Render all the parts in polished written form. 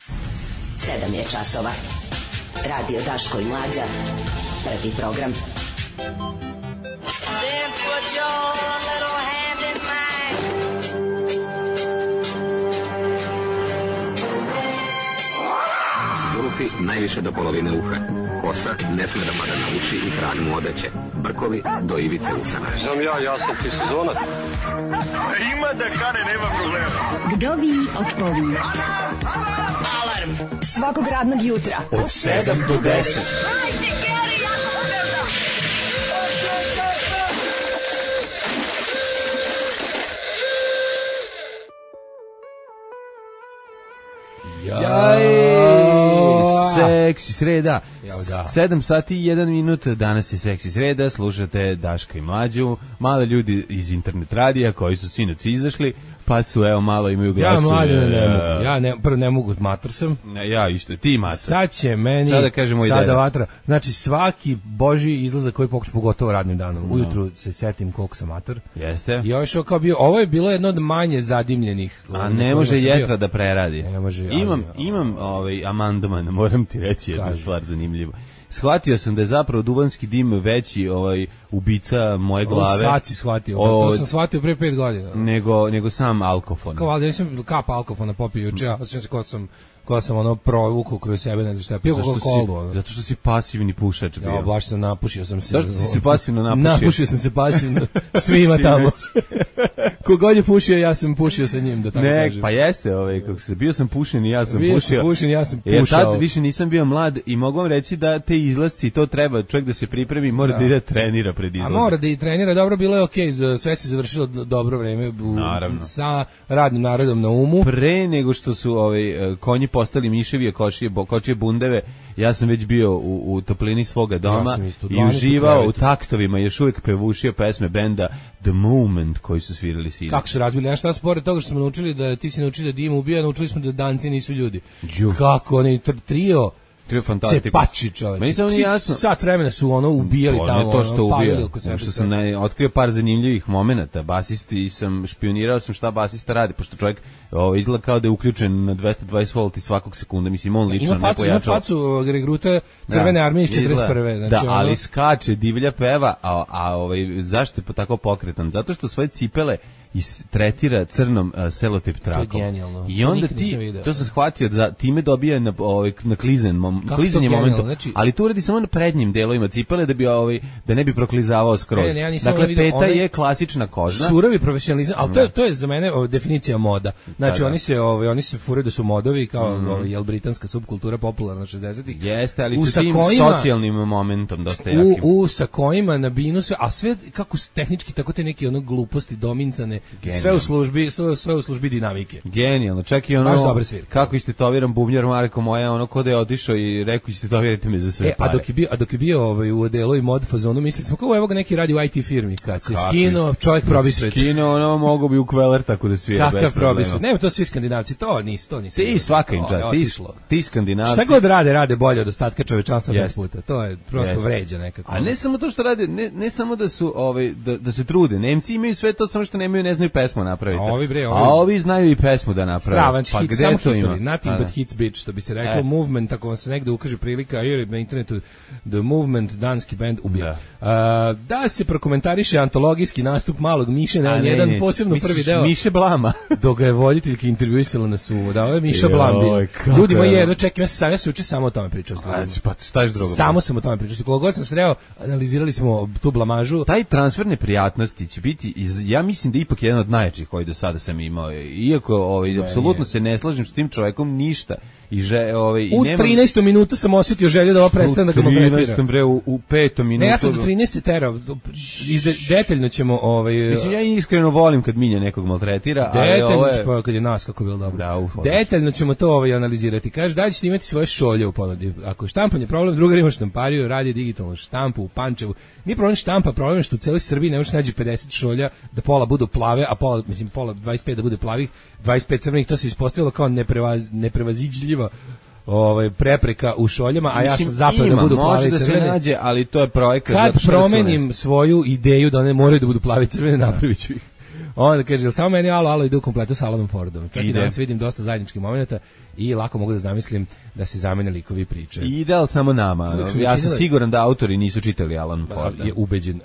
7 je časova. Radio Daško i Mlađa. Prvi program. Zulufi najviše do polovine uha. Kosa ne sme da pada na uši i krag mu odeće. Brkovi do ivice usana. Sam ja sam ti sezonac. Ima da kane, nema problema. Vdovi od pović. Alarm svakog radnog jutra od 7 do 10. Seksi sreda. 7 sati i 1 minut. Danas je seksi sreda. Slušate Daška i Mlađu. Mali ljudi iz internet radija koji su sinoć izašli, pa su evo malo imaju glasove. Ja mlađe ne mogu. Ja prvo ne mogu, mator sam. Ja isto, ti mator. Sad će meni sada vatra. Znači svaki božji izlazak koji pokuša, pogotovo radnim danom. Ujutru se setim koliko sam mator. Jeste. I ovo je bilo jedno od manje zadimljenih. A ne može jetra da preradi. Ne može. Imam amandman, moram ti reći jednu stvar zanimljivu. Shvatio sam da je zapravo duvanski dim veći ubica moje glave. Sad si shvatio, to sam shvatio pre 5 godina. Nego sam alkofon. Kao valjda nisam kap alkofona popio juče, ja osjećam se ko sam provukao kroz sebe, ne znam šta. Pio Coca-Colu. Zato što si pasivni pušač bio. Ja, baš sam napušio sam se. Zašto si se pasivno napušio? Napušio sam se pasivno, svima tamo. Kogod je pušio, ja sam pušio sa njim, da tako kažem. Pa jeste, kako se bio sam pušen i ja sam pušio. Bio sam pušen i ja sam pušao. Tad više nisam bio mlad i mogu vam reći da te izlasci, to treba, čovjek da se pripremi, mora da ide trenira pred izlazom. A mora da i trenira, dobro, bilo je okej, sve se završilo dobro vreme sa radnim narodom na umu. Pre nego što su konji postali miševi, kočije bundeve, ja sam već bio u toplini svoga doma i uživao u taktovima, još uvijek pevušio pesme benda The Movement koji su svirali sinoć. Kako su razbili, ja šta spore toga što smo naučili da ti si naučili da dim ubija, naučili smo da danci nisu ljudi. Kako oni trio cepači, čoveče. Meni samo nije jasno. Sat vremena su ubijali tamo. Ne to što ubija. Što sam otkrio par zanimljivih momenata. Basisti sam, špionirao sam šta basista radi, pošto čovjek izgleda kao da je uključen na 220 volti svakog sekunda. Mislim, on lično ne pojačao. Ima facu regruta Crvene armije iz 41. Da, ali skače, divlja peva, a zašto je tako pokretan? Zato što svoje cipele tretira crnom selotip trakom. To je genijalno. I onda to sam shvatio da time dobija na klizanje momentu, znači, ali to uradi samo na prednjim delovima cipele da bi da ne bi proklizavao skroz. Dakle, peta je klasična kožna. Surovi profesionalizam, ali to je za mene definicija moda. Znači oni se furaju da su modovi kao britanska subkultura popularna 60-ih. Jeste, ali sa tim socijalnim momentom dosta jakim. U sakojima na binu sve, a sve kako tehnički tako te neke gluposti domincane. Sve u službi dinamike. Genijalno, čak i kako istetoviram bubnjar Marko moja, ko da je otišao i rekao istetovirajte me za sve pare. A dok je bio u odelu i mod fazonu, mislili smo kao evo ga neki radi u IT firmi, kad se skinuo, čovjek probi svet. Skinuo, mogo bi u kveler tako da svira bez problema. Nema, to svi Skandinavci, to nisu. Ti svaka im čast, ti Skandinavci. Šta god rade bolje od ostatka čovečanstva 10 puta, to je prosto vređa nekako. A ne samo to što rade, ne samo da su da se trude, Nemci imaju sve to, samo što nemaju, ne znaju pesmu napraviti. A ovi znaju i pesmu da naprave. Pa gde to ima? Nothing but hits bitch, što bi se rekao. Movement, ako vam se negde ukaže prilika, na internetu The Movement, danski band ubija. Da se prokomentariše antologijski nastup Malog Miše, jedan posebno prvi deo. Miše Blama. Dok ga je voditeljka intervjuisala na sumu. Da, ovo je Miša Blam bio. Ljudi moji, jedno čekaj, ja se uče samo o tome pričao. Pa šta je drugo? Samo sam o tome pričao. Koliko god sam sreo, analizirali smo tu blamažu. Taj transfer neprijatnosti će biti, ja mislim da ipak jedan od najjačih koji do sada sam imao. Iako apsolutno se ne slažem s tim čovjekom ništa. U 13. minutu sam osjetio želju da ovo prestane da ga maltretira. U 5. minutu. Ne, ja sam do 13. terao. Detaljno ćemo... Mislim, ja iskreno volim kad Milja nekog maltretira. Detaljno, kad je nas, kako bilo dobro. Detaljno ćemo to analizirati. Kaže, da li ćete imati svoje šolje u ponudi? Ako je štampanje problem, drugar ima štampariju, radi digitalnu štampu u Pančevu. Nije problem štampa, problem je što u celoj Srbiji ne možeš naći 50 šolja, da pola budu plave, a pola 25 da bude plavih, 25 crvenih, to se ispostavilo kao neprevaziđljiva prepreka u šoljama, a ja sam zapeo da budu plavi crvene. Može da se nađe, ali to je projekat. Kad promenim svoju ideju da one moraju da budu plavi crvene, napravit ću ih. Onda kaže, samo meni alo ide u kompletu sa Alanom Fordom. Čak i danas vidim dosta zajedničkih momenta i lako mogu da zamislim da se zamene likovi priče. Ide, ali samo nama. Ja sam siguran da autori nisu čitali Alan Forda. Je ubeđen.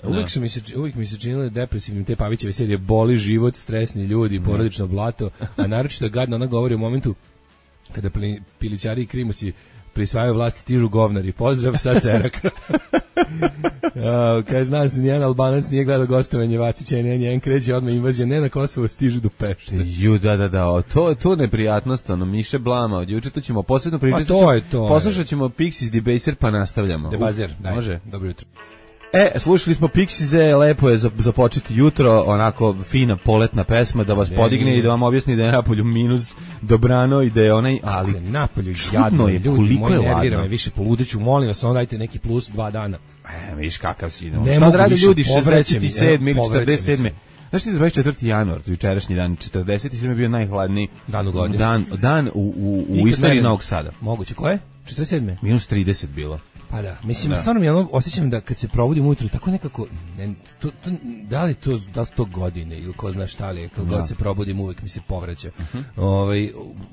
Uvijek mi se činilo depresivnim te Pavićeve serije, boli život, stresni ljudi, porodično blato, a naročito je gadno, ona govori u momentu kada pilićari i krimusi prisvajaju vlasti, stižu govnari. Pozdrav, sad Cerak. Kaže, nas nijedan Albanac nije gledao gostovanje Vacića i njen kreće odmah invazija, ne na Kosovo, stižu do Pešte. Da, to neprijatnost, ono, Miše Blama, od juče to ćemo posebno pričati. Poslušat ćemo Pixies Debaser, pa nastavljamo. Debaser, daj. Može. Dobro jutro. Slušali smo Pixies, lepo je započeti jutro, onako fina poletna pesma da vas podigne i da vam objasni da je napolju minus dobrano i da je onaj, ali napolju jadno je, koliko je ladno. Me više poludeću, molim vas, onda dajte neki plus 2 dana. Viš kakav si. Šta da radi ljudi 67 ili 47. Znaš ti da 24. januar, jučerašnji dan, 47. je bio najhladniji dan u godini. Dan u istoriji Novog Sada. Moguće, ko je? 47. Minus 30 bilo. Pa da, mislim, stvarno mi osjećam da kad se probudim ujutru, tako nekako, da li to godine ili ko zna šta li je, kad god se probudim uvek mi se povraća.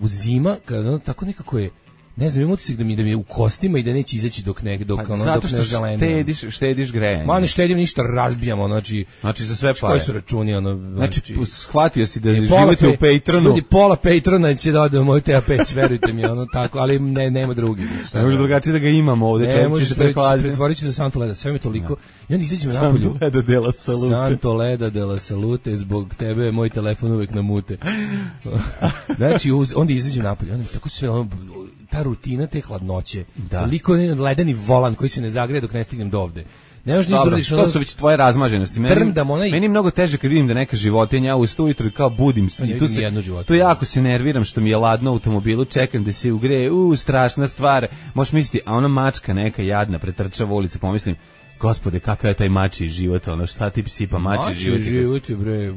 U zima, kad tako nekako je, ne znam, imam utisak da mi je u kostima i da neće izaći dok ne želeno. Zato što štediš grejanje. Ma ne štedim ništa, razbijamo, znači za sve pare. Koji su računi, znači shvatio si da živite u Patronu. Ljudi, pola Patrona će da ode u moj TA5, verujte mi, tako, ali nema drugi. Ne može drugačije da ga imamo ovde, čovjek će se prehladiti. Pretvorit će se Santo Leda, sve mi toliko. I onda izađemo napolju. Santo Leda de la Salute, zbog tebe moj telefon uvek na mute. Znači, onda izađemo napolju, onda tako sve ta rutina te hladnoće, toliko ledeni volan koji se ne zagreje dok ne stignem do ovde. Ne možeš ništa uradiš. To su već tvoje razmaženosti. Meni je mnogo teže kad vidim da neka životinja ustaje ujutro i kao budim se. I tu jako se nerviram što mi je ladno u automobilu, čekam da se ugreje, strašna stvar. Možeš misliti, a ona mačka neka jadna pretrčava ulicu, pomislim, Gospode, kakav je taj mačji život, šta ti sipa mačji život? Mačji život je, bre,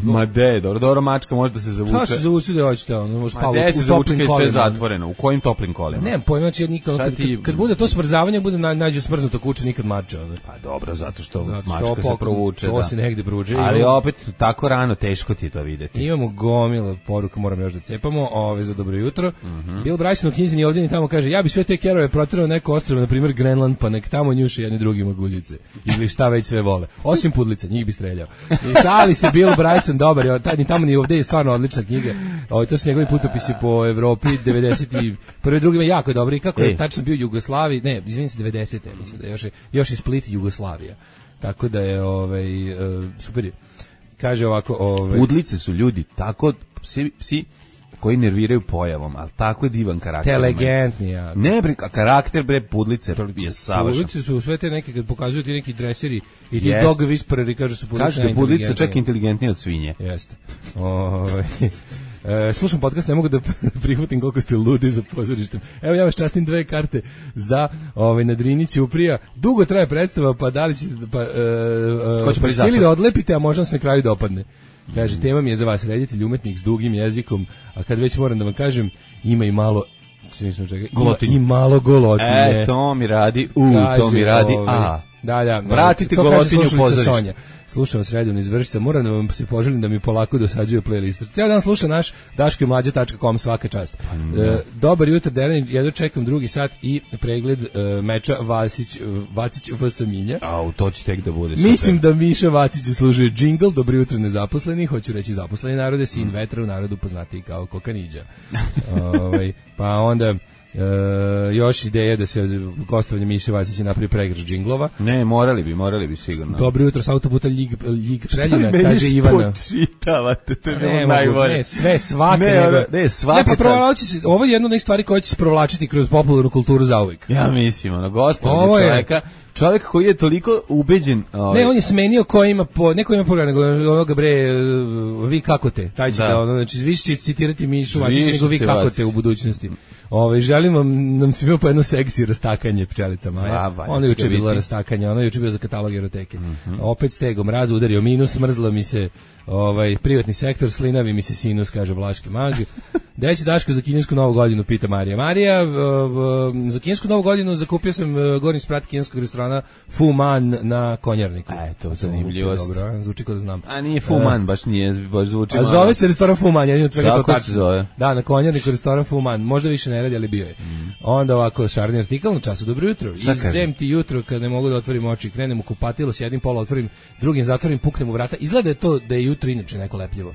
Ma de, dobro, mačka može da se zavuče. Šta se zavuče da hoćete, može spavati u toplim kolima. Gde se zavuče kad je sve zatvoreno, u kojim toplim kolima? Nemam pojma, znači kad bude to smrzavanje, bude nađu smrznuto kuće, nikad mača. Pa dobro, zato što mačka se provuče. To se negde provuče. Ali opet, tako rano, teško ti je to videti. Imamo gomila poruka, moram još da cepamo, za dobro jutro. Bill Bryson u knjizi ovdje i tamo kaže, ja bi sve te kerove proterao neko ostrvo, na primjer Grenland, pa nek tamo njuše jedni drugima guljice. Ili šta već sve vole. Osim pudlica, njih bi streljao. I šali se Bill Bryson, dobar je, ni tamo ni ovdje je stvarno odlična knjiga. To su njegovi putopisi po Evropi, 91. drugima jako je dobro. I kako je tačno bio Jugoslaviji, ne, izvinim se 90. mislim da još je Split Jugoslavija. Tako da je, super je. Kaže ovako, Pudlice su ljudi, tako, psi koji nerviraju pojavom, ali tako je divan karakter. Inteligentni, ja. Ne, karakter, pudlice je savršen. Pudlice su sve te neke, kad pokazuju ti neki dreseri i ti dog whispereri, kažu su pudlice najinteligentnije. Kažu da pudlice čak inteligentnije od svinje. Jeste. Slušam podcast, ne mogu da prihvatim koliko ste ludi za pozorištem. Evo ja vas častim 2 karte za na Drini Ćuprija. Dugo traje predstava, pa da li ćete ili da odlepite, a možda se na kraju dopadne. Kaže, tema mi je za vas reditelj, umetnik s dugim jezikom, a kad već moram da vam kažem, ima i malo i malo golotine. To mi radi, to mi radi, Da. Vratite golotinu u pozorište. Slušam vas redovno iz Vršca, moram da vam se poželim da mi polako dosađuje playlist. Cijel dan slušam naš daškomlađa.com, svaka čast. Dobar jutro, Deran, jedno čekam 2. sat i pregled meča Vacić vs. Minja. To će tek da bude super. Mislim da Miša Vacić zaslužuje džingl, dobro jutro nezaposleni, hoću reći zaposleni narode, sin vetra u narodu poznatiji kao Kokaniđa. Pa onda... još ideja da se gostovanje Miše Vacića napravi pregrš džinglova. Ne, morali bi sigurno. Dobro jutro, sa autoputa Ljig Preljina, kaže Ivana. Šta mi počitavate, to je bilo najbolje. Ne, sve, svaka. Svaka. Ovo je jedna od stvari koja će se provlačiti kroz popularnu kulturu zauvek. Ja mislim, gostovanje čovjek koji je toliko ubeđen. Ne, on je smenio neko ima pogled, nego ovoga vi kako te, taj će znači vi ćete citirati Mišu Vacića, nego vi kako te u budućnosti. Želim nam svima po jedno seksi rastakanje pčelica Maja. Ono je juče bilo rastakanje, ono je juče bio za katalog eroteke. Opet stegom mraz udario minus, smrzla mi se privatni sektor, slinavi mi se sinus, kaže Vlaški mag. Gde će Daško za kinesku novu godinu, pita Marija. Marija, za kinesku novu godinu zakupio sam gornji sprat kineskog restorana Fu Man na Konjarniku. To zanimljivost. Dobro, zvuči kao da znam. A nije Fu Man, baš nije, baš zvuči malo. A zove se restoran Fu Man, jedin od svega to tačno. Zove? Da, na Konjarniku restoran Fu Man. Možda više ne radi, ali bio je. Onda ovako, šarni artikal na času, dobro jutro. Izem ti jutro kad ne mogu da otvorim oči, krenem u kupatilo, sjedim pola, otvorim, drugim zatvorim, puknem u vrata. Izgleda je to da je jutro inače neko lepljivo.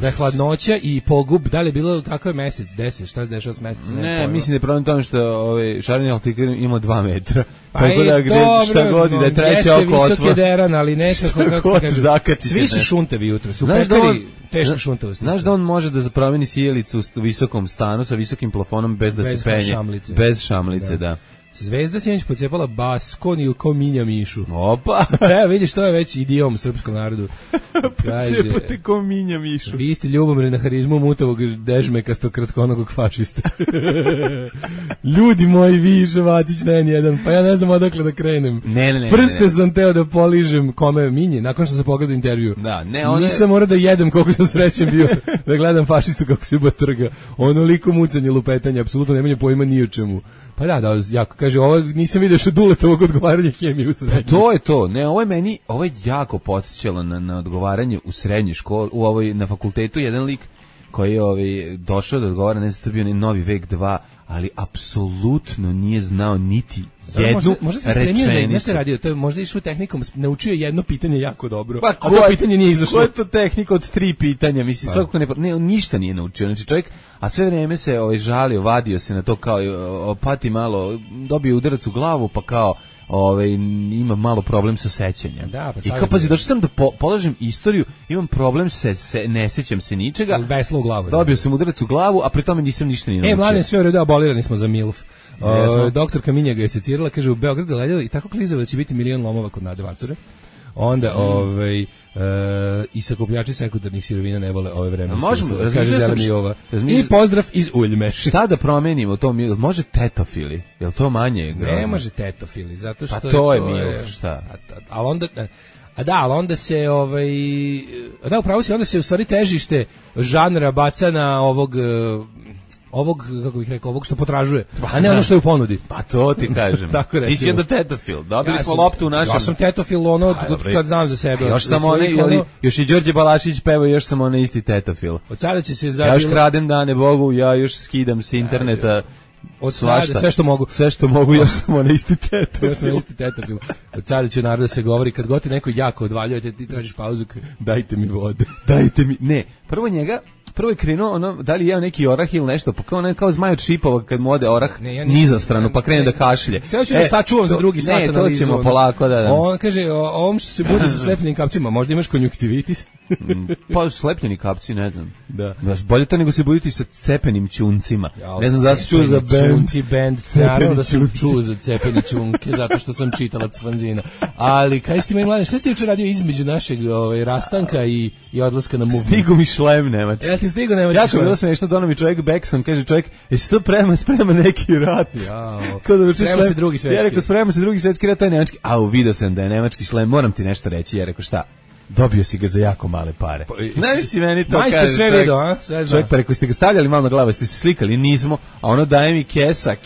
Da je hladnoća i pogub, da li je bilo kakav je mesec, 10, šta se dešava s mesecom? Ne, mislim da je problem tome što šareni artikal ima 2 metra. Pa tako da gde šta god da je treće oko otvor. Jeste visok deran, ali nekako kako kažem. Svi su šuntevi jutro, su pekari teška šuntavost. Znaš da on može da promeni sjelicu u visokom stanu sa visokim plafonom bez da se penje. Bez šamlice, da. Zvezda sinoć pocepala Baskoniju ko Minja Mišu. Opa! Vidiš, to je već idiom srpskom narodu. Pocepate ko Minja Mišu. Vi ste ljubomorni na harizmu mutavog dežmekastog kratkonogog fašista. Ljudi moji, vi Ševatić na N1, pa ja ne znam odakle da krenem. Ne. Prste sam teo da poližem kome Minje, nakon što sam pogledao intervju. Da, nisam morao da jedem koliko sam srećen bio da gledam fašistu kako se trga. Onoliko mucanje, lupetanje, apsolutno nemanje pojma ni o čemu. Pa da, jako, kaže, ovo nisam vidio što Duletovog odgovaranja hemije u srednjoj. To je to, ne, ovo je jako podsjećalo na odgovaranje u srednjoj školi, na fakultetu, jedan lik koji je došao da odgovara, ne znam, to je bio Novi vek 2, ali apsolutno nije znao niti jednu možda se spremio da nešto radio, to je možda išao tehnikom, naučio jedno pitanje jako dobro, a to pitanje nije izašlo. Koja je to tehnika od 3 pitanja? Mislim, svakako ništa nije naučio. Znači čovjek, a sve vrijeme se žalio, vadio se na to kao pati malo, dobio udarac u glavu, pa kao ima malo problem sa sećanjem. Da, pa i kao pazi, došao sam da polažem istoriju, imam problem ne sećam se ničega. Veslo u glavu. Dobio sam udarac u glavu, a pri tome nisam ništa ni naučio. Mladen, sve u redu, abolirani smo za MILF. Doktorka Minja ga je secirala, kaže u Beogradu gledala i tako klizava da će biti 1.000.000 lomova kod Nade Vacure. Onda i sakupljači sekundarnih sirovina ne vole ove vremenske. Kaže Zeleni ova. I pozdrav iz Uljme. Šta da promenimo to? Može tetofili? Jel to manje? Ne može tetofili, zato što pa to je MILF, šta? Ali onda ali onda se upravo si, onda se u stvari težište žanra baca na ovog, kako bih rekao, ovog što potražuje, a ne ono što je u ponudi. Pa to ti kažem. Ti si onda tetofil. Dobili smo loptu u našem. Ja sam tetofil kad znam za sebe. Još sam još i Đorđe Balašić peva, još sam onaj isti tetofil. Od sada će se ja još kradem dane Bogu, ja još skidam s interneta. Od sada, sve što mogu, još sam onaj isti tetofil. Od sada će narod da se govori, kad god ti neko jako odvaljujete, ti tražiš pauzu, dajte mi vode. Dajte mi, ne, prvo je krenuo da li jeo neki orah ili nešto, pa kao zmaj od šipova kad mu ode orah niza stranu, pa krene da kašlje. Sve ću da sačuvam za drugi sat analizu. Ne, to ćemo polako da. On kaže, ovom što se bude sa slepljenim kapcima, možda imaš konjuktivitis? Pa slepljeni kapci, ne znam. Da. Bolje to nego se buditi sa cepenim ćuncima. Ne znam da se čuo za band. Naravno da sam čuo za cepeni ćunke, zato što sam čitalac fanzina. Ali, kažeš ti meni, Mladen, šta si ti juče radio između našeg rastanka i odlaska na movie? Stigu mi šlem nemački. Ja ti stigu nemački šlem. Jako bilo smiješno, dono mi čovjek Bekson, kaže čovjek, jesi to sprema neki rat? Sprema se drugi svetski. Ja rekao, sprema se drugi svetski rat, to je nemački. Vidio sam da je nemački šlem, moram ti nešto reći. Ja rekao, šta? Dobio si ga za jako male pare. Ne si meni to kaže. Majste sve video, a? Čovjek, pa rekao, ste ga stavljali malo na glavu, ste se slikali, nismo, a ono daje mi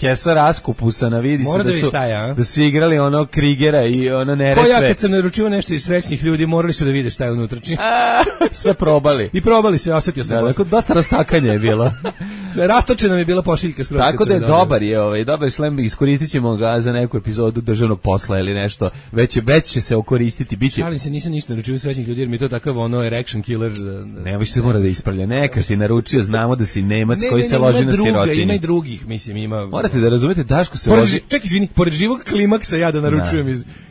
kesa raskupusana, vidi se da su igrali ono Krigera i ono Neretve. Ko ja kad sam naručio nešto iz srećnih ljudi, morali su da vide šta je unutrašnje. Sve probali. I probali sve, osjetio sam. Da, dosta rastakanja je bilo. Rastočena mi je bila pošiljka skroz. Tako da je dobar šlem, iskoristit ćemo ga za neku epizodu državnog posla ili nešto, već će se okoristiti, biće. Šalim se, nisam ništa naručio srećnih ljudi, jer mi je to takav erection killer. Ne, više se mora da ispravlja. Neka si naručio, znamo da si Nemac koji se loži na sirotini. Ima i drugih, mislim, ima. Morate da razumete, Daško se loži. Ček, izvini, pored živog klimaksa ja da naručujem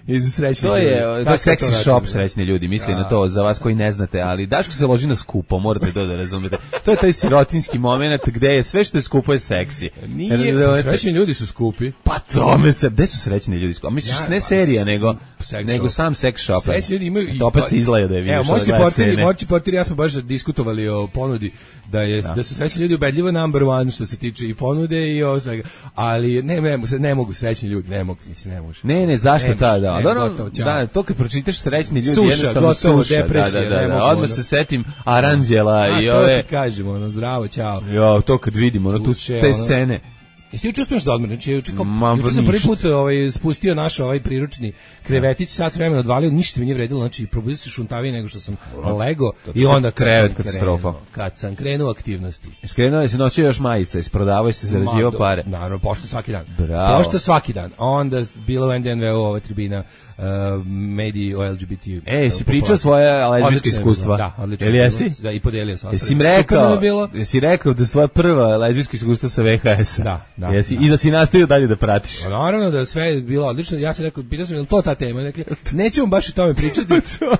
iz srećnih ljudi. To je seksi shop srećni ljudi, misli na to, za vas koji ne znate, ali Daško se loži na skupo, morate da razumete. To je taj sirotinski moment gde je sve što je skupo je seksi. Nije, srećni ljudi su skupi. Pa tome se, gde su srećni ljudi skupi? Misliš, ne serija, nego sam sex shop. Srećni ljudi imaju, opet se izgleda da je vidiš. Evo, moći portir, ja smo baš diskutovali o ponudi, da su srećni ljudi ubedljivo number one što se tiče i ponude i ovo svega, ali ne mogu srećni ljudi, ne može. Ne, zašto ta, da, to kad pročitaš srećni ljudi, jednostavno suša, depresija, odmah se setim Aranđela i ove... To ti kažemo, zdravo, čao. Jo, to kad vidimo, te scene. Jesi juče uspješ da odmor? Znači, juče sam prvi put spustio naš priručni krevetić, sat vremena odvalio, ništa mi nije vredilo, znači probudio se šuntavije nego što sam lego i onda kad sam krenuo aktivnosti. Skrenuo je se nosio još majice, isprodavao se, zarađivao pare. Naravno, pošta svaki dan. Bravo. Pošta svaki dan. Onda bilo u NDNV-u ova tribina mediji o LGBT. Si pričao svoje lezbijske iskustva? Da, odlično. Ili jesi? Da, i podelio sam. Jesi rekao da je tvoja prva lezbijska iskustva sa VHS-a? Da. I da si nastavio dalje da pratiš. Naravno da sve je bilo odlično. Ja sam rekao, pitao sam, je li to ta tema? Dakle, nećemo baš o tome pričati.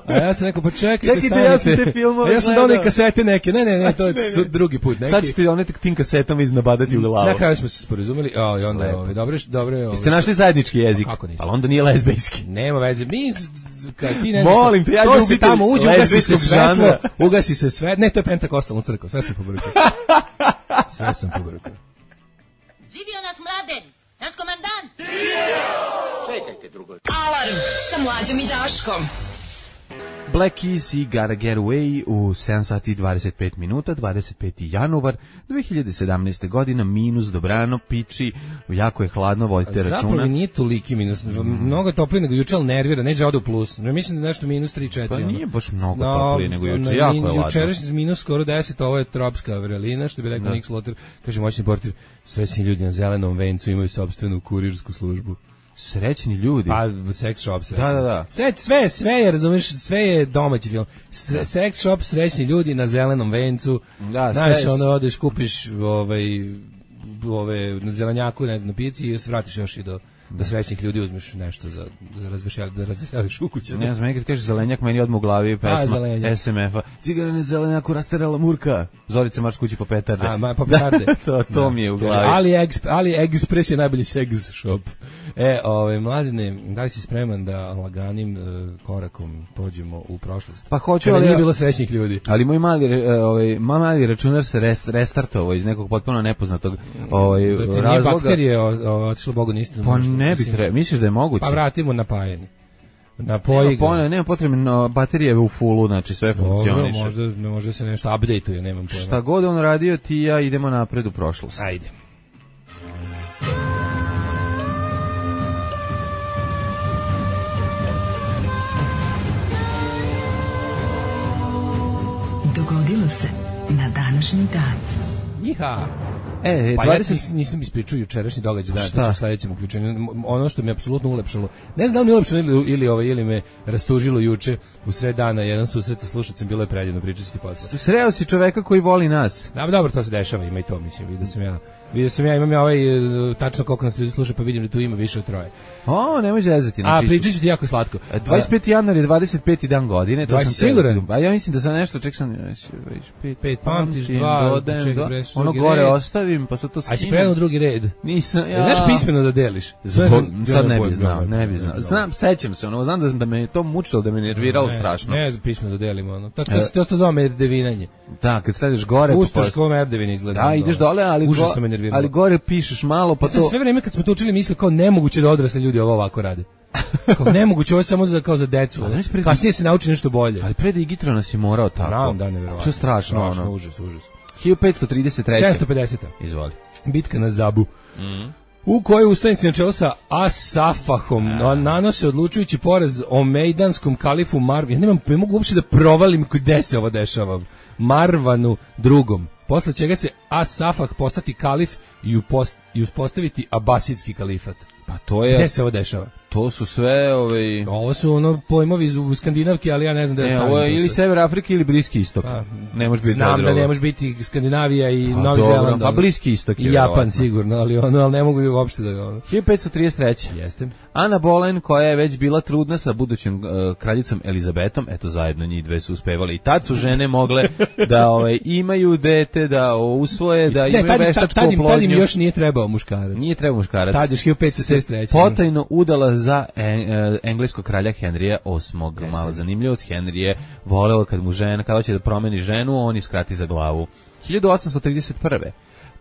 A ja sam rekao, pa čekajte, ja sam te filmove. Ja sam dao neke kasete neke. Ne, to je drugi put. Sad ćete one tim kasetama iznabadati u glavu. Na kraju smo se sporazumeli. I onda dobro. Jeste našli zajednički jezik? Ali onda nije lezbijski. Nema veze. Kad ti ne molim te, ja to se tamo uđe, ugasi se sve. Ne, to je pentakostalna crkva. Sve sam pobrukao. Živio naš Mladen, naš komandant! Čekajte drugo. Alarm sa Mlađom i Daškom. Black Keys i Gotta Get Away u 7 sati i 25 minuta, 25. januar 2017. godina, minus dobrano, piči, jako je hladno, vodite računa. Zapravo nije toliki minus, mnogo toplije nego juče, ali nervira, neđe ode u plus. Mislim da nešto minus 3-4. Pa nije baš mnogo toplije nego juče, jako je hladno. Jučerašnji minus skoro 10, ovo je tropska vrelina, što bi rekao Nick Slaughter, kaže moćni portir, srećni ljudi na zelenom vencu imaju sopstvenu kurirsku službu. Srećni ljudi. Pa sex shop srećni. Da. Sve je, razumeš, sve je domaći film. Sex shop, srećni ljudi na zelenom vencu. Da, znaš, onda odeš, kupiš na zelenjaku, ne znam, na pici i se vratiš još i do srećnih ljudi, uzmeš nešto za razvešaviš u kuće. Ne znam, kad kažeš zelenjak, meni odmah u glavi pesma SMF-a. Cigarane zelenjaku rastarala Murka. Zorica marš kući po petarde. Po petarde. to mi je u glavi. Ali Express je najbolji sex shop. Mladine, da li si spreman da laganim korakom pođemo u prošlost? Pa hoću, ali nije bilo srećnih ljudi. Ali moj mali računar se restartovao iz nekog potpuno nepoznatog razloga. Nije bakterije otišlo Bogu nistinu. Pa ne bi trebalo, misliš da je moguće? Pa vratimo napajanje. Nema potrebno, baterije je u fullu, znači sve funkcioniše. Možda se nešto update-uje, nemam pojma. Šta god on radio, ti i ja idemo napred u prošlost. Ajde. Dogodilo se na današnji dan. Iha! Pa ja nisam ispričao jučerašnji događaj, da u sledećem uključenju. Ono što mi je apsolutno ulepšalo, ne znam da li mi ulepšalo ili me rastužilo juče u sred dana, jedan susret sa slušacem, bilo je predivno, pričati ti posle. Sreo si čoveka koji voli nas. Da, dobro, to se dešava, ima i to, mislim, vidio sam ja, imam tačno koliko nas ljudi sluša, pa vidim da tu ima više od 3. Nemoj zezati. A pričat ću ti jako slatko. 25. januar je 25. dan godine. To sam siguran? A ja mislim da sam nešto, ček sam 5 pamtiš, 2, ono gore ostavim, pa sad to skinem. A će predano drugi red. Nisam, ja. Znaš pismeno da deliš? Sad ne bi znao. Znam, sećam se, znam da me to mučilo, da me nerviralo strašno. Ne, pismeno da delimo. To zove merdevinanje. Da, kad stavljaš gore... Pustoš ko merdevina izgleda. Da, ideš dole, ali gore pišeš malo, pa to... Sve vreme kad smo to učili mislili kao nemoguće da odrasli ljudi ovo ovako rade. Kao nemoguće, ovo je samo kao za decu. Kasnije se nauči nešto bolje. Ali pre Digitro nas je morao tako. Znam, da, neverovatno. To je strašno. Užas. 1533. 750. Izvoli. Bitka na Zabu. U kojoj ustanici na čelo sa Asafahom nanose odlučujući poraz omejdanskom kalifu Marvanu. Ne mogu uopšte da provalim gde se ovo dešava. Marvanu drugom. Posle čega će Asafah postati kalif i uspostaviti abasidski kalifat. Pa to je... Gde se ovo dešava? To su sve Ovo su pojmovi u Skandinavki, ali ja ne znam da je ovo je ili Sever Afrike ili Bliski istok. Ne može biti. Znam da ne može biti Skandinavija i Novi Zeland. Pa Bliski istok je. I Japan sigurno, ali ne mogu uopšte da 1533. Jeste. Ana Boleyn, koja je već bila trudna sa budućom kraljicom Elizabetom, eto zajedno njih dve su uspevali. I tad su žene mogle da imaju dete, da usvoje, da imaju veštačku oplodnju. Tad im još nije trebao muškarac. Nije trebao muškarac. Tad još 1563. Potajno udala za engleskog kralja Henrija VIII. Malo zanimljivost, Henry je voleo kad mu žena, kada hoće da promeni ženu, on iskrati za glavu. 1831.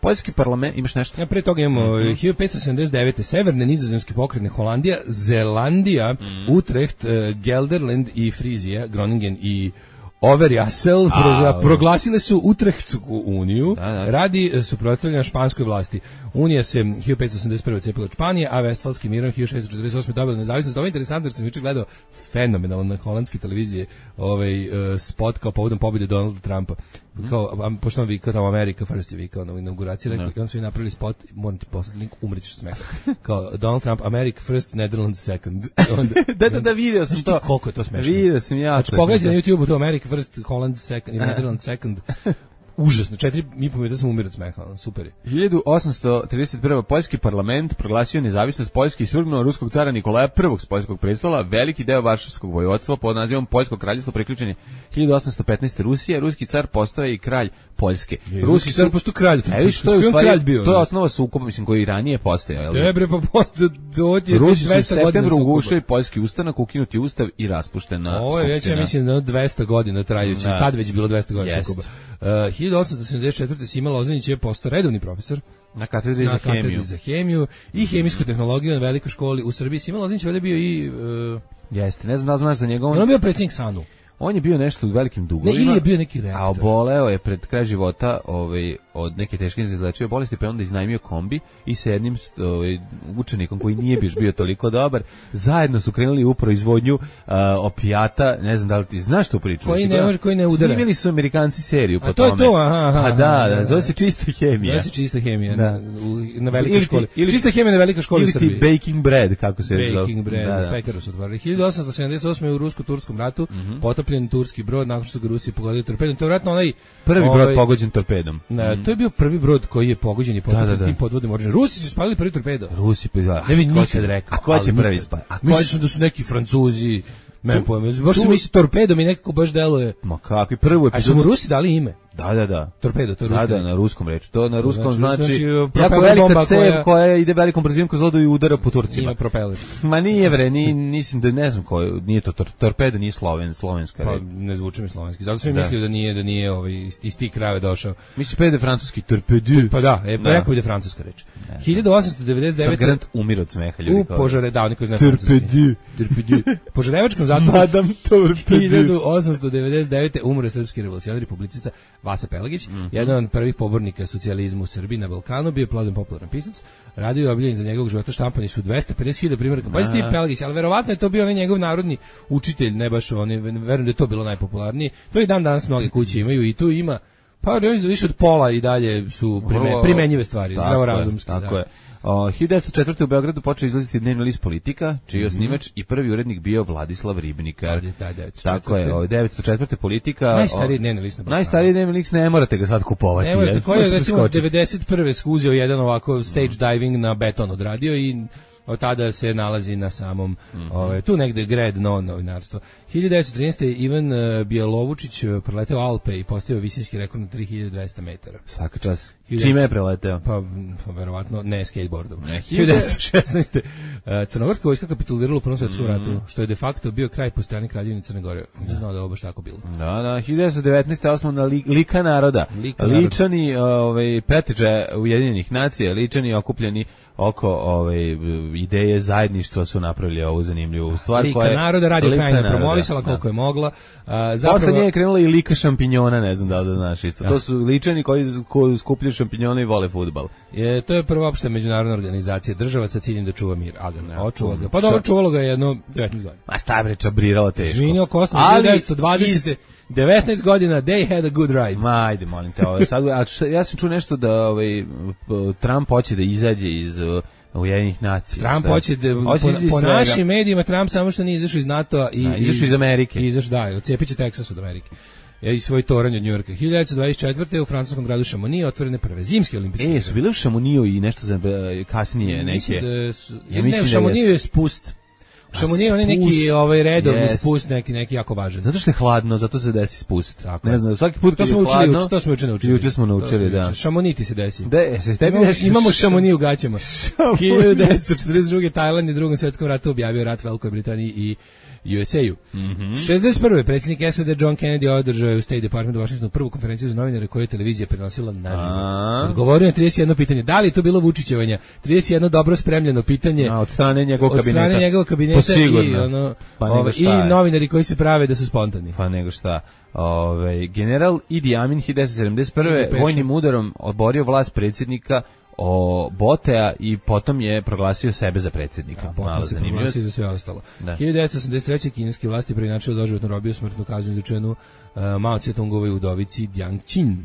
Poljski parlament, imaš nešto? Ja pre toga imamo 1579. Severne nizozemske pokrajine Holandija, Zelandija, Utrecht, Gelderland i Frizija, Groningen i Overijssel proglasile su Utrechtsku uniju radi suprotstavljanja španskoj vlasti. Unija se 1581. cepila od Španije, a Vestfalski mirom 1648. dobila nezavisnost. Ovo je interesantno jer sam juče gledao fenomenalno na holandske televizije spot kao povodom pobjede Donalda Trumpa. Kao, pošto on vikao tamo America First je vikao na inauguraciji, rekao, i on su i napravili spot, moram ti poslati link, umrećeš smeha. Kao Donald Trump, America First, Netherlands Second. Da, vidio sam to. Koliko je to smešno. Vidio sam ja. Znači, pogledajte na YouTube to America First, Holland Second i Netherlands Second. Užasno, 4,5 minuta sam umirao od smeha, super je. 1831. Poljski parlament proglasio nezavisnost Poljske i svrgnuo ruskog cara Nikolaja I s poljskog prestola, veliki deo Varšavskog vojvodstva pod nazivom Poljsko kraljevstvo priključen je 1815. Rusije, ruski car postao je i kralj Poljske. Ruski car postao kralj. To je osnova sukoba, mislim, koji ranije postojao. Dobre, pa postao dođe 200 godina. Rusi su u septembru ugušili poljski ustanak, ukinuti ustav i raspuštena skupština. Ovo je već, ja mislim, 200 godina trajući. Tad već bilo 200 godina sukoba. 1874. Sima Lozanić je postao redovni profesor na katedri za hemiju i hemijsku tehnologiju na velikoj školi u Srbiji. Sima Lozanić je bio i... Jeste, ne znam da znaš za njegov... On je bio predsjednik SANU. On je bio nešto u velikim dugovima. Ne, ili je bio neki reaktor. A oboleo je pred kraj života od neke teške izlečive bolesti, pa onda iznajmio kombi i sa jednim učenikom koji nije bio toliko dobar, zajedno su krenuli u proizvodnju opijata, ne znam da li ti znaš tu priču. Koji ne udara. Snimili su Amerikanci seriju po tome. A to je to, aha. Pa da, zove se čista hemija. Zove se čista hemija na velikoj školi. Čista hemija na velikoj školi u Srbiji. Ili ti baking bread, kako se zove. Baking bread, pekaru su otvorili. 1878. u Rusko-Turskom ratu potopljen turski brod nakon što su ga Rusi pogodili torpedom. To je vjerojatno onaj prvi brod pogođen torpedom. To je bio prvi brod koji je pogođen i potopljen tim podvodnim oružjem. Rusi su spalili prvi torpedo. Rusi pa ne bi nikad rekao. A ko će prvi spaliti? Mislim da su neki Francuzi. Meni pojme. Baš su misli torpedom i nekako baš deluje. Ma kakvi prvu epizodu. A su mu Rusi dali ime? Da. Torpedo, to je ruski. Da, na ruskom reči. To na ruskom znači jako velika cev koja ide velikom brzinom kroz vodu i udara po Turcima. Ima propeler. Ma nije mislim da ne znam ko, nije to torpedo, nije slovenska reč. Pa ne zvuči mi slovenski. Zato sam mislio da nije iz tih krajeva došao. Misliš pa ide francuski torpedo? Pa da, jako ide francuska reč. 1899. Grant umire od smeha, ljudi. U Požarevačkom koji zna francuski. Požarevačkom zatvoru. Madame Torpedo. 1899. umre srpski revolucionar i publicista Vasa Pelagić, jedan od prvih pobornika socijalizma u Srbiji na Balkanu, bio je plodno popularan pisac, radio je obiljen za njegovog života, štampani su 250.000 primjeraka. Pa ti Pelagić, ali verovatno je to bio onaj njegov narodni učitelj, ne baš on, verujem da je to bilo najpopularnije. To i dan danas mnoge kuće imaju i tu ima, pa više od pola i dalje su primenjive stvari, zdravorazumski. Tako je. 1904. u Beogradu počeo izlaziti dnevni list Politika, čiji je osnivač i prvi urednik bio Vladislav Ribnikar. Tako je, 1904. Politika. Najstariji dnevni list na Balkanu. Najstariji dnevni list ne morate ga sad kupovati. Ne morate, koji je recimo 91. skuzio jedan ovako stage diving na beton odradio i od tada se nalazi na samom tu negde grad novinarstva. 1913. Ivan Bjelovučić preleteo Alpe i postavio visinski rekord na 3200 metara. Svaka čast. Čime je preleteo? Pa verovatno ne skateboardom. 1916. Crnogorska vojska kapitulirala u Prvom svjetskom ratu, što je de facto bio kraj postojanja Kraljevine Crne Gore. Ne znao da je ovo baš tako bilo. Da, 1919. osnovna Lika naroda. Ličani preteča Ujedinjenih nacija, ličani okupljeni oko ideje zajedništva su napravili ovu zanimljivu stvar. Lika naroda, Radio Krajina promovisala koliko je mogla. Posle nje je krenula i Lika šampinjona, ne znam da znaš isto. To su ličani koji skupljaju šampinjone i vole fudbal. To je prva opšta međunarodna organizacija država sa ciljem da čuva mir. Očuva ga. Pa dobro, čuvalo ga je jedno 19 godina. Ma šta je bre, čabriralo teško. Izvinio Kosno, 1920. 19 godina, they had a good ride. Ma, ajde, molim te. Ja sam čuo nešto da Trump hoće da izađe iz Ujedinjenih nacija. Trump hoće da, po našim medijima, Trump samo što nije izašao iz NATO-a i izašao iz Amerike. Ocijepit će Teksas od Amerike. I svoj toranj od Njujorka. 1924. u francuskom gradu Šamonije otvorene prve zimske olimpijske igre. Su bile u Šamoniju i nešto za kasnije neke. U Šamoniju je spust. Šamoni je onaj neki redovni spust, neki jako važan. Zato što je hladno, zato se desi spust. Tako. Ne znam, svaki put kad je hladno... To smo učili. Juče smo naučili, da. Šamoni ti se desi. Se tebi desi. Imamo Šamoni u gaćama. 1942. Tajland je u Drugom svjetskom ratu objavio rat Velikoj Britaniji i USA-u. 61. predsjednik SAD John Kennedy održao u State Department u Washingtonu prvu konferenciju za novinare koju je televizija prenosila naživo. Odgovorio na 31 pitanje. Da li je to bilo Vučićevanje? 31 dobro spremljeno pitanje. Od strane njegovog kabineta. Od strane njegovog kabineta i novinari koji se prave da su spontani. Pa nego šta. General Idi Amin 1971. vojnim udarom oborio vlast predsjednika Botea i potom je proglasio sebe za predsjednika. Potom se proglasio za sve ostalo. 1983. kineske vlasti preinačilo doživotnu robiju smrtnu kaznu izrečenu Mao Tse-tungovoj udovici Jiang Qin.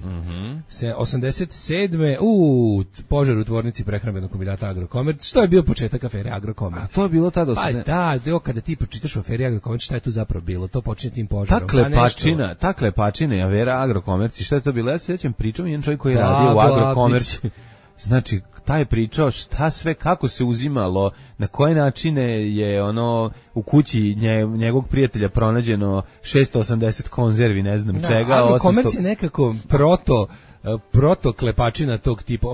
87. Požar u tvornici prehrambenog kombinata Agrokomerc, što je bio početak afere Agrokomerc. A to je bilo tada? Pa da, kada ti pročitaš o aferi Agrokomerc, šta je tu zapravo bilo? To počinje tim požarom. Ta klepačina je afera Agrokomerc i šta je to bilo? Ja se sjećam, pričam jedan čovjek koji je radio u Agrokomercu. Znači, taj je pričao šta sve, kako se uzimalo, na koje načine je u kući njegovog prijatelja pronađeno 680 konzervi, ne znam čega. Agrokomerc je nekako proto klepačina tog tipa.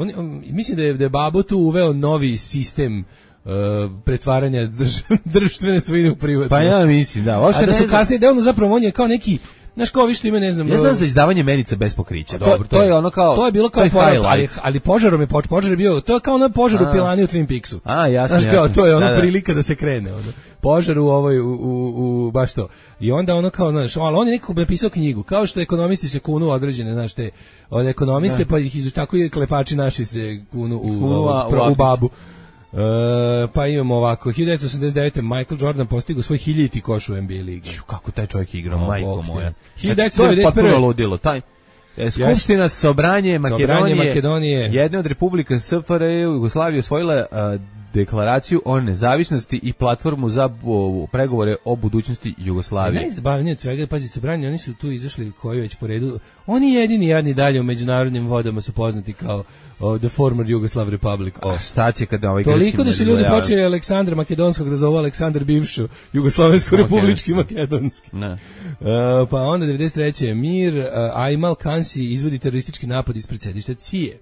Mislim da je Babo tu uveo novi sistem pretvaranja društvene svojine u privatnu. Pa ja mislim, da. A da su kasnije, da zapravo on je kao neki... Znaš kao vi što ima, ne znam... Ja znam za izdavanje menica bez pokrića. To je ono kao... To je bilo kao ali požarom je požar je bio... To je kao ono požar u pilani u Twin Peaksu. Jasno. Znaš kao, to je ono prilika da se krene. Požar u baš to. I onda ono kao, znaš, ali on je nekako napisao knjigu. Kao što ekonomisti se kunu određene, znaš, te od ekonomiste, pa ih tako i klepači naši se kunu u babu. Pa imamo ovako, 1989. Michael Jordan postigao svoj 1000. koš u NBA ligi. Kako taj čovjek igrao, majko moja. 1991. To je potpuno ludilo, Skupština Sobranje Makedonije, jedna od republika SFRJ Jugoslavije osvojila deklaraciju o nezavisnosti i platformu za pregovore o budućnosti Jugoslavije. Najzabavnije od svega, pazite, Sobranje, oni su tu izašli koji već po redu. Oni jedini jadni dalje u međunarodnim vodama su poznati kao the former Yugoslav Republic. Šta će kada ovaj toliko da su ljudi počeli Aleksandra Makedonskog da zovu Aleksandar bivšu Jugoslavensku republički makedonski. Pa onda 93. Mir, Aymal Kansi izvodi teroristički napad ispred sedišta CIA.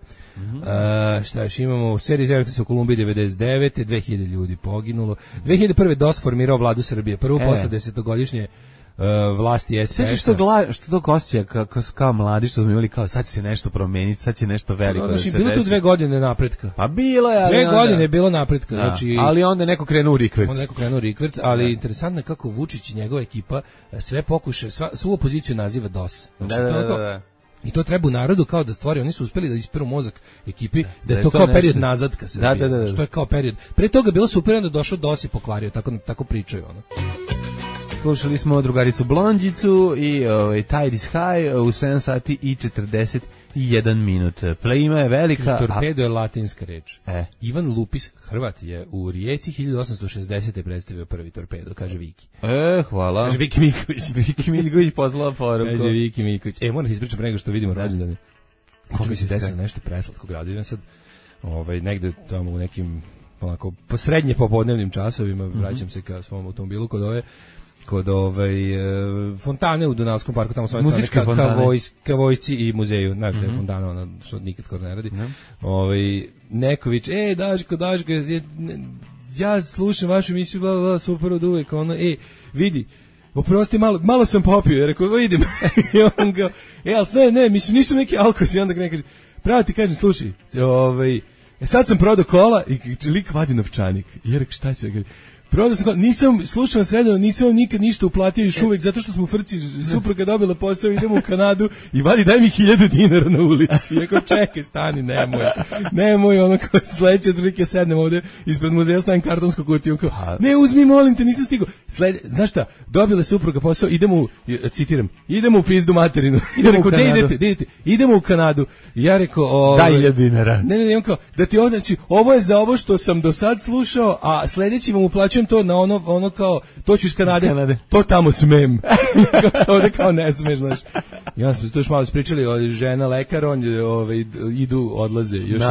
Šta još imamo? U seriji Zemljotres u Kolumbiji 99. 2000 ljudi poginulo. 2001. DOS formirao vladu Srbije. Prvu posle 10-godišnje vlasti SPS. Sve što to osjeća kao mladi što smo imali kao sad će se nešto promeniti, sad će nešto veliko da se desi. Bilo tu 2 godine napretka. Pa bilo je. 2 godine je bilo napretka. Znači, ali onda neko krenuo u rikverc. Ali interesantno je kako Vučić i njegova ekipa sve pokuše, svu opoziciju naziva DOS. Da. I to treba u narodu kao da stvori, oni su uspeli da isperu mozak ekipi, da je to kao period nazad ka Srbiji. Da. Što je kao period. Pre toga bilo super, onda došao DOS i pokvario, tako pričaju ono. Slušali smo drugaricu Blondžicu i Tide is High u 7 sati i 41 minut. Plejima je velika. Torpedo je latinska reč. Ivan Lupis, Hrvat, je u Rijeci 1860. predstavio prvi torpedo, kaže Viki. Hvala. Kaže Viki Miković. Viki Miković poslala poruku. Kaže Viki Miković. Moram ti ispričati pre nego što vidimo rođendane. Kako mi se desilo nešto preslatko gradio. Sad negde tamo u nekim onako srednje popodnevnim časovima vraćam se ka svom automobilu kod fontane u Dunavskom parku, tamo svoje strane ka vojsci i muzeju, znaš da je fontana, ona što nikad skoro ne radi. Neković, Daško, ja slušam vašu emisiju, super od uvek, vidi, oprosti, malo sam popio, ja rekao, idem. I on ga, ali sve, ne, mislim, nisu neki alkosi, onda ga kaže, pravo ti kažem, slušaj, sad sam prodao kola i lik vadi novčanik. I ja rekao, šta će da kaže? Prodao sam kola, nisam slušao sredano, nisam vam nikad ništa uplatio još uvek, zato što smo u frci, supruga dobila posao, idemo u Kanadu i vadi, daj mi 1000 dinara na ulici. Ja kao, čekaj, stani, nemoj, ono kao sledeće otprilike sednem ovde ispred muzeja, stavim kartonsku kutiju, kao, ne, uzmi, molim te, nisam stigao. Znaš šta, dobila supruga posao, citiram, idemo u pizdu materinu. Ja rekao, idete, idemo u Kanadu. Ja rekao, daj 1000 dinara. Ne, on kao, da ti znači, ovo je za ovo što sam do sad slušao, a sledeći vam uplaćujem prepišem to na ono kao, to ću iz Kanade. To tamo smem. Kao što ovde kao ne smeš, znaš. I onda smo se tu još malo ispričali, žena lekar, on odlaze. Još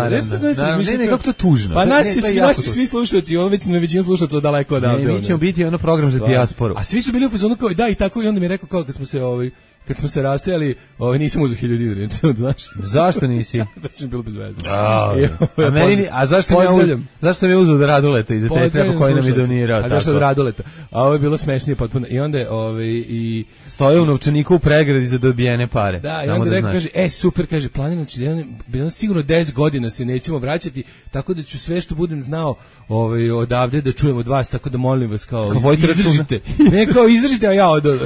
ne, kako to tužno. Pa naši svi slušalci, on već na većinu slušalca daleko odavde. Ne, mi ćemo biti ono program za dijasporu. A svi su bili u fazonu kao, da, i tako, i onda mi je rekao kao kad smo se rastajali, nisam uzeo 1000 dinara, znaš. Zašto nisi? Da sam bilo bez veze. A zašto sam je uzeo od Raduleta i za te strepa koji nam je donirao? A zašto od Raduleta? A ovo je bilo smešnije potpuno. I onda i stoje u novčaniku u pregradi za dobijene pare. Da, i onda rekao, kaže, super, kaže, planiram, znači, sigurno 10 godina se nećemo vraćati, tako da ću sve što budem znao odavde da čujem od vas, tako da molim vas, kao izdržite. Ne, kao izdržite, a ja odo.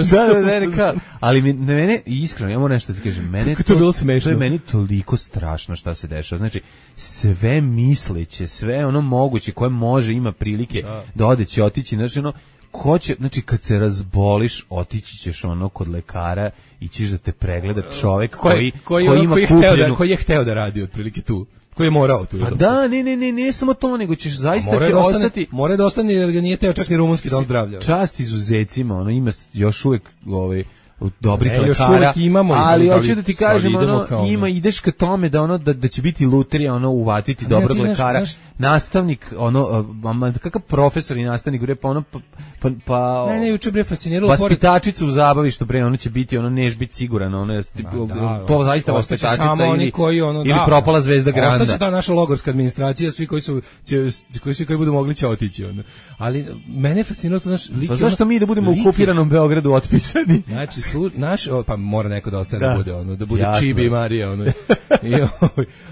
Da, ali mene, iskreno, ja moram nešto ti kažem, mene to bilo smešno. To je meni toliko strašno šta se dešava. Znači, sve misleće, sve ono moguće koje može, ima prilike da odeće, otići, znači ono, znači kad se razboliš, otići ćeš kod lekara i ćeš da te pregleda čovek koji ima kupljenu. Koji je hteo da radi otprilike tu. Koji je morao tu. Pa da, ne samo to, nego ćeš zaista će ostati. Mora da ostane jer ga nije teo čak ni rumunski dom zdravlja. Čast izuzecima, ima još uvek dobrih lekara, ali hoću da ti kažem, ideš ka tome da će biti lutrija, uvatiti dobrog lekara, nastavnik, kakav profesor i nastavnik, pa ne, juče bre fasciniralo vaspitačica u zabavištu, bre, ono će biti, neš biti siguran, to zaista vaspitačica ili propala zvezda Granda. Ostaće ta naša logorska administracija, svi koji budu mogli će otići, ali mene fasciniralo to, znaš, lik. Pa zašto mi da budemo u okupiranom Beogradu otpisani? Znači, pa mora neko da ostane da bude Čibi i Marija,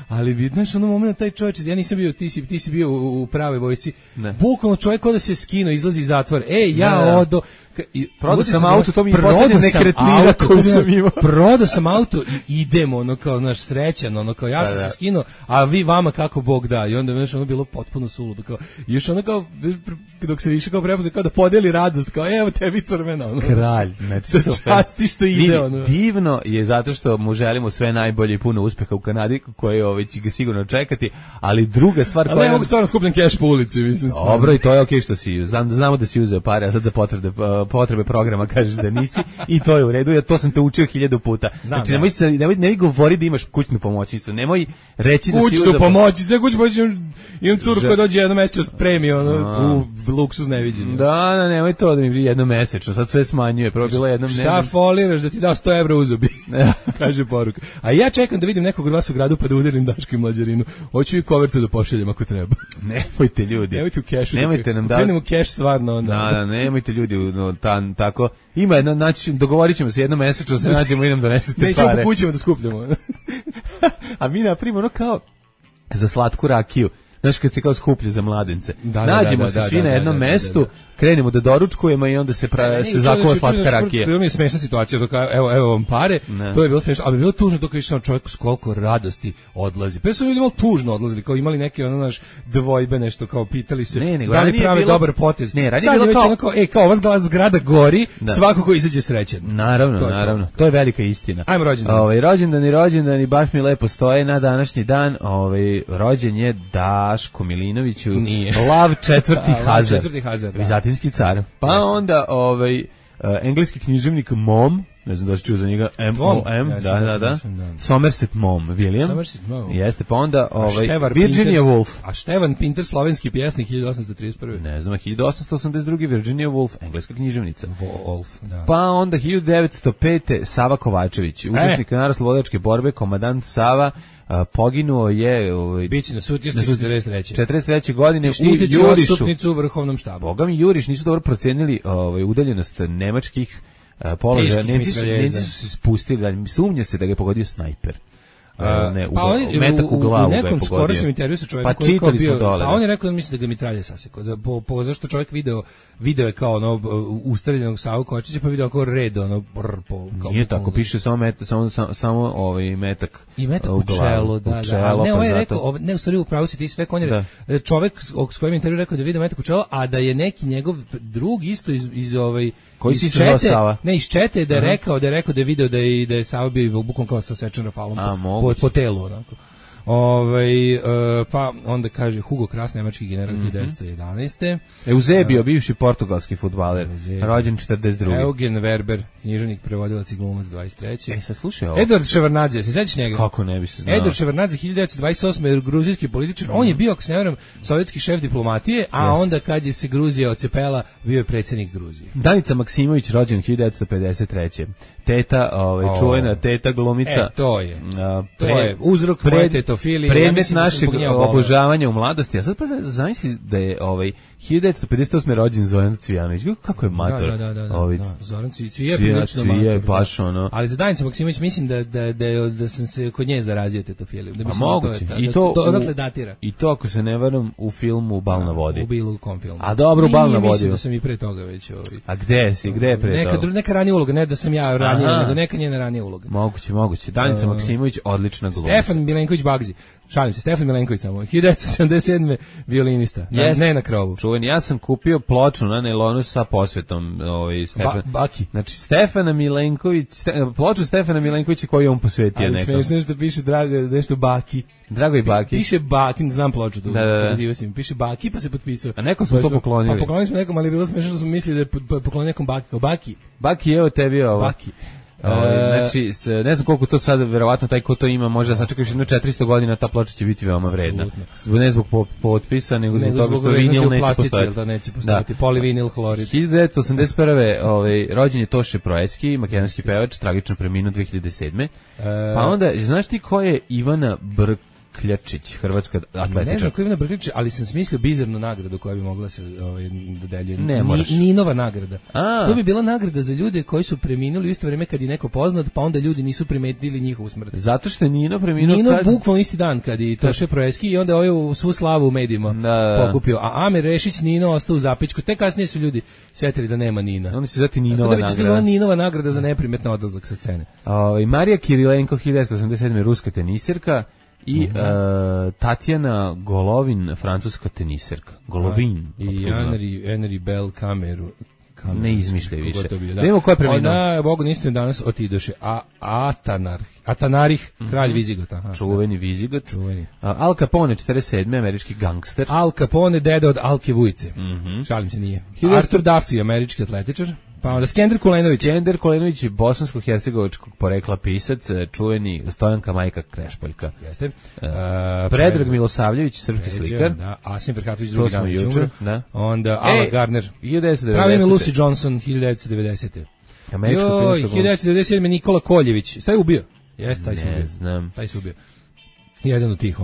ali vidiš moment taj čovjek, ja nisam bio, ti si bio u pravoj vojsci, bukvalno čovjek ko da se skino, izlazi iz zatvora, odo, prodao sam auto, to mi je posljednja nekretnina koju sam imao. Prodao sam auto i idemo, kao naš srećan, kao ja sam se skinuo, a vi vama kako Bog da. I onda je bilo potpuno suludo, kao, još kao, dok se više kao prepoznao, kao da podeli radost, kao evo tebi crvena. Kralj, znači časti što ide. Divno je zato što mu želimo sve najbolje i puno uspeha u Kanadi, koje će ga sigurno čekati, ali druga stvar koja... Ali ne mogu stvarno skupljen keš po ulici, mislim. Dobro, i to je okej što si, znamo da si uzeo pare, a sad za potrebe programa kažeš da nisi i to je u redu, ja to sam te učio 1000 puta. Znači nemoj govori da imaš kućnu pomoćnicu, nemoj reći da si kućnu pomoćnicu, imam curu koja dođe jednomesečno spremi u luksuz neviđenju. Da, nemoj to da mi bi jednomesečno, sad sve smanjuje, prvo bilo jednom šta foliraš da ti dao 100 evra u zubi, kaže poruka. A ja čekam da vidim nekog od vas u gradu pa da udarim Daško i Mlađarinu, hoću i kovertu da pošaljem ako treba. Nemojte ljudi, nemojte u kešu, nemojte nam krenemo keš stvarno. Da, nemojte ljudi tako. Ima jedna, znači, dogovorit ćemo se jednomesečno, se nađemo i nam donesete pare. Nećemo po kućima da skupljamo. A mi napravimo kao za slatku rakiju. Znaš, kad se kao skuplje za mladence. Nađemo se svi na jednom mestu, krenemo da doručkujemo i onda se zakuva slatka rakija. Bilo mi je smešna situacija, evo vam pare, to je bilo smešno, ali bi bilo tužno dok vidiš čovjek s koliko radosti odlazi. Pre su ljudi malo tužno odlazili, kao imali neke dvojbe, nešto, kao pitali se da li prave dobar potez. Sad je već kao ova zgrada gori, svako ko izađe srećan. Naravno, to je velika istina. Ajmo rođendan. Rođendani baš mi lepo stoje na današnji dan. Rođen je Daško Milinoviću, Lav četvrti Hazar. Vizantinski car. Pa onda engleski književnik Mom, ne znam da si čuo za njega, M.O.M. Da. Somerset Mom, William. Jeste, pa onda Virginia Woolf. A Števan Pinter, slovenski pjesnik, 1831. Ne znam, 1882. Virginia Woolf, engleska književnica. Woolf, da. Pa onda 1905. Sava Kovačević, učesnik narodnooslobodilačke borbe, komadant Sava, poginuo je biće na Sutjestu 43. godine u Jurišu. Štitnicu u vrhovnom štabu. Boga mi Juriš nisu dobro procenili udaljenost nemačkih položaja. Nemci su se spustili, sumnja se da ga je pogodio snajper. Metak u glavu ga je pogodio. U nekom skorašnjem intervju sa čovjekom koji je bio, a on je rekao da misli da ga mitralje sasekao. Zašto čovjek video je kao ustreljenog Savu Kovačića, pa video kao red nije tako, piše samo metak i metak u čelo, da. Ne, ovo je rekao, ne, u stvari upravo si ti sve, on je čovjek s kojim intervju rekao da video metak u čelo, a da je neki njegov drug isto iz koji si se Sava? Ne, iz Čete da je rekao da je video da je Sava bio bukom kao sa sečen rafalom po telu, onako. Pa onda kaže Hugo Kras, nemački general 1911. Eusebio, bivši portugalski fudbaler, rođen 42. Eugen Werber, književnik, prevodilac i glumac 23. Sad slušaj ovo. Edward Ševardnadze, se sećaš njega? Kako ne bi se znao? Edward Ševardnadze 1928. gruzijski političar. On je bio, ako se ne varam, sovjetski šef diplomatije, a onda kad je se Gruzija ocepela, bio je predsjednik Gruzije. Danica Maksimović, rođen 1953. Teta, čuvena teta glumica. To je uzrok moje tetofilije. Predmet našeg obožavanja u mladosti. A sad pa zamisli da je 1958. rođen Zoran Cvijanović. Kako je mator. Da. Zoran Cvije, baš ono. Ali za Danicu Maksimović mislim da sam se kod nje zarazio tetofiliju. A moguće. To odatle datira. I to, ako se ne varam, u filmu Bal na vodi. U bilo kom filmu. A dobro, Bal na vodi. Mislim da sam i pre toga već. A gde si? Gde je pre toga? Neka ranija uloga, ne da sam ja ranija, nego neka njena ranija uloga. Moguće. Danica Maksimović, odlična glumica. Stefan Milenković Bagzi. Šalim se, Stefan Milenković samo. 1977. violinista. Ne na krovu. Čuven, ja sam kupio ploču na nailonu sa posvetom. Baki. Znači, Stefana Milenković, ploču Stefana Milenkovića koju je on posvetio nekom. Ali smiješ što piše nešto Baki. Drago i Baki. Piše Baki, znam ploču tu. Da. Piše Baki, pa se potpisao. A nekom smo to poklonili. Pa poklonili smo nekom, ali bilo smiješno što smo mislili da je poklonili nekom Baki. Baki, evo tebi ovo. Baki. Znači, ne znam koliko to sad, verovatno taj ko to ima, može da sačekaš jedno 400 godina, ta ploča će biti veoma vredna. Ne zbog potpisa, nego zbog toga što vinil neće postojati. Neće postojati, polivinil hlorid. 1981. rođen je Toše Proeski, makedonski pevač, tragično preminuo 2007. Pa onda, znaš ti ko je Ivana Brkljačić, hrvatska atletičarka? Ne znam ko je Ivana Brkljačić, ali sam smislio bizarnu nagradu koja bi mogla se dodeljuje. Ne moraš. Ninova nagrada. To bi bila nagrada za ljude koji su preminuli u isto vrijeme kad je neko poznat, pa onda ljudi nisu primetili njihovu smrt. Zato što je Nino preminuo... Nino bukvalno isti dan kad je Toše Proeski i onda ovaj svu slavu u medijima pokupio. A Amir Rešić, Nino ostao u zapećku. Te kasnije su ljudi svetili da nema Nina. Oni se zvati Ninova nagrada. Ninova nagrada za neprimetno odlazak sa scene. Marija Kirilenko, 1987. ruska tenisirka. I Tatjana Golovin, francuska teniserka. Golovin. I Henry Bell Kameru. Ne izmišljaj više. Nemo ko je preminuo. Ona, Bogu niste danas otidoše. Atanarih, kralj Vizigota. Čuveni Vizigot. Al Capone, 47. američki gangster. Al Capone, deda od Alke Vujice. Šalim se, nije. Artur Duffy, američki atletičar. Pa onda Skender Kulenović. Skender Kulenović je bosansko-hercegovačkog porekla pisac, čuveni Stojanka Majka Krešpoljka. Jeste. Predrag Milosavljević, srpski slikar. Da, Asim Ferhatović, drugi dan jučer. Onda Ala Gardner. 1990. Pravi ime Lucy Johnson, 1990. Američka filmska 1997. Nikola Koljević. Šta je ubio? Jeste, taj se ubio. Ne znam. Taj se ubio. Jedan od tih,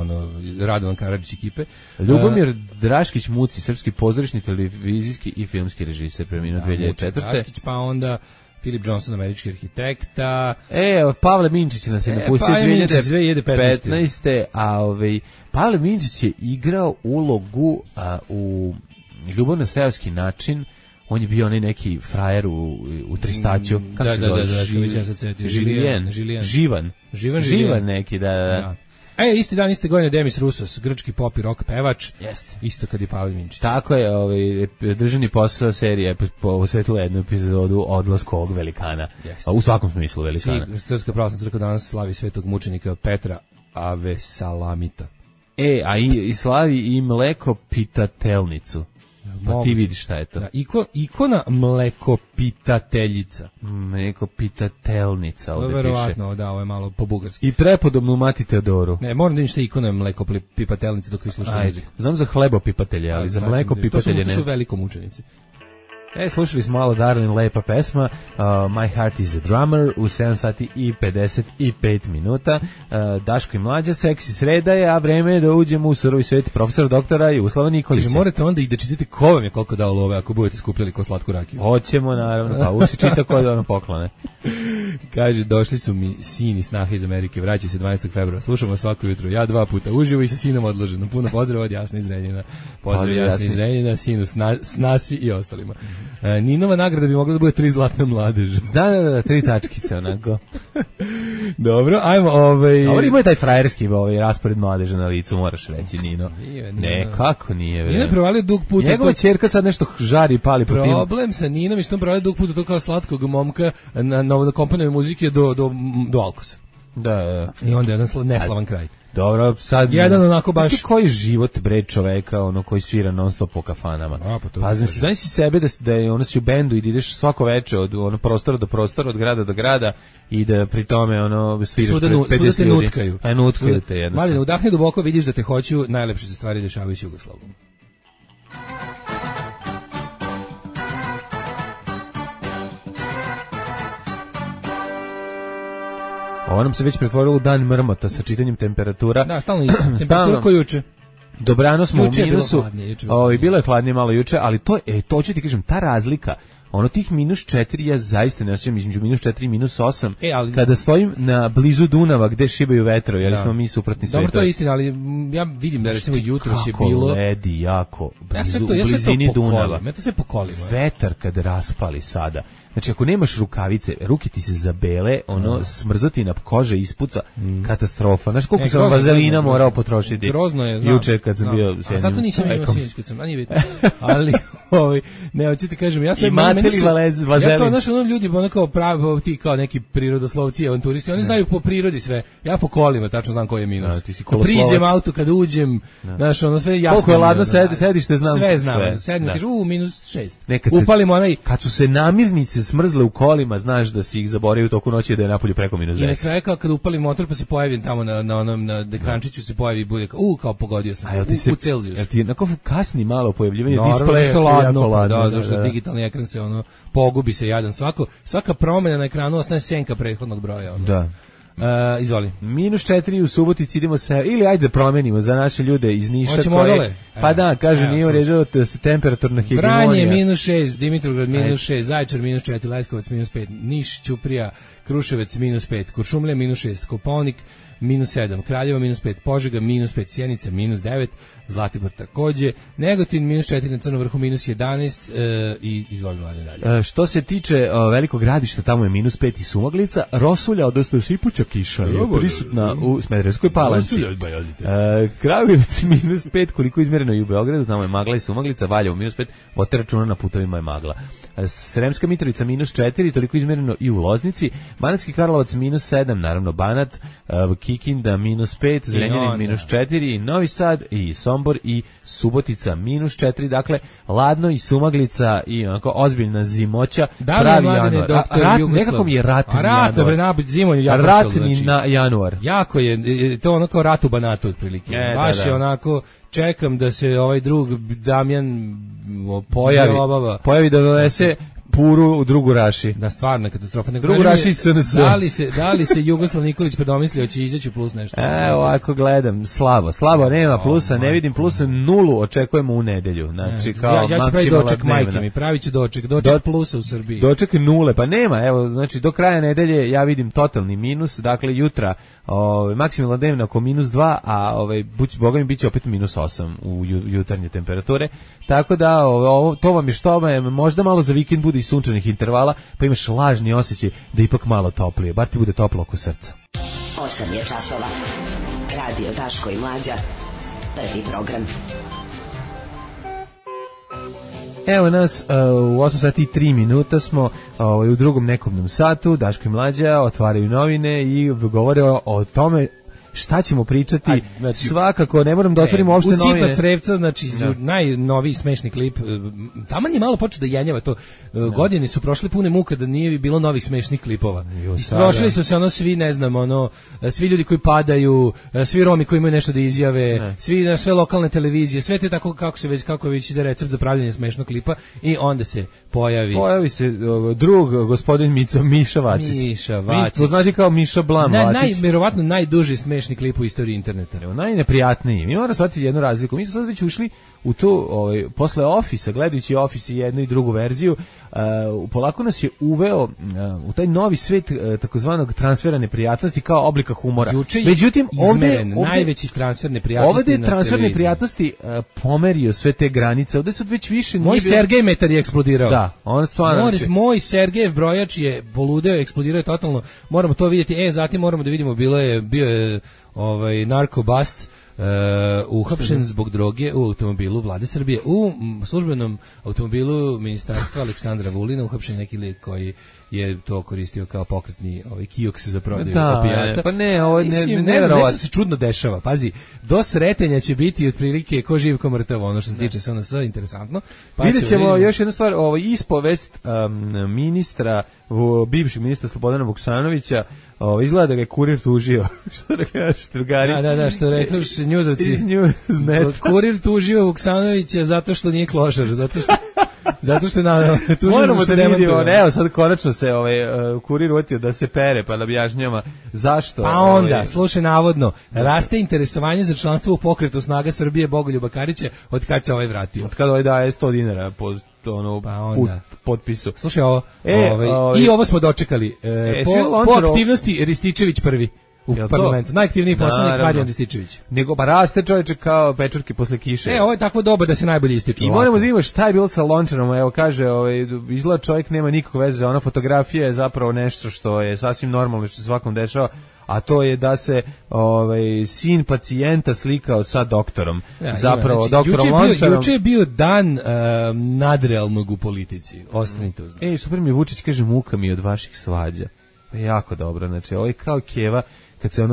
Radovan Karadžić ekipe. Ljubomir Draškić Muci, srpski pozorišni, televizijski i filmski režiser, preminuo 2004. Draškić, pa onda Philip Johnson, američki arhitekta. Pavle Minčić nas je napustio 2015. A Pavle Minčić je igrao ulogu u Ljubav na seoski način. On je bio onaj neki frajer u Tristaću. Kako se zove? Živan neki, da. Isti dan, iste godine Demis Roussos, grčki pop i rock pevač. Jeste. Isto kad je Pavle Minčić. Tako je, državni posao serije posvetila jednu epizodu odlasku ovog velikana. Jeste. U svakom smislu velikana. Srpska pravoslavna crkva danas slavi svetog mučenika Petra Avesalamita. I slavi i mlekopitatelnicu. Pa ti vidiš šta je to. Da, ikona mlekopitateljica. Mlekopitatelnica ovdje piše. Verovatno, da, ovo je malo po bugarski. I prepodobnu mati Teodoru. Ne, moram da vidim šta je ikona mlekopipateljica dok vi slušate muziku. Znam za hlebopipatelje, ali za mlekopipatelje ne. To su veliko mučenici. Slušali smo malo Darlin, lepa pesma, My Heart is a Drummer, u 7 sati i 55 minuta. Daško i Mlađa, seksi sreda je, a vreme je da uđemo u surovi svet profesora doktora Jugoslava Nikolića. Morate onda i da čitate ko vam je koliko dao love ako budete skupljali ko slatku rakiju. Hoćemo, naravno, pa uvijek se čita ko da ono poklone. Kaže, došli su mi sin i snaha iz Amerike, vraća se 12. februara, slušamo svako jutro, ja 2 puta uživo i sa sinom odloženo. Puno pozdrav od Jasne iz Renjina. Pozdrav Jasne iz Renjina, sinu Snasi i ostalima. Ninova nagrada bi mogla da bude 3 zlatne mladeže. Da, 3 tačkice, onako. Dobro, ajmo, Ovo ima je taj frajerski raspored mladeža na licu, moraš reći, Nino. Ne, kako nije, Nino je provalio dug puta. Njegova ćerka sad nešto žari i pali po tim. Problem sa Ninom je što on provalio dug puta to kao slatkog momka na komponove muzike do Alkosa. Da. I onda jedan neslavan kraj. Dobro, sad jedan onako baš koji život bre čoveka, ono koji svira non stop po kafanama. Pa znači sebe da je ono si u bendu i da ideš svako veče od ono prostora do prostora, od grada do grada i da pri tome ono sviraš pred 50 ljudi. Nutkaju. A nutkaju te jednostavno. Mali, udahni duboko, vidiš da te hoću, najlepše se stvari dešavaju s Jugoslavijom. Ovo nam se već pretvorilo u dan mrmota sa čitanjem temperatura. Da, stalno isto. Temperatura koju juče. Dobrano smo u minusu. Bilo je hladnije malo juče, ali to ću ti kažem, ta razlika, ono tih -4, ja zaista ne osjećam između -4 i -8, kada stojim na blizu Dunava gde šibaju vetrovi, jer smo mi suprotni svetovi. Dobro, to je istina, ali ja vidim da recimo jutros je bilo... Kako ledi jako, u blizini Dunava. Ja to sve pokolim. Vetar kad raspali sada. Znači, ako nemaš rukavice, ruke ti se zabele, smrzoti na kože ispuca, katastrofa. Znaš koliko sam vazelina morao potrošiti? Grozno je, znam. Juče kad sam bio s jednim. A sad to nisam imao sinoć kad sam, a nije bitno. Ali, ne, hoću ti kažem, ja sam... Imate li vazelin? Ja kao, znaš, ljudi, ono kao pravi, ti kao neki prirodoslovci, avanturisti, oni znaju po prirodi sve. Ja po kolima, tačno znam koji je minus. Priđem auto kad uđem, znaš, ono sve jasno. Koliko je ladno sedište, znam. Sve znam, sedem, kažu, -6. Upalimo onaj... Kad su se namirnice smrzle u kolima, znaš da si ih zaboravio u toku noći da je napolju preko -10. I na kraju kad upali motor pa se pojavim tamo na ekrančiću se pojavi i bude kao pogodio sam u Celzijus. Jel ti onako kasni malo pojavljivanje displeja? Jako ladno. Da, zašto digitalni ekran se pogubi se jadan. Svaka promjena na ekranu ostaje senka prethodnog broja. Da. Izvoli. -4 u Subotici, idemo se, ili ajde promenimo za naše ljude iz Niša. Hoćemo odole? Pa da, kaže, nije u redu da se temperaturna hegemonija. Vranje -6, Dimitrovgrad -6, Zaječar -4, Leskovac -5, Niš, Ćuprija, Kruševac -5, Kuršumlija -6, Kopaonik -7, Kraljevo -5, Požega -5, Sjenica -9, Zlatibor takođe, Negotin -4, na Crnom vrhu -11 i izvolimo dalje. Što se tiče Velikog Gradišta, tamo je -5 i Sumaglica, Rosulja, odnosno sipuća kiša je prisutna u Smederevskoj Palanci. Kragujevac -5, koliko izmjereno i u Beogradu, tamo je magla i Sumaglica, Valjevo -5, vodite računa na putovima je magla. Sremska Mitrovica -4, toliko izmjereno i u Loznici, Banatski Karlovac -7, naravno Banat, Kikinda -5, Zrenjanin -4, Novi Sad i Sombor i Subotica -4, dakle ladno i Sumaglica i onako ozbiljna zimoća, pravi januar. Nekako mi je ratni januar. Ratni na januar. Jako je, to ono kao rat u Banatu otprilike. Baš je onako, čekam da se ovaj drug Damjan pojavi da donese puru u drugu Raši. Da, stvarno katastrofa. Drugu Raši SNS. Da li se Jugoslav Nikolić predomislio će izaći plus nešto? Ovako gledam, slabo, nema plusa, ne vidim plusa, 0 očekujemo u nedelju. Znači, kao ja ću pravi doček majke mi, pravit ću doček plusa u Srbiji. Doček 0, pa nema, evo, znači do kraja nedelje ja vidim totalni minus, dakle jutra maksimalna dnevna oko -2, a boga mi biće opet -8 u jutarnje temperature, tako da to vam je što je, možda malo za vikend bude i sunčanih intervala, pa imaš lažni osjećaj da ipak malo toplije, bar ti bude toplo oko srca. 8 je časova. Radio Daško i Mlađa. Prvi program. Evo nas, u 8 sati i 3 minuta smo u drugom nekobnom satu, Daško i Mlađa otvaraju novine i govore o tome šta ćemo pričati. Svakako, ne moram da otvorimo uopšte novine. Usipa crevca, znači najnoviji smešni klip. Taman je malo počeo da jenjava to. Godine su prošle pune muka da nije bilo novih smešnih klipova. Istrošili su se svi, ne znam, svi ljudi koji padaju, svi Romi koji imaju nešto da izjave, sve lokalne televizije, sve te tako kako je već ide recept za pravljenje smešnog klipa i onda se pojavi se drug gospodin Miša Vacić. Poznati kao Miša Blam Vacić. Verovatno najduži smešni klip u istoriji interneta. Najneprijatniji. Mi moramo shvatiti jednu razliku. Mi smo sad već ušli u tu, posle Office-a, gledajući Office i jednu i drugu verziju, polako nas je uveo u taj novi svet takozvanog transfera neprijatnosti kao oblika humora. Međutim, ovdje najveći transfer neprijatnosti. Ovdje je transfer neprijatnosti pomerio sve te granice. Ovdje sad već više moj Sergej metar je eksplodirao. Da, on stvarno. Moj Sergejev brojač je poludeo, eksplodirao je totalno. Moramo to vidjeti. Zatim moramo da vidimo, bio je narkobust. uhapšen zbog droge u automobilu Vlade Srbije. U službenom automobilu ministarstva Aleksandra Vulina uhapšen neki lik koji je to koristio kao pokretni kioks za prodaju opijata. Pa ne, ovo nešto se čudno dešava. Pazi, do sretenja će biti otprilike ko živ ko mrtav, ono što se tiče SNS, interesantno. Pa vidjet ćemo još jednu stvar, ispovest ministra, bivšeg ministra Slobodana Vuksanovića, izgleda da ga je kurir tužio. Što da kažeš, drugari? Da, što rekli njuzovci. Kurir tužio Vuksanovića zato što nije klošar, zato što moramo da vidimo, evo sad konačno se kurir utio da se pere, pa da objašnjava zašto. Pa onda, slušaj, navodno, raste interesovanje za članstvo u pokretu Snaga Srbije Bogoljuba Karića od kad se vratio. Od kada daje 100 dinara po potpisu. Slušaj ovo, i ovo smo dočekali, po aktivnosti Rističević prvi. U parlamentu. Najaktivniji poslanik Marijan Rističević. Nego pa raste čovječe kao pečurke posle kiše. Ovo je takvo doba da se najbolje ističu. I moramo da vidimo šta je bilo sa Lončarom. Evo kaže, izgleda čovjek nema nikakve veze. Ona fotografija je zapravo nešto što je sasvim normalno, što se svakom dešava, a to je da se sin pacijenta slikao sa doktorom. Zapravo, doktorom Lončarom. Juče je bio dan nadrealnog u politici. Ostanite uz. Super mi Vučić kaže, muka mi od vaših svađa. Jako dobro, znači ovo je kao Keva kad se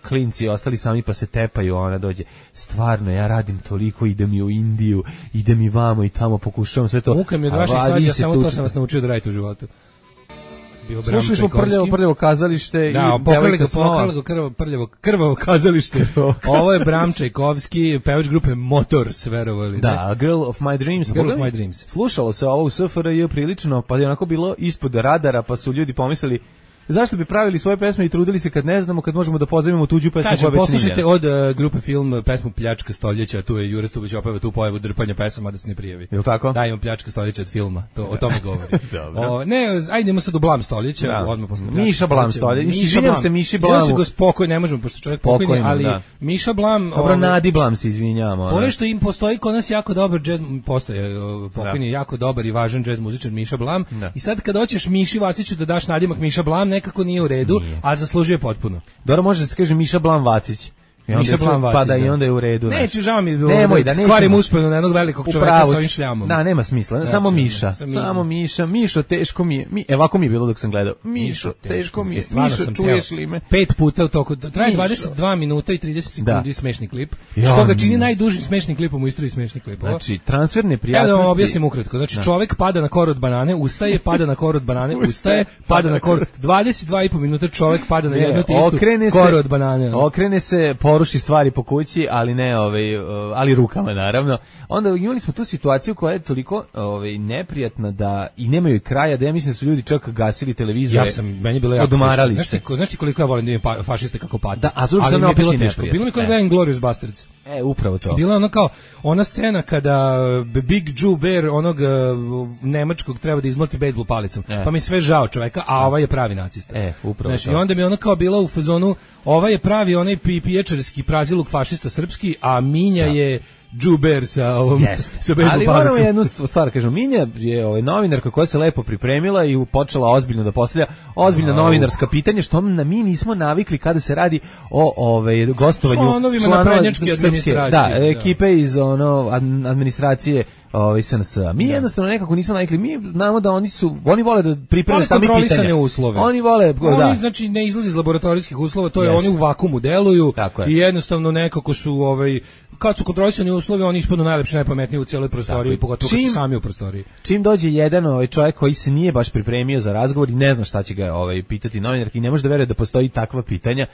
klinci ostali sami pa se tepaju, ona dođe, stvarno ja radim toliko, idem i u Indiju, idem i vamo i tamo, pokušavam sve to. Muka mi od vaših svađa, samo to sam vas naučio da radite u životu. Slušali smo prljavo kazalište, da, krvavo kazalište. Ovo je Bram Čajkovski, pevač grupe Motors, verovali. Da, Girl of My Dreams. Slušalo se ovo u SFRJ prilično, pa je onako bilo ispod radara, pa su ljudi pomislili zašto bi pravili svoje pesme i trudili se kad ne znamo, kad možemo da pozajmimo tuđu pesmu koja već poslušajte od grupe Film pesmu Pljačka stoljeća, tu je Jure Stubić opeva tu pojavu drpanja pesama da se ne prijavi. Jel tako? Da, imamo Pljačka stoljeća od filma, o tome govori. Ajde idemo sad u Blam stoljeća, odmah posle Miša Blam stoljeća. Izvinjam se Miši Blamu. Izvinjam se spokoj, ne možemo, pošto čovjek pokojni, ali Miša Blam... Dobro, Nadi Blam se izvinjamo. Fore što im postoji kod nas jako dobar džez, postoje pokojni jako dobar i važan džez muzičar Miša Blam. I sad kad hoćeš Miši Vaciću da daš nadimak Miša Blam, nekako nije u redu. A zaslužuje potpuno. Dobro, može da se kaže Miša Blam Vacić. Miša Blam Vacić. Pa da i onda je u redu. Neću, žao mi da skvarim usponu na jednog velikog čoveka sa ovim šljamom. Da, nema smisla. Samo Miša. Samo Miša. Mišo, teško mi je. Ovako mi je bilo dok sam gledao. Mišo, teško mi je. Mišo, čuješ li me? 5 puta u toku. Traje 22 minuta i 30 sekundi smešni klip. Što ga čini najdužim smešnim klipom u istoriji smešnih klipova. Znači, transferne prijatnosti. Evo da vam objasnim ukratko. Znači, čovek pada na kor od banane, ustaje, pada na kor od banane, ustaje, pada na kor. 22,5 minuta čovek pada na jednu te istu koru od banane. Okrene se, poruši stvari po kući, ali ne, ali rukama naravno. Onda imali smo tu situaciju koja je toliko neprijatna da i nemaju kraja, da ja mislim da su ljudi čak gasili televizore. Meni bilo jako odmarali se. Znaš ti koliko ja volim da imam fašiste kako pada? Da, ali mi je bilo teško. Bilo mi kao da je Glorious Bastards. Upravo to. Bilo je ono kao, ona scena kada Big Joe Bear onog nemačkog treba da izmoti bejzbol palicom. Pa mi sve žao čoveka, a ovaj je pravi nacista. Upravo to. I onda mi ono kao bila u fazonu, ovaj je pravi onaj piječarski praziluk fašista srpski, a Minja je Džuber sa ovom sa bejzbol ali moramo jednu stvar kažem, Minja je novinarka koja se lepo pripremila i počela ozbiljno da postavlja ozbiljna novinarska pitanja, što mi nismo navikli kada se radi o gostovanju članovima naprednjačke administracije. Da, ekipe iz administracije SNS. Mi jednostavno nekako nismo navikli. Mi znamo da oni vole da pripreme sami pitanja. Uslove. Oni vole, oni znači ne izlazi iz laboratorijskih uslova, to je oni u vakuumu deluju i jednostavno nekako su kad su kontrolisani uslovi, oni ispadnu najlepši, najpametniji u cijeloj prostoriji, pogotovo kad su sami u prostoriji. Čim dođe jedan čovjek koji se nije baš pripremio za razgovor i ne zna šta će ga pitati novinarki i ne može da veruje da postoji takva pitanja.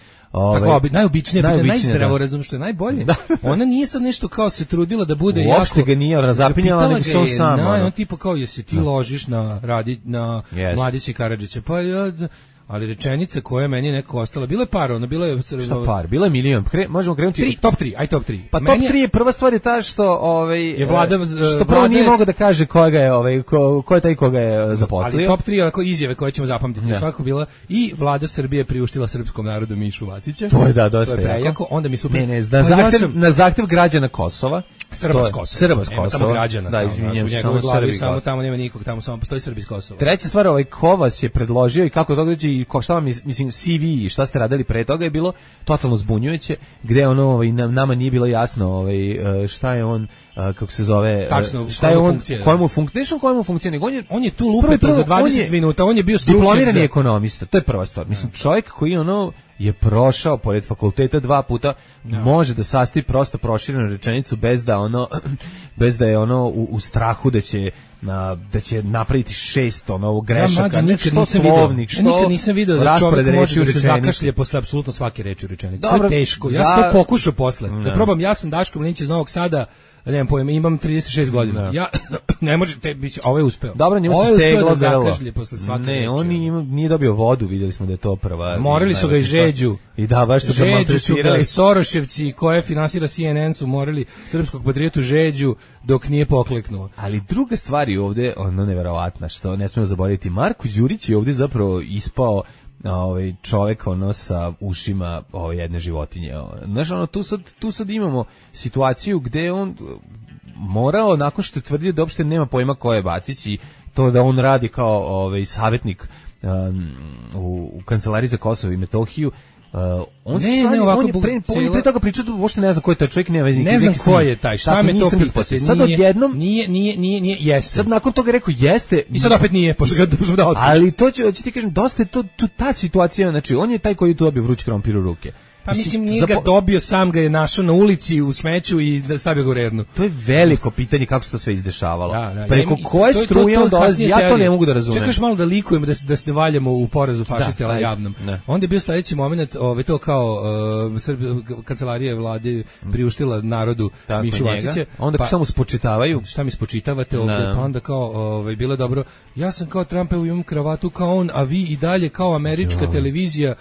Najobičnije pitanje, najzdravorazumno, što je najbolje. Ona nije sad nešto kao se trudila da bude jako. Uopšte ga nije razapinjala, nego se on sam. On tipa kao, jesi ti ložiš na Mladića Karadžića, pa ali rečenica koja meni neko ostala, bila je par, bila je... Šta par? Bila je milion. Možemo krenuti... Top 3, top 3. Pa top 3 je prva stvar je ta što... je Vlada... Što prvo nije mogao da kaže ko je taj koga je zaposlio. Ali top 3 onako izjave koje ćemo zapamtiti. Svako bila i Vlada Srbije priuštila srpskom narodu Mišu Vacića. To je dosta jako. Onda mi super... Na zahtev građana Kosova. Srba s Kosova. Nema tamo građana. Da, izvinjam se, samo Srbi. Samo tamo nema nikog, tamo samo postoji Srbi s Kosova. Treća stvar, Kovac je predložio i kako to dođe i šta vam mislim CV i šta ste radili pre toga je bilo totalno zbunjujuće, gde ono nama nije bilo jasno šta je on kako se zove, tačno, šta je on, kojemu funkcija, nego on je tu lupeto za 20 minuta, on je bio stručnjak, diplomirani ekonomista, to je prva stvar. Mislim, čovjek koji je prošao pored fakulteta 2 puta, može da sastavi prosto proširenu rečenicu bez da je u strahu da će napraviti 6 grešaka. Ja nikad nisam video da čovjek može da se zakašlje posle apsolutno svake reči u rečenici. To je teško. Ja sam to pokušao posle. Da probam, ja sam Daško Mlinić iz Novog Sada, nemam pojma, imam 36 godina. Ja ne može, ovo je uspeo. Dobro, njemu se steglo zakašlje posle svake reči. Ne, on nije dobio vodu, vidjeli smo da je to prva. Morali su ga i žeđu. I da, baš su ga maltretirali. Soroševci koje finansira CNN su morali srpskog patriotu žeđu dok nije pokleknuo. Ali druga stvar je ovde, neverovatna, što ne smemo zaboraviti, Marko Đurić je ovde zapravo ispao čovjek sa ušima jedne životinje. Znaš, tu sad imamo situaciju gde on morao, nakon što je tvrdio da uopšte nema pojma ko je Bacić i to da on radi kao savjetnik u kancelariji za Kosovo i Metohiju, on je pre toga pričao, uopšte ne znam ko je taj čovjek, ne znam ko je taj, šta me to pitate. Sad odjednom nije, jeste. Sad nakon toga rekao jeste. I sad opet nije, pošto ga dužno da otkriš. Ali to ću ti kažem, dosta je ta situacija, znači on je taj koji je tu dobio vruć krompir u ruke. Pa mislim, nije ga dobio, sam ga je našao na ulici u smeću i stavio ga u rernu. To je veliko pitanje kako se to sve izdešavalo. Preko koje struje on dolazi, ja to ne mogu da razumem. Čekaš malo da likujemo, da se ne valjamo u porazu fašiste, ali javnom. Onda je bio sledeći moment, to kao kancelarija vlade priuštila narodu Mišu Vacića. Onda šta mu spočitavaju? Šta mi spočitavate ovde? Pa onda kao, bilo dobro, ja sam kao Trumpev, imam kravatu kao on, a vi i dalje kao američka televizija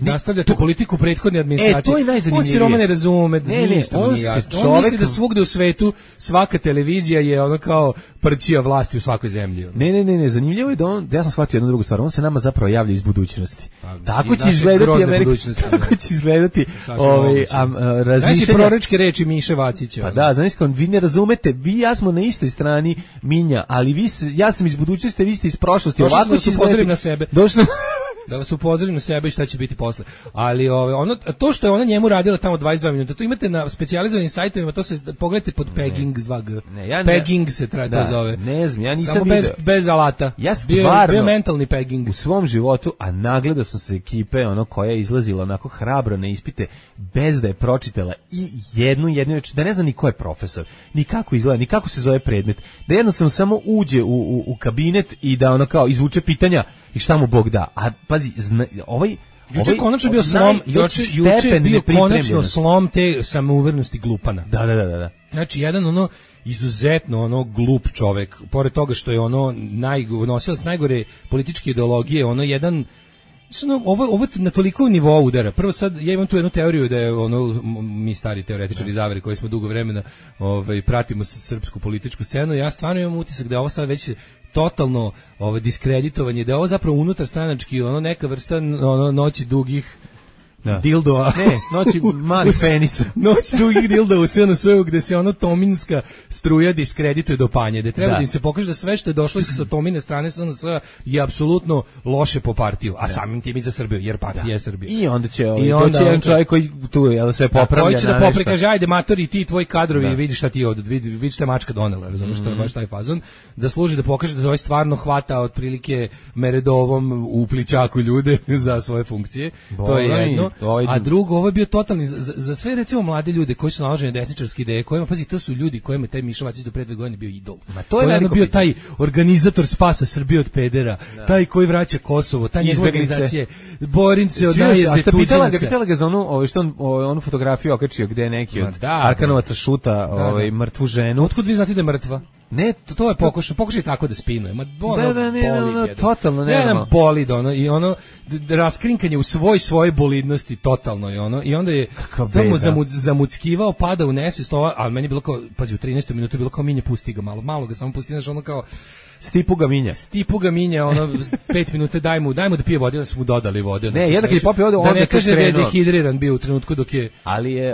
nastavljate politiku prethodne administracije. To je najzanimljivije. On si Roma ne razume, ništa mu nije jasno. On misli da svugde u svetu svaka televizija je kao prćija vlasti u svakoj zemlji. Ne, zanimljivo je da ja sam shvatio jednu drugu stvar, on se nama zapravo javlja iz budućnosti. Tako će izgledati Amerika, tako će izgledati razmišljanja. Znaš i proročke reči Miše Vacića. Pa da, znaš, vi ne razumete, vi ja smo na istoj strani Minja, ali ja sam iz budućnosti, vi ste iz prošlosti. Ovako ću upozorim na sebe. Da vas upozorim na sebe i šta će biti posle. Ali to što je ona njemu radila tamo 22 minuta, to imate na specijalizovanim sajtovima, to se pogledajte pod pegging 2G. Pegging se to zove. Ne znam, ja nisam samo bez alata. Ja stvarno bio mentalni pegging u svom životu, a nagledao sam se ekipe koja je izlazila onako hrabro na ispite bez da je pročitala i jednu reč, da ne zna ni ko je profesor, ni kako izgleda, ni kako se zove predmet, da jednostavno samo uđe u kabinet i da kao izvuče pitanja i šta mu Bog da. A pazi, juče konačno bio slom, juče bio konačno slom te samouvernosti glupana. Da. Znači, jedan izuzetno glup čovek, pored toga što je nosilac najgore političke ideologije, jedan ovo na toliko nivou udara. Prvo sad, ja imam tu jednu teoriju da je mi stari teoretičari zavere koji smo dugo vremena pratimo srpsku političku scenu, ja stvarno imam utisak da je ovo sad već totalno diskreditovanje, da je ovo zapravo unutar stranački neka vrsta noći dugih dildoa. Ne, noći malih penisa. Noć dugih dildoa u SNS-u gde se tominska struja diskredituje do panje. Da treba da im se pokaže da sve što je došlo sa tomine strane SNS-a je apsolutno loše po partiju, a samim tim i za Srbiju, jer partija je Srbija. I onda će jedan čovjek koji tu sve popravlja. Koji će da poprikaže, ajde matori, ti tvoji kadrovi, vidi šta ti ovdje, vidi šta je mačka donela, razumiješ, što je baš taj fazon, da služi da pokaže da ovaj stvarno hvata otprilike Meredovom u pličaku ljude za svoje funkcije. To je jedno. A drugo, ovo je bio totalni za sve recimo mlade ljude koji su naloženi desničarske ideje, kojima, pazi, to su ljudi kojima taj Miša Vacić do pre 2 godine bio idol. To je bio taj organizator spasa Srbije od pedera, taj koji vraća Kosovo, ta njegova organizacije, borim se od najezde tuđinaca. Pitala ga za onu fotografiju okačio gde je neki od Arkanovaca šuta mrtvu ženu. Otkud vi znate da je mrtva? Ne, to je pokušaj tako da spinuje. Totalno ne. Jedan bolid i raskrinkanje u svoje bolidnosti totalno i onda je tamo zamuckivao, pada u nesvijest, ali meni je bilo kao, pazi, u 13. minutu je bilo kao Minja, pusti ga malo ga samo pusti, znaš, kao Stipu ga minja, 5 minuta daj mu da pije vode, onda su mu dodali vode. Ne, jedan kad je popio vode, da ne kaže da je dehidriran bio u trenutku dok je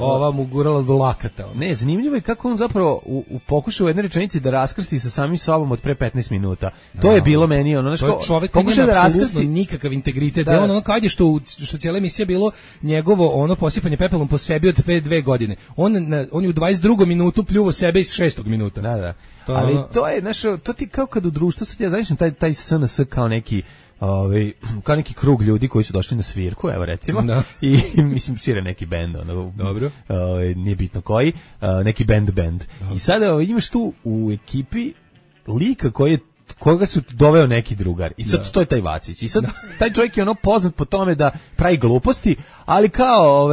ova mu gurala do lakata. Ne, zanimljivo je kako on zapravo u pokušaju jedne rečenici da raskrsti sa samim sobom od pre 15 minuta. To je bilo meni ono, to je čovjek koji nema apsolutno nikakav integritet. Da ono kad je što cijela emisija bilo njegovo ono posipanje pepelom po sebi od 2 godine. On je u 22. minutu pljuvo sebe iz 6. minuta. Da. Ali to je nešto, to ti kao kad u društvu sad ja znaš taj SNS kao neki kao neki krug ljudi koji su došli na svirku, evo recimo, i mislim svira neki bend, dobro. Nije bitno koji, neki band. Dobro. I sada imaš tu u ekipi lika koga su doveo neki drugar. I sad to je taj Vacić. I sad taj čovjek je ono poznat po tome da pravi gluposti, ali kao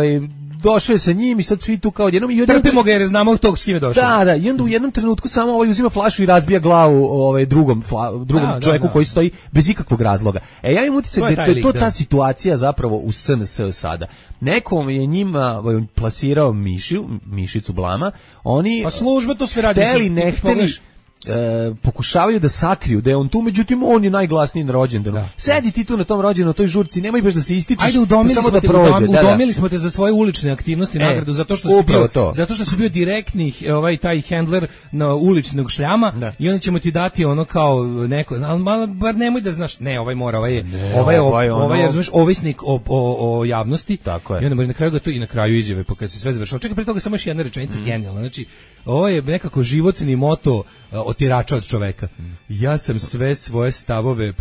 došao je sa njim i sad svi tu kao jednom i trpimo ga jer znamo tog s kime došao. Da, i onda u jednom trenutku samo uzima flašu i razbija glavu drugom čovjeku koji stoji bez ikakvog razloga. Ja imam utisak da je to ta situacija zapravo u SNS sada. Nekom je njima plasirao mišicu blama, oni pa služba to sve radi. Ne hteli, pokušavaju da sakriju da je on tu, međutim on je najglasniji na rođendanu. Sedi ti tu na tom rođendanu, na toj žurci, nemoj baš da se ističeš. Ajde, udomili smo te za tvoje ulične aktivnosti, nagradu zato što si bio direktni taj handler na uličnog šljama i onda ćemo ti dati ono kao neko, ali bar nemoj da znaš, ovaj je razumeš ovisnik o javnosti. Tako je. I onda na kraju ga to i na kraju izjave, pa kad se sve završilo. Čekaj, pre toga samo još jedna rečenica genijalna. Znači, ovo je nekako životni moto otirača od čoveka. Ja sam sve svoje stavove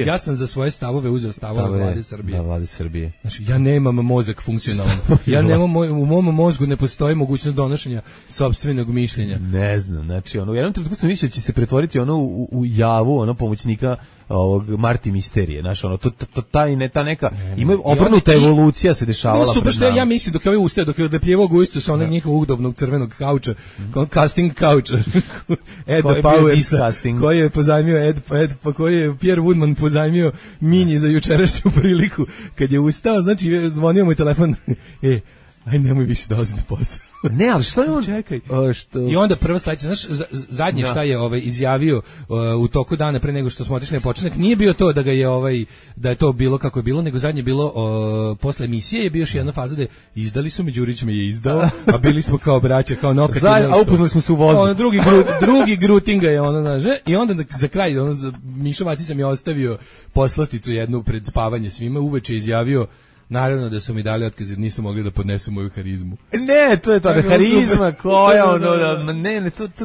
ja sam za svoje stavove uzeo stavove Vlade Srbije. Da, Vlade Srbije. Znači, ja nemam mozak funkcionalan. U mom mozgu ne postoji mogućnost donošenja sopstvenog mišljenja. Ne znam, znači, u jednom trenutku sam mislio da će se pretvoriti u javu, pomoćnika ovog Marti Misterije, znaš, ta neka ima obrnuta evolucija se dešavala. Super što ja mislim dok je ovaj ustao, dok je odlepljevao gujicu sa onog njihovog udobnog crvenog kauča, casting kauča, Ed Powers, koji je pozajmio koji je Pierre Woodman pozajmio Minji za jučerašnju priliku. Kad je ustao, znači zvonio mu telefon, aj nemoj više dolaziti na posao. Ne, ali što je on? Čekaj. I onda prva sledeća, znaš, zadnje šta je izjavio u toku dana pre nego što smo otišli na početak, nije bio to da ga je da je to bilo kako je bilo, nego zadnje bilo posle emisije je bio još jedna faza da izdali su me, Đurić me je izdao, a bili smo kao braća, kao nokat. A upoznali smo se u vozu. Drugi grutinga je i onda za kraj Mišo Vacić mi je ostavio poslasticu jednu pred spavanje svima, uveče izjavio: naravno da su mi dali otkaz jer nisu mogli da podnesu moju harizmu. Ne, to je to, harizma koja,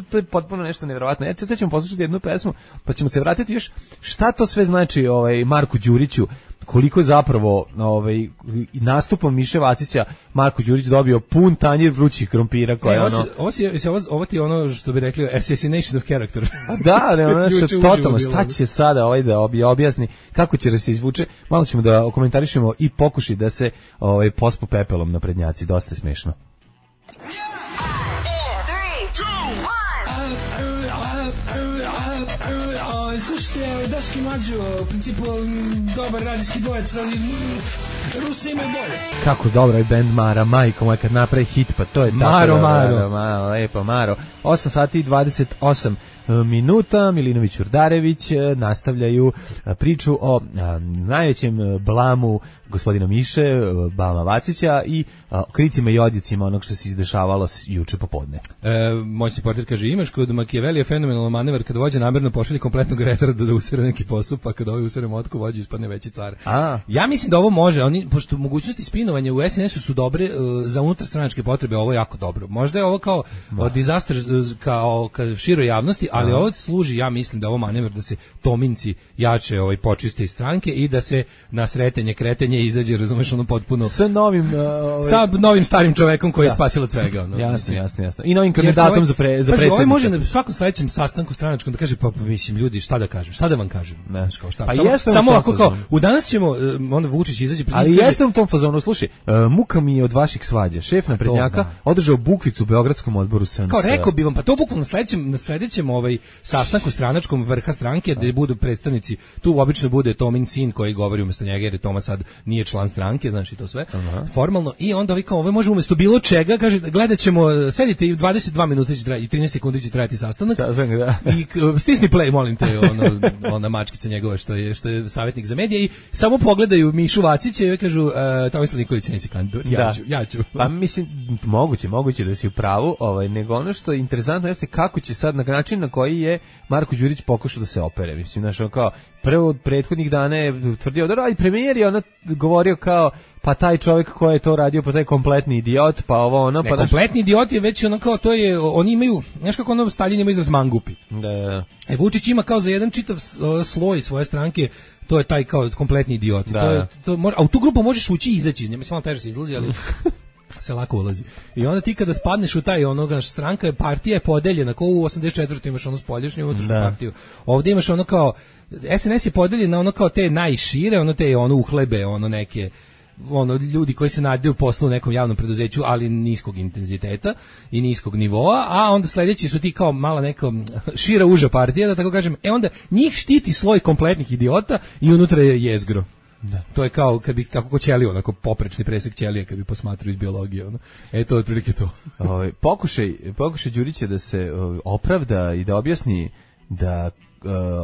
to je potpuno nešto nevjerovatno. Ja sad ćemo poslušati jednu pesmu, pa ćemo se vratiti još šta to sve znači Marku Đuriću, koliko je zapravo nastupom Miše Vacića Marko Đurić dobio pun tanjir vrućih krompira koja ovo ti je ono što bi rekli assassination of character. Da, totalno, šta će sada da objasni, kako će da se izvuče, malo ćemo da komentarišemo i pokuši da se pospu pepelom na prednjaci, dosta je smešno. Slušajte, Daški Mađo, u principu dobar radijski dvojec, ali Rusi imaju bolje. Kako dobro je band Mara, majko moja, kad napravi hit, pa to je tako. Maro. Lepo, Maro. 8 sati i 28 minuta, Milinović Urdarević nastavljaju priču o najvećem blamu gospodina Miše, Bama Vacića i kricima i odjecima onog što se izdešavalo juče popodne. Moćni portir kaže, imaš kod Machiavellija fenomenalan manevar kada vođa namerno pošalje kompletnog retarda da usere neki posao, pa kada ovaj usere motku vođa ispadne veći car. Ja mislim da ovo može, pošto mogućnosti spinovanja u SNS-u su dobre za unutarstranačke potrebe, ovo je jako dobro. Možda je ovo kao disaster kao široj javnosti, ali ovo služi, ja mislim da ovo manevar da se Tominci jače počiste iz stranke i da se na sretenje, kretenje izađe, razumeš, potpuno sa novim starim čovekom koji je spasilac svega. Jasno. I novim kandidatom za predsjednika. Ovaj može na svakom sledećem sastanku stranačkom da kaže, pa mislim, ljudi, šta da kažem, šta da vam kažem. Samo ako kao, u danas ćemo, onda Vučić izađe pred njih. Ali jeste u tom fazonu, slušaj, muka mi je od vaših svađa. Šef naprednjaka održao bukvicu u Beogradskom odboru SNS. Kao rekao bi vam, pa to bukvalno na sledećem sastanku stranačkom vrha stranke gde budu predstavnici, tu obično bude Tomin sin koji govori umesto njega jer je Toma sad nije član stranke, znači to sve. Formalno i onda ovi kao ovo može umesto bilo čega, kaže gledaćemo, sedite i 22 minuta će trajati, 13 sekundi će trajati sastanak. I stisni play, molim te, ona mačkica njegova što je savjetnik za medije i samo pogledaju Mišu Vacića i kažu Tomislav Nikolić neće kandidovati. Ja ću. Pa mislim moguće da si u pravu, nego ono što je interesantno jeste kako će sad na način na koji je Marko Đurić pokušao da se opere. Mislim znači kao prvo od prethodnih dana je tvrdio da radi premijer i ona govorio kao pa taj čovjek koji je to radio, pa taj kompletni idiot, pa ovo ono, pa kompletni idiot je već ono kao to je, oni imaju, znaš kako ono Stalin ima izraz mangupi. Da. Vučić ima kao za jedan čitav sloj svoje stranke, to je taj kao kompletni idiot. A u tu grupu možeš ući i izaći iz nje, mislim malo teže se izlazi, ali se lako ulazi. I onda ti kada spadneš u taj onoga stranka, partija je podeljena, kao u 84. imaš ono spoljašnju unutrašnju partiju. Ovdje imaš ono kao, SNS je podeljena ono kao te najšire, ono te ono uhlebe, ono neke ljudi koji se nadaju poslu u nekom javnom preduzeću, ali niskog intenziteta i niskog nivoa, a onda sledeći su ti kao mala neka šira uža partija, da tako kažem, onda njih štiti sloj kompletnih idiota i unutra je jezgro. Da. To je kao kad bi kako ćelija, onako poprečni presek ćelije kad bi posmatrao iz biologije, ono. To je otprilike to. Pokušaj Đurića da se opravda i da objasni da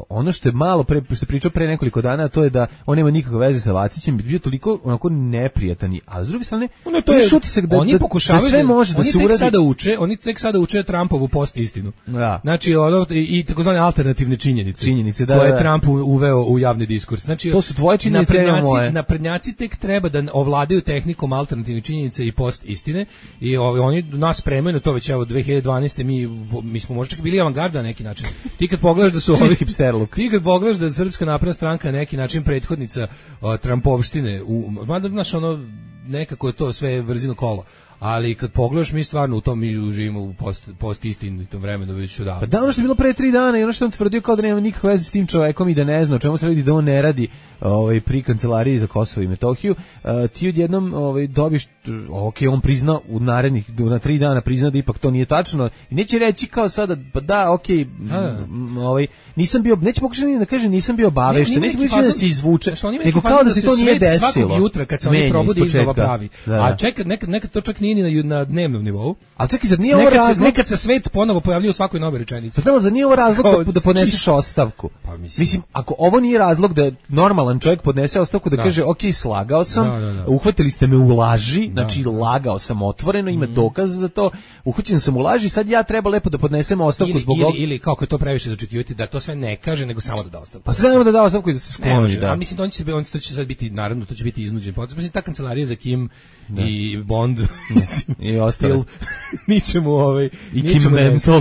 ono što je malo pre što je pričao pre nekoliko dana, to je da on nema nikakve veze sa Vacićem, bio toliko onako neprijatan, a s druge strane to je šutisak da oni pokušavaju da sve može da se uradi. Oni tek sada uče Trumpovu post istinu. Da. Znači i takozvane alternativne činjenice koje je Trump uveo u javni diskurs. Znači to su tvoje činjenice, naprednjaci tek treba da ovladaju tehnikom alternativne činjenice i post istine i oni nas spremaju na to već evo 2012. mi smo možda čak bili avangarda na neki način. Ti kad pogledaš da su ti kad pogledaš da je Srpska napredna stranka na neki način prethodnica Trumpovštine, mada znaš ono nekako je to sve vrzino kolo, ali kad pogledaš mi stvarno u tom mi živimo u post istinitom vremenu već odavno. Pa da, ono što je bilo pre 3 dana i ono što on tvrdio kao da nema nikakve veze s tim čovekom i da ne zna o čemu se radi, da on ne radi pri kancelariji za Kosovo i Metohiju, ti odjednom dobiš, on prizna na 3 dana prizna da ipak to nije tačno i neće reći kao sada, pa da, nisam bio, neće pokušati da kaže nisam bio obavešten, neće da se izvuče, nego kao da se to nije desilo. Svakog jutra kad se oni probudi iznova pravi. A čekaj, nekad to čak nije na dnevnom nivou. Ali čekaj, zar nije ovo razlog? Nekad se svet ponovo pojavljuje u svakoj novoj rečenici. Zar nije ovo razlog da podneseš ostavku? Pa mislim, ako ovo nije razlog da normalan čovjek podnese ostavku, da kaže, ok, slagao sam, uhvatili ste me u laži, znači lagao sam otvoreno, ima dokaz za to, uhvaćen sam u laži, sad ja treba lepo da podnesem ostavku zbog ovog. Ili kako je to previše zaočekivati, da to sve ne kaže, nego samo da ostavku. Pa samo da ostavku i da se skloni. A mislim, to će sad biti, naravno, to će biti iznuđen. Mislim, ta kancelarija za Kim i Bond, mislim, i ostalo. Ničemu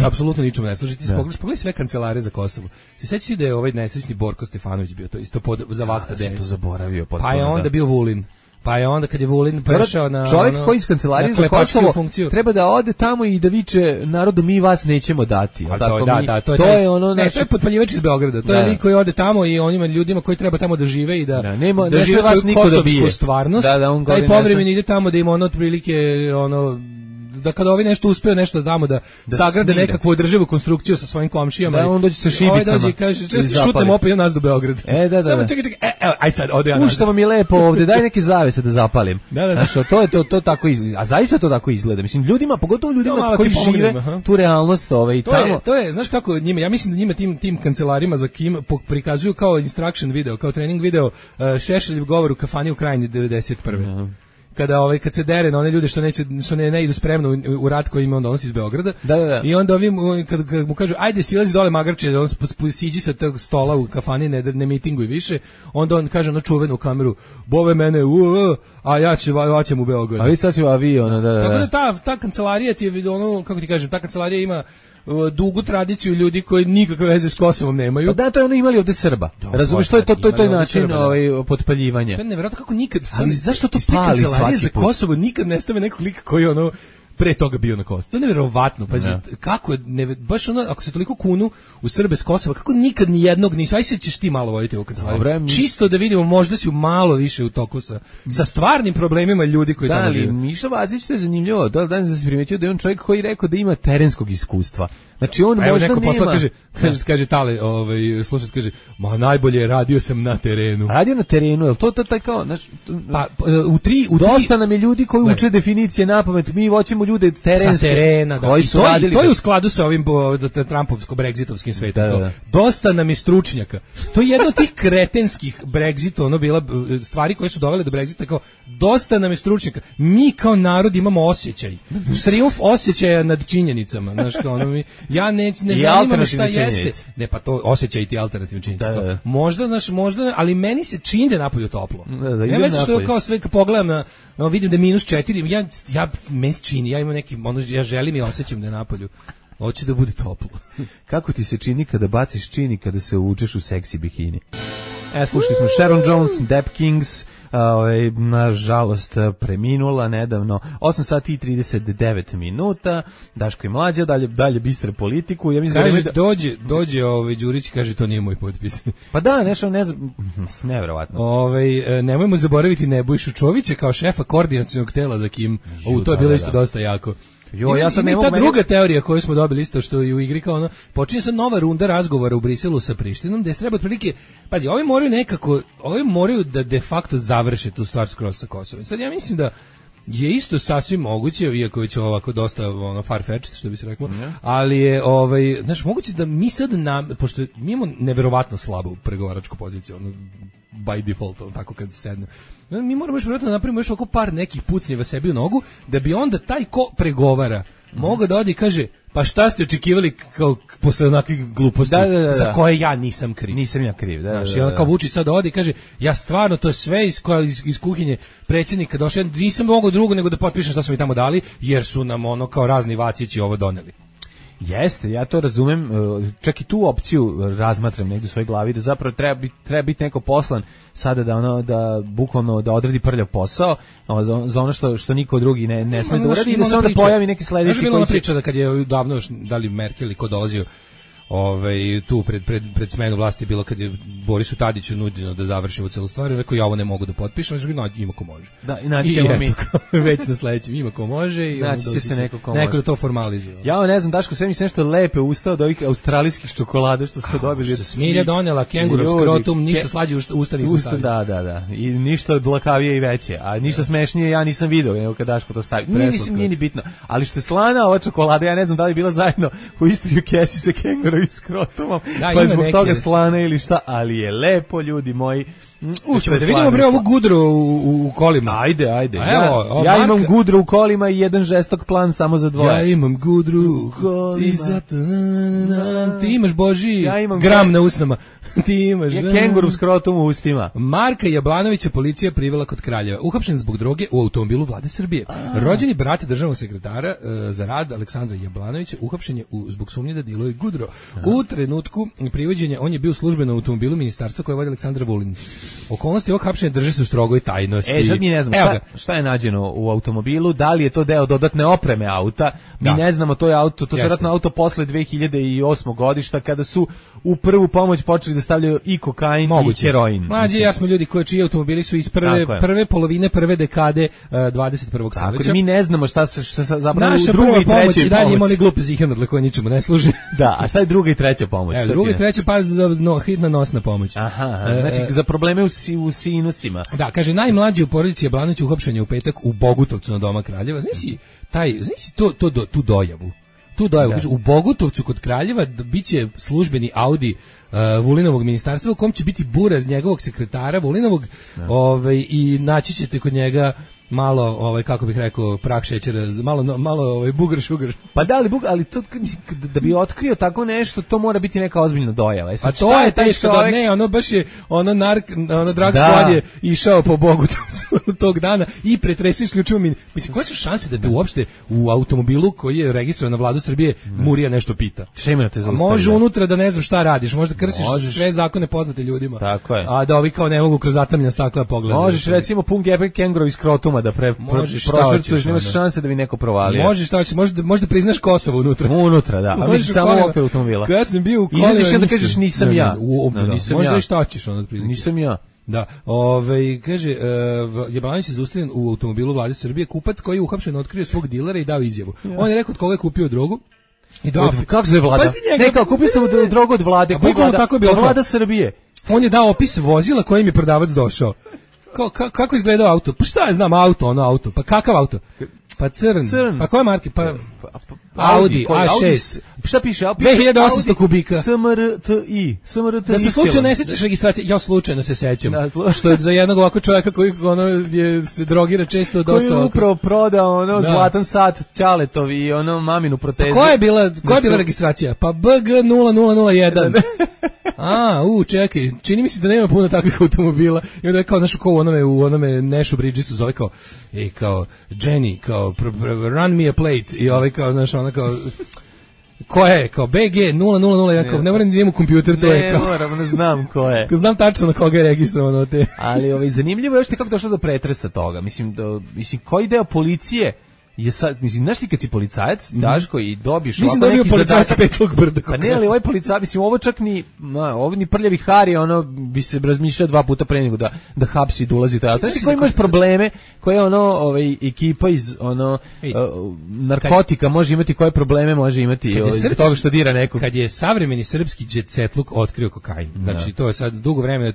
apsolutno ničemu ne služi. Ti pogledaj sve kancelare za Kosovo. Ti sećaš da je nesrećni Borko Stefanović bio to isto za vakta DS. To zaboravio potpuno. Pa je onda bio Vulin. Pa je onda kad je Vulin prešao na čovjek koji iz kancelarije za Kosovo treba da ode tamo i da viče narodu mi vas nećemo dati. To je potpaljivač iz Beograda. To je lik koji ode tamo i onima ljudima koji treba tamo da žive i da žive svoju kosovsku stvarnost. Taj povremeno ide tamo da ima otprilike da kada ovi nešto uspeju nešto da damo da sagrade nekakvu održivu konstrukciju sa svojim komšijama. Da, on dođe sa šibicama. Dođe i kaže, šutnem opet nas do Beograda. Samo čekaj, aj sad, ode ja nazad. Što vam je lepo ovde, daj neke zavese da zapalim. Znaš, to tako izgleda. A zaista to tako izgleda. Mislim, ljudima, pogotovo ljudima koji žive tu realnost tamo. To je, znaš kako njima, ja mislim da njima tim kancelarima za Kim prikazuju kao instruction video, kao trening video Šešeljev govor u kafani u Krajini 91. Kad se dere na one ljude što ne idu spremno u rat koji ima onda on iz Beograda. I onda kad mu kažu ajde silazi dole magarče, on siđi sa tog stola u kafani, ne mitinguj više, onda on kaže na čuvenu kameru bove mene a ja ćem u Beograd. A vi sad ću avion, Tako da ta kancelarija ti je kako ti kažem, ta kancelarija ima dugu tradiciju ljudi koji nikakve veze s Kosovom nemaju. Pa da, to je ono imali ovde Srba. Razumiješ, to je način potpaljivanja. To je nevjerojatno kako nikad. Ali zašto to pali svaki za Kosovo nikad ne stave nekog lika koji pre toga bio na Kosovu. To je nevjerovatno. Pa kako baš ako se toliko kunu u Srbe s Kosova, kako nikad ni jednog nisu. Aj se ćeš ti malo voditi ovu kancelariju. Čisto da vidimo, možda si malo više u toku sa stvarnim problemima ljudi koji tamo žive. Miša Vacić, to je zanimljivo. Da se primetio da je on čovjek koji rekao da ima terenskog iskustva. Znači on možda neko nema. Kaže Tale, slušac kaže, ma najbolje radio sam na terenu. Radio na terenu, jel to taj kao, znači, pa u tri dosta nam je ljudi koji uče definicije napamet, mi hoćemo ljude terenske. Sa terena, da. Koji su radili. To je u skladu sa ovim Trumpovsko-brexitovskim svetom. Da. Dosta nam je stručnjaka. To je jedno od tih kretenskih Brexita, bila stvari koje su dovele do Brexita, kao dosta nam je stručnjaka. Mi kao narod imamo osjećaj. Trijumf osjećaja nad činjenicama, znaš, kao ja ne zanima me šta jeste. Ne, pa to osjećaj ti alternativno činjenice. Da. Možda, ali meni se čini da je napolju toplo. Ja već što je kao sve kad pogledam vidim da je -4, ja meni se čini, ja imam neki, ja želim i osjećam da je napolju. Hoće da bude toplo. Kako ti se čini kada baciš čini kada se uvučeš u seksi bikini? Slušali smo Sharon Jones, Dap Kings, nažalost preminula nedavno, 8 sati i 39 minuta, Daško i Mlađa, dalje bistre politiku. Ja mislim kaže, dođe Đurić, kaže, to nije moj potpis. Pa da, nešto nevjerovatno. Nemojmo zaboraviti Nebojšu Čovića kao šefa koordinacionog tela za Kim. To je bilo isto dosta jako. Ja sad ta druga teorija koju smo dobili isto što je u igri kao počinje sad nova runda razgovora u Briselu sa Prištinom, gde se treba otprilike, pazi, ovi moraju da de facto završe tu stvar skroz sa Kosovom. Sad ja mislim da je isto sasvim moguće, iako je ovako dosta far-fetched, što bi se reklo, ali je moguće da mi sad pošto mi imamo neverovatno slabu pregovaračku poziciju, by default, tako kad sedne. Mi moramo još vjerojatno napravimo još oko par nekih pucnjeva sebi u nogu, da bi onda taj ko pregovara mogao da odi i kaže, pa šta ste očekivali kao posle onakvih gluposti za koje ja nisam kriv. Nisam ja kriv, da. Znaš, i on kao Vučić sad odi i kaže, ja stvarno, to je sve iz kuhinje predsjednika došao, nisam mogao drugo nego da potpišem šta su mi tamo dali, jer su nam kao razni Vacići ovo doneli. Jeste, ja to razumem, čak i tu opciju razmatram negdje u svojoj glavi, da zapravo treba biti neko poslan sada da bukvalno da odradi prljav posao za ono što niko drugi ne sme da uradi i da se onda pojavi neki sledeći koji će... Bila ona priča da kad je davno još, da li Merkel ko dolazio tu pred smenu vlasti je bilo kad je Borisu Tadiću nuđeno da završimo celu stvar, rekao ja ovo ne mogu da potpišem, ima ko može. Da, i naći ćemo mi već na sledećem, ima ko može i naći će se neko ko može. Neko da to formalizuje. Ja ne znam, Daško, sve mi se nešto lepe ustao od ovih australijskih čokolada što smo dobili. Smilja donela kengurov skrotum, ništa slađe usta nisam stavio. Da. I ništa dlakavije i veće, a ništa smešnije ja nisam video, nego kad Daško to stavi. Nije ni bitno, ali što je slana ova čokolada, ja ne znam da li je bila zajedno u istoj kesi sa kengurovim skrotumom, pa zbog toga slana ili šta, ali je lepo, ljudi moji. Ćemo da vidimo bre ovu gudru u kolima. Ajde. Ja imam gudru u kolima i jedan žestok plan samo za dvoje. Ja imam gudru u kolima. Ti imaš Boži gram na usnama. Ti imaš kenguru skrotum u ustima. Marka Jablanovića policija privela kod Kraljeva. Uhapšen zbog droge u automobilu Vlade Srbije. Rođeni brat državnog sekretara za rad Aleksandra Jablanovića uhapšen je zbog sumnje da diluje gudro. U trenutku privođenja on je bio službeno u automobilu ministarstva koje vodi Aleksandar Vulin. Okolnosti ovog hapšenja drže se u strogoj tajnosti. Sad mi ne znamo šta je nađeno u automobilu, da li je to deo dodatne opreme auta, mi ne znamo, to je auto, to je vjerojatno auto posle 2008. godišta, kada su u prvu pomoć počeli da stavljaju i kokain i heroin. Mlađi, ja smo ljudi čiji automobili su iz prve polovine prve dekade 21. stoljeća. Mi ne znamo šta zapravo naša u drugoj i trećoj pomoć. I dalje ima oni glupe zihernadle koje ničemu ne služi. Da, a šta je druga i treća pomoć? Druga i treća pa za hitna nosna pomoć. Aha, znači za probleme u sinusima. Da, kaže, najmlađi u porodici Jablanović uhapšen je u petak u Bogutovcu na Doma Kraljeva. Znaš tu dojavu? Kaže, u Bogutovcu kod Kraljeva biće službeni Audi Vulinovog ministarstva u kom će biti buraz njegovog sekretara Vulinovog i naći ćete kod njega malo, kako bih rekao, prah šećera, malo bugar sugar. Pa da li ali to, da bi otkrio tako nešto, to mora biti neka ozbiljna dojava. A to je teško da ne, ono baš je, drag squad je išao po Bogutovcu tog dana i pretresio isključivo mislim, koje su šanse da te uopšte u automobilu koji je registrovan na Vladu Srbije Murija nešto pita? Šta ima da te zaustavi? Može unutra da ne znam šta radiš, možda krsiš sve zakone poznate ljudima. Tako je. A da ovi kao ne mogu kroz zatamljena stakla pogledati. Možeš recimo pun gepek kengurovi skrotum da prošvrcuješ, nemaš šanse da bi neko provalio. Možeš šta hoćeš, možda priznaš Kosovo unutra. Da, a misliš samo okvir automobila. Kad sam bio u kolima, izađeš da kažeš nisam ja. Možda i šta hoćeš onda otprilike. Nisam ja. Da, kaže, Jablanović je zaustavljen u automobilu Vlade Srbije, kupac koji je uhapšen otkrio svog dilera i dao izjavu. On je rekao od koga je kupio drogu. Kako se Vlada? Ne, kao kupio sam drogu od Vlade. Tako je bilo. Vlada Srbije. On je dao opis vozila kojim je prodavac došao. Kako izgledao auto? Pa šta ja znam, auto. Pa kakav auto? Pa crn. Pa koje marke? Pa Audi A6. Šta piše? 2800 kubika. SMRTI. Da se slučajno ne sećaš registracije, ja slučajno se sećam. Što je za jednog ovako čovjeka koji se drogira često dosta. Koji je upravo prodao zlatan sat Ćaletov i maminu protezu. Koja je bila registracija? Pa BG 0001. Čekaj, čini mi se da nema puno takvih automobila. I onda je kao u onome Nešu Bridgesu zove kao Jenny, kao run me a plate i kao ko je, kao BG 0001, kao ne moram da idem u kompjuter, to je kao... Ne znam ko je. Znam tačno na koga je registrovano te. Ali zanimljivo je još kako došlo do pretresa toga. Mislim, koji deo policije je sad, znaš ti kad si policajac, Daško, i dobiješ ovako neki zadatak... Mislim da je bio policajac Petlog Brda. Pa ne, ali ovaj policajac, ovo čak ni prljavi Hari, bi se razmišljao 2 puta pre nego da hapsi i da ulazi to. Znači koji imaš probleme, koje ekipa iz narkotika može imati, koje probleme može imati zbog toga što dira nekog. Kad je savremeni srpski džetsetluk otkrio kokain, znači to je sad dugo vremena,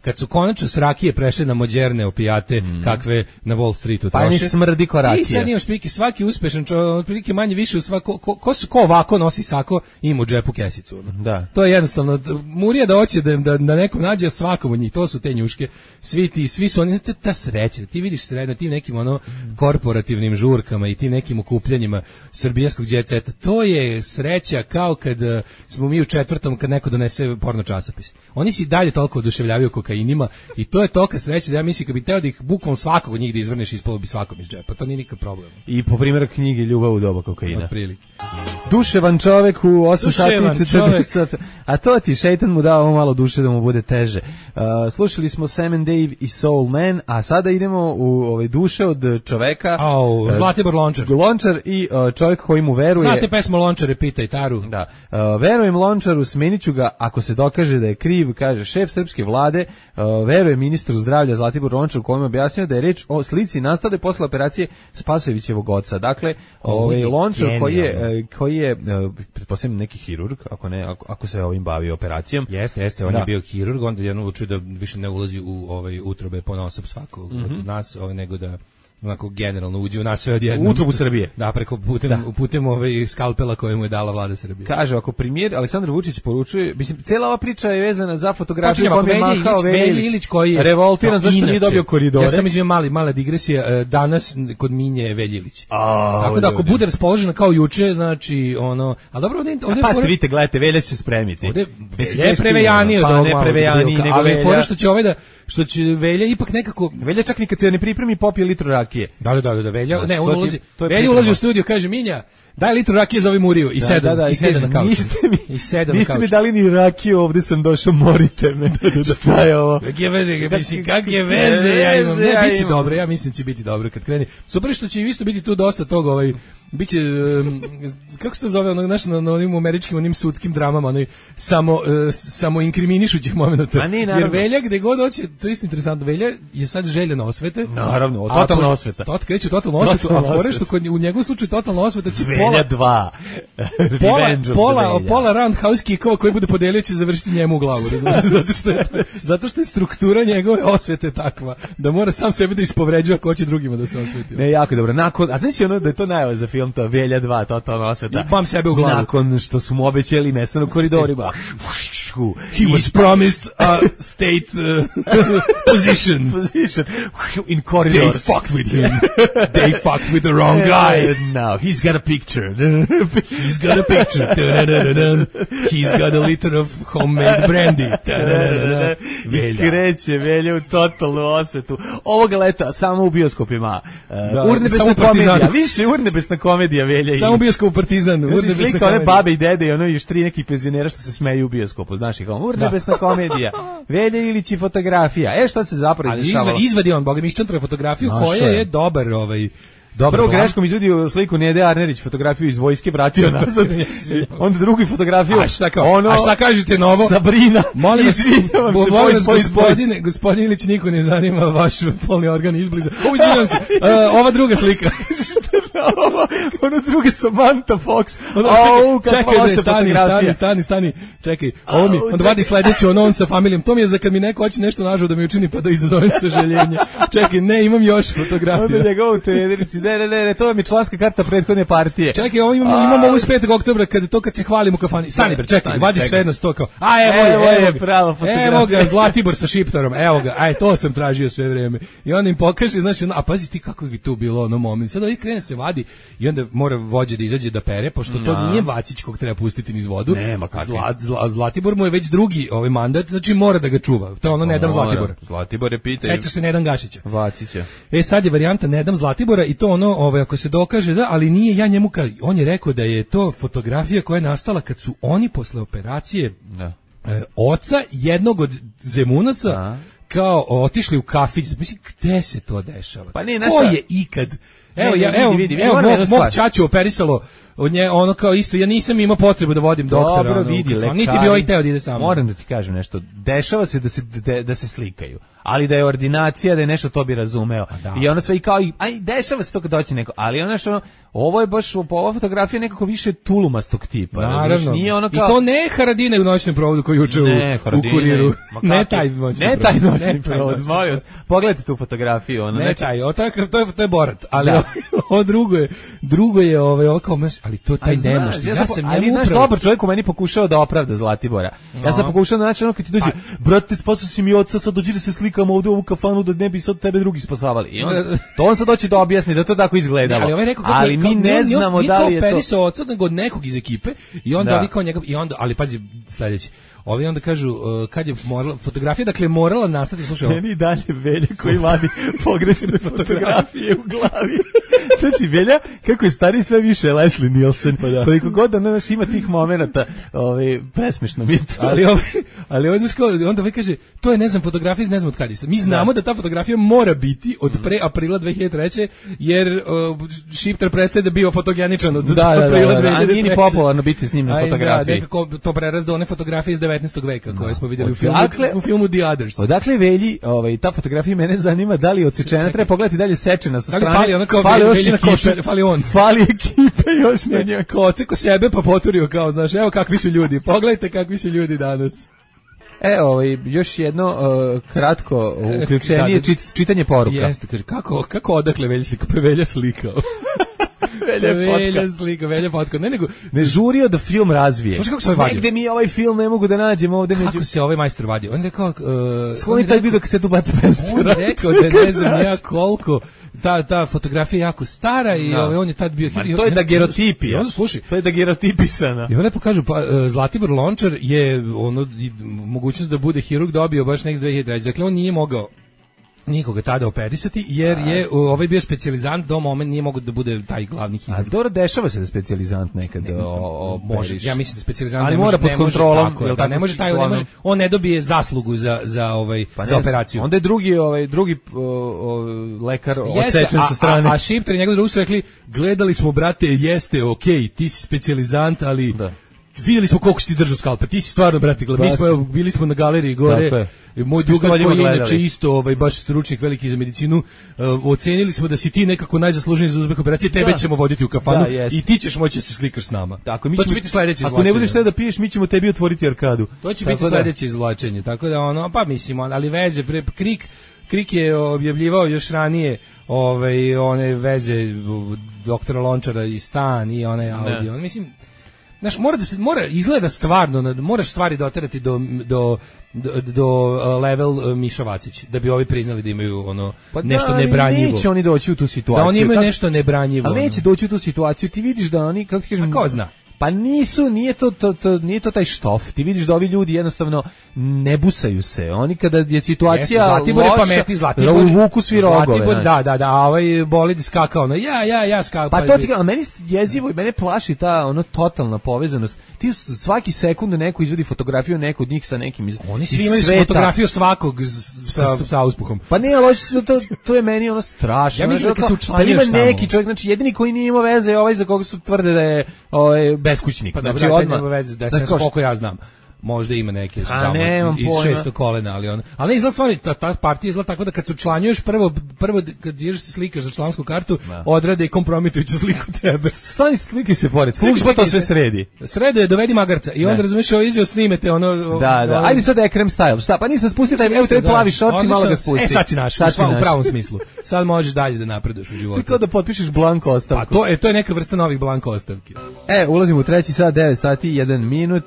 kad su konačno s rakije prešle na moderne opijate, kakve na Wall Streetu troše. Pa ne smrdi ko rakija. I sad imaš svaki uspešan čovjek, otprilike manje više u ko ovako nosi sako, ima u džepu kesicu. Da. To je jednostavno, Murija da hoće da nekom nađe svakom od njih, to su te njuške, svi su oni, ta sreća, ti vidiš sreća, tim nekim korporativnim žurkama i tim nekim okupljanjima srbijanskog džetseta, to je sreća kao kad smo mi u 4. kad neko donese porno časopis. Oni se i dalje toliko oduševljavaju kokainima i to je tolika sreća da ja mislim kad bi teo da ih bukvalno svakog od njih da izvrneš, ispalo bi svakom iz džepa, to nije nikakav problem. I po primjeru knjige Ljubav u doba kokaina. Otprilike. Duševan čovek u 8 sati 40 sata. A to ti šeitan mu dao malo duše da mu bude teže. Slušali smo Sam and Dave i Soul Man, a sada idemo u duše od čoveka. Zlatibor Lončar. Lončar i čovjek koji mu veruje. Znate pesmu Lončare, pitaj Taru. Da. Verujem Lončaru, smeniću ga ako se dokaže da je kriv, kaže šef srpske vlade. Veruje ministru zdravlja Zlatibor Lončar, kojem je objasnio da je reč o slici nastale posle operacije Spasojevićevog oca. Dakle, Lončar koji je pretpostavljam neki hirurg, ako se ovim bavi operacijom. Jeste, on je bio hirurg, onda je odlučio da više ne ulazi u utrobe ponaosob svakog od nas, nego da onako generalno uđe u nas sve odjednom. U utrobu Srbije. Da, putem skalpela koje mu je dala vlada Srbije. Kaže, ako premijer Aleksandar Vučić poručuje, mislim, cijela ova priča je vezana za fotografiju kome je mahao Velja Ilić, koji je revoltiran zašto nije dobio koridore. Ja sam izvio mala digresija, danas kod Minje Velja Ilić. Tako da ako bude raspoložena kao juče, znači a dobro ovdje... Pa ste vidite, gledajte, Velja će se spremiti. Ovdje je prevejaniji od ovog malog. Pa ne prevejaniji, nego Velja. Ali što će Velja ipak nekako... Velja čak nikad se ne pripremi, popije litru rakije. Da, Velja, ne, on ulazi u studio, kaže Minja, daj litru rakije za ovaj Muriju i sedam na kauču. Niste mi dali ni rakiju, ovdje sam došao, morite me. Šta je ovo? Kakve veze ja imam. Ne, bit će dobro, ja mislim će biti dobro kad kreni. Super što će isto biti tu dosta toga, biće, kako se to zove, na onim američkim, onim sudskim dramama, samo inkriminišućih momenta. Jer Velja, gde god hoće, to je isto interesantno, Velja je sad željena osvete. Naravno, totalna osveta. Kreće totalna osveta, a fore što u njegovom slučaju totalna osveta će Velja 2. Pola roundhouse kickova koji bude podelio će završiti njemu u glavu, zato što je struktura njegove osvete takva, da mora sam sebe da ispovređuje ako hoće drugima da se osveti. Ne, jako dobro. A znaš da je to najava za film, to Velja 2, totalna osveta. I bam sebe u glavu. Nakon što su mu obećali mesto na koridorima. He was promised a state position in corridors. They fucked with him. They fucked with the wrong guy. Now he's got a picture. He's got a picture. He's got a liter of homemade brandy. Kreće Velja u totalnu osvetu. Ovoga leta samo u bioskopima. Urnebesna komedija. Više urnebesna komedija Velja. Samo bioskop Partizan. Urnebesna komedija. One babe i dede i još 3 nekih penzionera što se smeju u bioskopu. Znaš ih, urnebesna komedija. Velja Ilić i fotografija. Šta se zapravo dešavalo? Izvadi on, Boga mi iščantruje fotografiju koja je dobar Prvo greškom izvadio sliku Nede Arnerić, fotografiju iz vojske, vratio nazad. Onda drugu fotografiju. A šta kažete novo? Sabrina. Molim vas, gospodin Ilić, niko ne zanima vaš polni organ izbliza. Izvinjam se, ova druga slika. Ono druge Samantha Fox. Stani. Čekaj, ovo mi, onda vadi sledeću, on sa familijom. To mi je za kad mi neko hoće nešto nažao da mi učini pa da izazovem sažaljenje. Čekaj, ne, imam još fotografiju. Onda njega u trenerici, ne, to mi je članska karta prethodne partije. Čekaj, ovo imam ovo iz 5. oktobra, kad se hvalim u kafani. Stani bre, čekaj, vadi sve jedno sto kao, prava fotografija. Evo ga, Zlatibor sa šiptarom, evo ga, to sam tražio sve vreme. I onda im pokaže, znači, a pazi ti kako je tu bilo ono moment. Sad krene se vadi i onda mora vođa da izađe da pere, pošto to nije Vacić kog treba pustiti niz vodu. Nema kakve. Zlatibor mu je već drugi mandat, znači mora da ga čuva. To je ono ne dam Zlatibora. Zlatibor je pitao. Seća se Nedan Gašića. Vacića. Sad je varijanta ne dam Zlatibora i to ono, ako se dokaže da, ali nije ja njemu on je rekao da je to fotografija koja je nastala kad su oni posle operacije oca jednog od Zemunaca kao otišli u kafić. Mislim, gde se to dešava? Pa nije ko je ikad? Evo, mog ćaću operisalo od nje, ono kao isto, ja nisam imao potrebu da vodim doktora. Dobro, vidi, lekari, niti bi ovaj teo da ide samo. Moram da ti kažem nešto, dešava se da se slikaju, ali da je ordinacija, da je nešto, to bi razumeo. I ono sve i kao, dešava se to kad doći neko, ali ono što, ovo je baš, ova fotografija nekako više tulumastog tipa. Naravno, nije ono kao... i to ne Haradine u noćnom provodu koji juče u Kuriru. Ne taj noćni provod, molim vas. Pogledajte tu fotografiju. Ne taj, to je Borat, ali ovo drugo je ovo kao, ali to taj nemošti. Ali znaš, dobar čovjek u meni pokušao da opravda Zlatibora. Ja sam pokušao da naći ono kad ti dođe, brate, spasao si mi oca, sad dođi da se slikamo ovdje u ovu kafanu da ne bi sad tebe drugi spasavali. I on sad doći da objasni da to tako izgledalo. Ali mi ne znamo da li je to... Nije to operisao oca, nego od nekog iz ekipe i onda ovi kao njega, ali pazi, sledeći. Ovi onda kažu, kad je fotografija, dakle, morala nastati, slušaj ovo. Meni dalje Velja koji vadi pogrešne fotografije u glavi. Znači, Velja, kako je stari sve više Leslie Nielsen, koliko god da ne ima tih momenata, presmešno mi je to. Ali onda ovaj kaže, to je, ne znam, fotografija iz ne znam od kada. Mi znamo da ta fotografija mora biti od pre aprila 2003. jer Šiptar prestaje da bio fotogeničan od aprila 2003. A nije ni popularno biti s njim na fotografiji. Nekako to preraz do one fotografije iz 19. veka koje smo vidjeli u filmu The Others. Odakle Velji, ta fotografija mene zanima, da li je odsečena, treba pogledati dalje sečena sa strane. Da li fali ona kao fali ekipe još na njoj. Ko oceko sebe pa poturio kao, znaš, evo kakvi su ljudi, pogledajte kakvi su ljudi danas. Još jedno kratko uključenje, čitanje poruka. Jeste, kaže, kako odakle Velja slika? Pa Velja slikao. Velja potka. Ne žurio da film razvije. Slušaj kako se ovaj vadio. Negde mi ovaj film ne mogu da nađem ovde među... Kako se ovaj majstor vadio? On je rekao... Skloni taj video kad se tu baca pensu. On je rekao da ne znam ja koliko... Ta fotografija je jako stara i on je tad bio... To je dagerotipija. Slušaj. To je dagerotipisana. I on lepo kažu, Zlatibor Lončar je mogućnost da bude hirurg dobio baš negde 2003. Dakle, on nije mogao nikoga tada operisati, jer je ovaj bio specijalizant, do moment nije mogao da bude taj glavni hirurg. A dobro, dešava se da specijalizant nekad može. Ja mislim da specijalizant ali mora pod kontrolom, ne može on ne dobije zaslugu za operaciju. Onda je drugi lekar odsečen sa strane. A Šiptar i njegov drug su rekli, gledali smo, brate, jeste, okej, ti si specijalizant, ali vidjeli smo koliko si ti držao skalpa, ti si stvarno, brate, bili smo na galeriji gore, moj drugar koji je inače isto baš stručnik veliki za medicinu, ocenili smo da si ti nekako najzasluženiji za uzbek operacije, tebe ćemo voditi u kafanu i ti ćeš moći da se slikaš s nama. To će biti sledeće izvlačenje. Ako ne budeš te da piješ, mi ćemo tebi otvoriti arkadu. To će biti sledeće izvlačenje, tako da pa mislim, ali veze, Krik je objavljivao još ranije one veze doktora Lončara i Stan i one audio, mislim. Znaš, mora izgleda stvarno, moraš stvari doterati do level Miša Vacić, da bi ovi priznali da imaju nešto nebranjivo. Neće oni doći u tu situaciju. Da oni imaju nešto nebranjivo. Ali neće doći u tu situaciju, ti vidiš da oni, kako ti kažem... A ko zna? Pa nije to taj štof. Ti vidiš da ovi ljudi jednostavno ne busaju se. Oni kada je situacija loša, uvuku svi rogove. Da, a ovaj bolid skakao, ja skakao. Pa to ti a meni jezivo i mene plaši ta totalna povezanost. Ti svaki sekund neko izvodi fotografiju nekog od njih sa nekim iz Oni svi imaju fotografiju svakog sa uspuhom. Pa ne, ali to je meni strašno. Ja mislim da se učlanio šta. Pa ima neki čovjek, znači jedini koji nije imao veze je ovaj za koga su tvrde da je beskućnik. Pa znači odmah nema veze, da se koliko ja znam. možda ima neke iz 600 kolena, ali ne izgleda stvari, ta partija izgleda tako da kad se učlanjuješ prvo kad ideš se slikaš za člansku kartu, odrade i kompromitujuću sliku tebe. Stani slike se pored, služba to sve sredi. Sredo je, dovedi magarca i onda razumiješ ovo izveo snimete ono... Da, ajde sad Ekrem style, šta, pa nisam spustio taj, evo te plavi šorci, malo ga spusti. Sad si naš, u pravom smislu. Sad možeš dalje da napreduješ u životu. Ti kao da potpišeš blanko ostavku. Pa to je neka vrsta novih blanko ostavki. Ulazimo u 3. sat, 9 sati, 1 minut,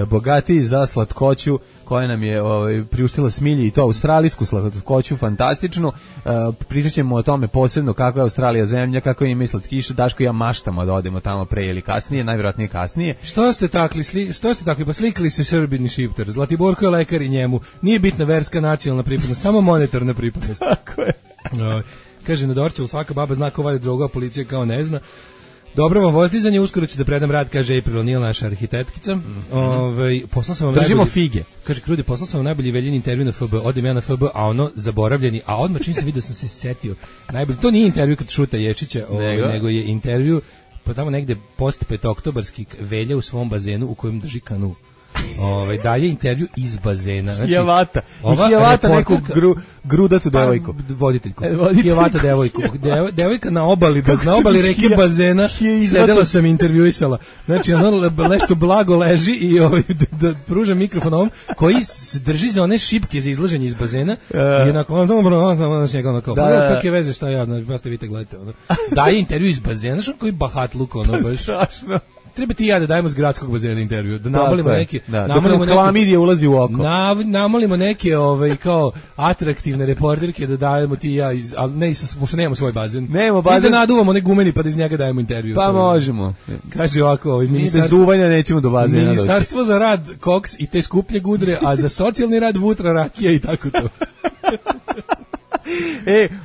bogatiji za slatkoću koja nam je priuštila Smilji i to australijsku slatkoću, fantastičnu. Pričat ćemo o tome posebno kako je Australija zemlja, kako ima slatkiše. Daško i ja maštamo da odemo tamo pre ili kasnije, najvjerojatnije kasnije. Što ste takli, pa slikali se Srbin i Šiptar. Zlatiborko je lekar i njemu. Nije bitna verska, nacionalna pripadnost, samo monetarna pripadnost. Tako je. Kaže na Dorčevu, svaka baba zna ko vadi drogu, a policija kao ne zna. Dobro vam vozdizanje, uskoro ću da predam rad, kaže April O'Neil, naša arhitektica. Poslao sam vam držimo fige. Kaže Krudi, poslao sam vam najbolji veljeni intervju na FB, odem ja na FB, a ono zaboravljeni, a odmah čim sam vidio sam se setio. Najbolji, to nije intervju kad šuta Ječića, nego je intervju pa tamo negde post petoktobarski Velja u svom bazenu u kojem drži kanu. Daje intervju iz bazena. Znači, Hijavata neku grudatu devojku. Voditeljku. Hijavata devojku. Devojka na obali reke bazena sedela sam intervjuisala. Znači, ono nešto blago leži i da pruža mikrofon ovom koji se drži za one šipke za izlaženje iz bazena i onako, kakve veze, šta ja, znači, ste vidite, gledajte. Daje intervju iz bazena, znači, koji bahat luk, ono baš. Strašno. Treba ti ja da dajemo s gradskog bazena intervju, da namolimo neke, klamidija ulazi u oko. Namolimo neke kao atraktivne reporterke da dajemo ti ja, ali ne, pošto nemamo svoj bazen. Nemamo bazen. I da naduvamo onaj gumeni pa da iz njega dajemo intervju. Pa možemo. Kaže ovako, bez duvanja nećemo do bazena. Ministarstvo za rad koks i te skuplje gudre, a za socijalni rad vutra, rakija i tako to.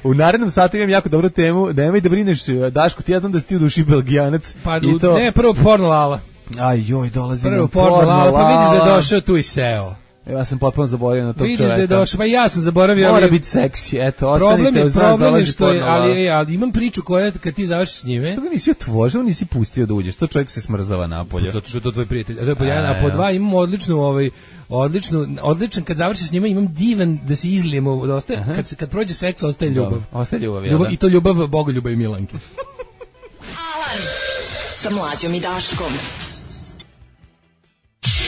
U narednom satu imam jako dobru temu, nemoj da brineš, Daško, ti ja znam da si ti u duši Belgijanac. Pa ne, prvo porno Lala. Dolazi prvo porno Lala, pa vidiš da je došao tu i seo. Ja sam potpuno zaboravio na tog čoveka. Vidiš da je došao, pa ja sam zaboravio. Mora biti seksi, eto, ostanite uz nas. Problem je što je, ali imam priču koja kad ti završiš s njime. Što ga nisi otvorio, nisi pustio da uđeš, to čovjek se smrzava napolje. Zato što je to tvoj prijatelj. A po dva imam odličan, kad završiš s njima imam divan da se izlijemo, kad prođe seks ostaje ljubav. Ostaje ljubav, i to ljubav Bogoljuba i Milanke. Alarm sa Mlađom i Daškom.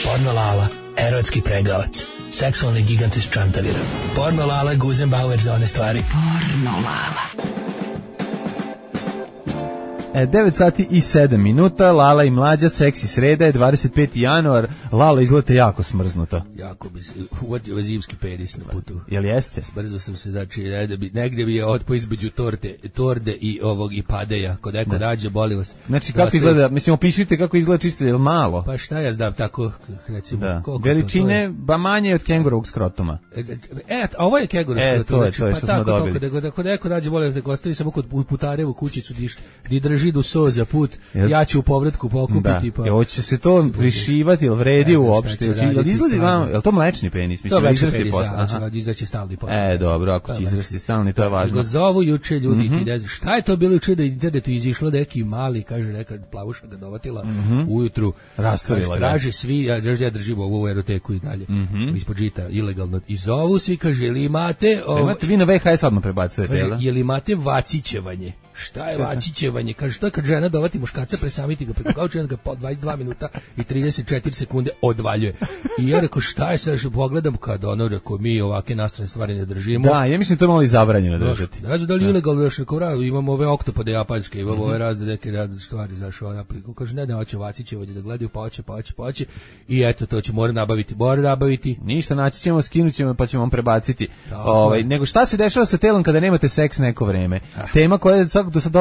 Porno Lala, erotski pregavac, seksualni gigant iz Čantavira. Porno Lala, Guzenbauer za one stvari. Porno Lala. 9 sati i 7 minuta, Lala i Mlađa, seksi sreda je 25. januar, Lala izgleda jako smrznuta. Jako bi se uvatio zimski pedis na putu. Jel jeste? Brzo sam se negde bi je otpo između torde i padeja, kod neko dađe, boli vas. Znači kako izgleda, mislim opišite kako izgleda čisto, je li malo? Pa šta ja znam, tako recimo. Da. Veličine, ba manje od kengurovog skrotoma. A ovo je kengurovog skrotoma. To je što smo dobili. Kod neko dađe, boli vas, ostavi samo kod putarevu kućicu di drži do so za put, ja ću u povratku pokupiti. Da, hoće se to prišivati, ili vredi uopšte? Je li to mlečni penis? To je mlečni penis, da, izraći stalni posle. Dobro, ako će izraći stalni, to je važno. Go zovu juče ljudi, ti ne znaš, šta je to bilo juče da internetu izišlo neki mali, kaže neka plavuša ga dovatila ujutru, rastorila ga. Traže svi, ja držim ovu eroteku i dalje, ispod žita, ilegalno, i zovu svi, kaže, ili imate... Imate vi na VHS odmah prebacujete, kaže, jel imate vacićevanje? Šta je vacićevanje? Kaže, što je kad žena dovati muškarca, presamiti ga preko kauča, ga po 22 minuta i 34 sekunde odvaljuje. I ja rekao, šta je sad, pogledam kad ono, rekao, mi ovake nastrane stvari ne držimo. Da, ja mislim to malo i zabranjeno držati. Ne znam da li ilegalno još rekao, imamo ove oktopode japanske, imamo ove razne neke stvari, znaš, ona priko. Kaže, ne, hoće vacićevanje da gledaju, pa hoće. I eto, to će mora nabaviti. Ništa, naći ćemo, skinut ćemo, pa ćemo vam prebaciti. Nego šta se dešava sa telom kada nemate seks neko vreme? Tema koja je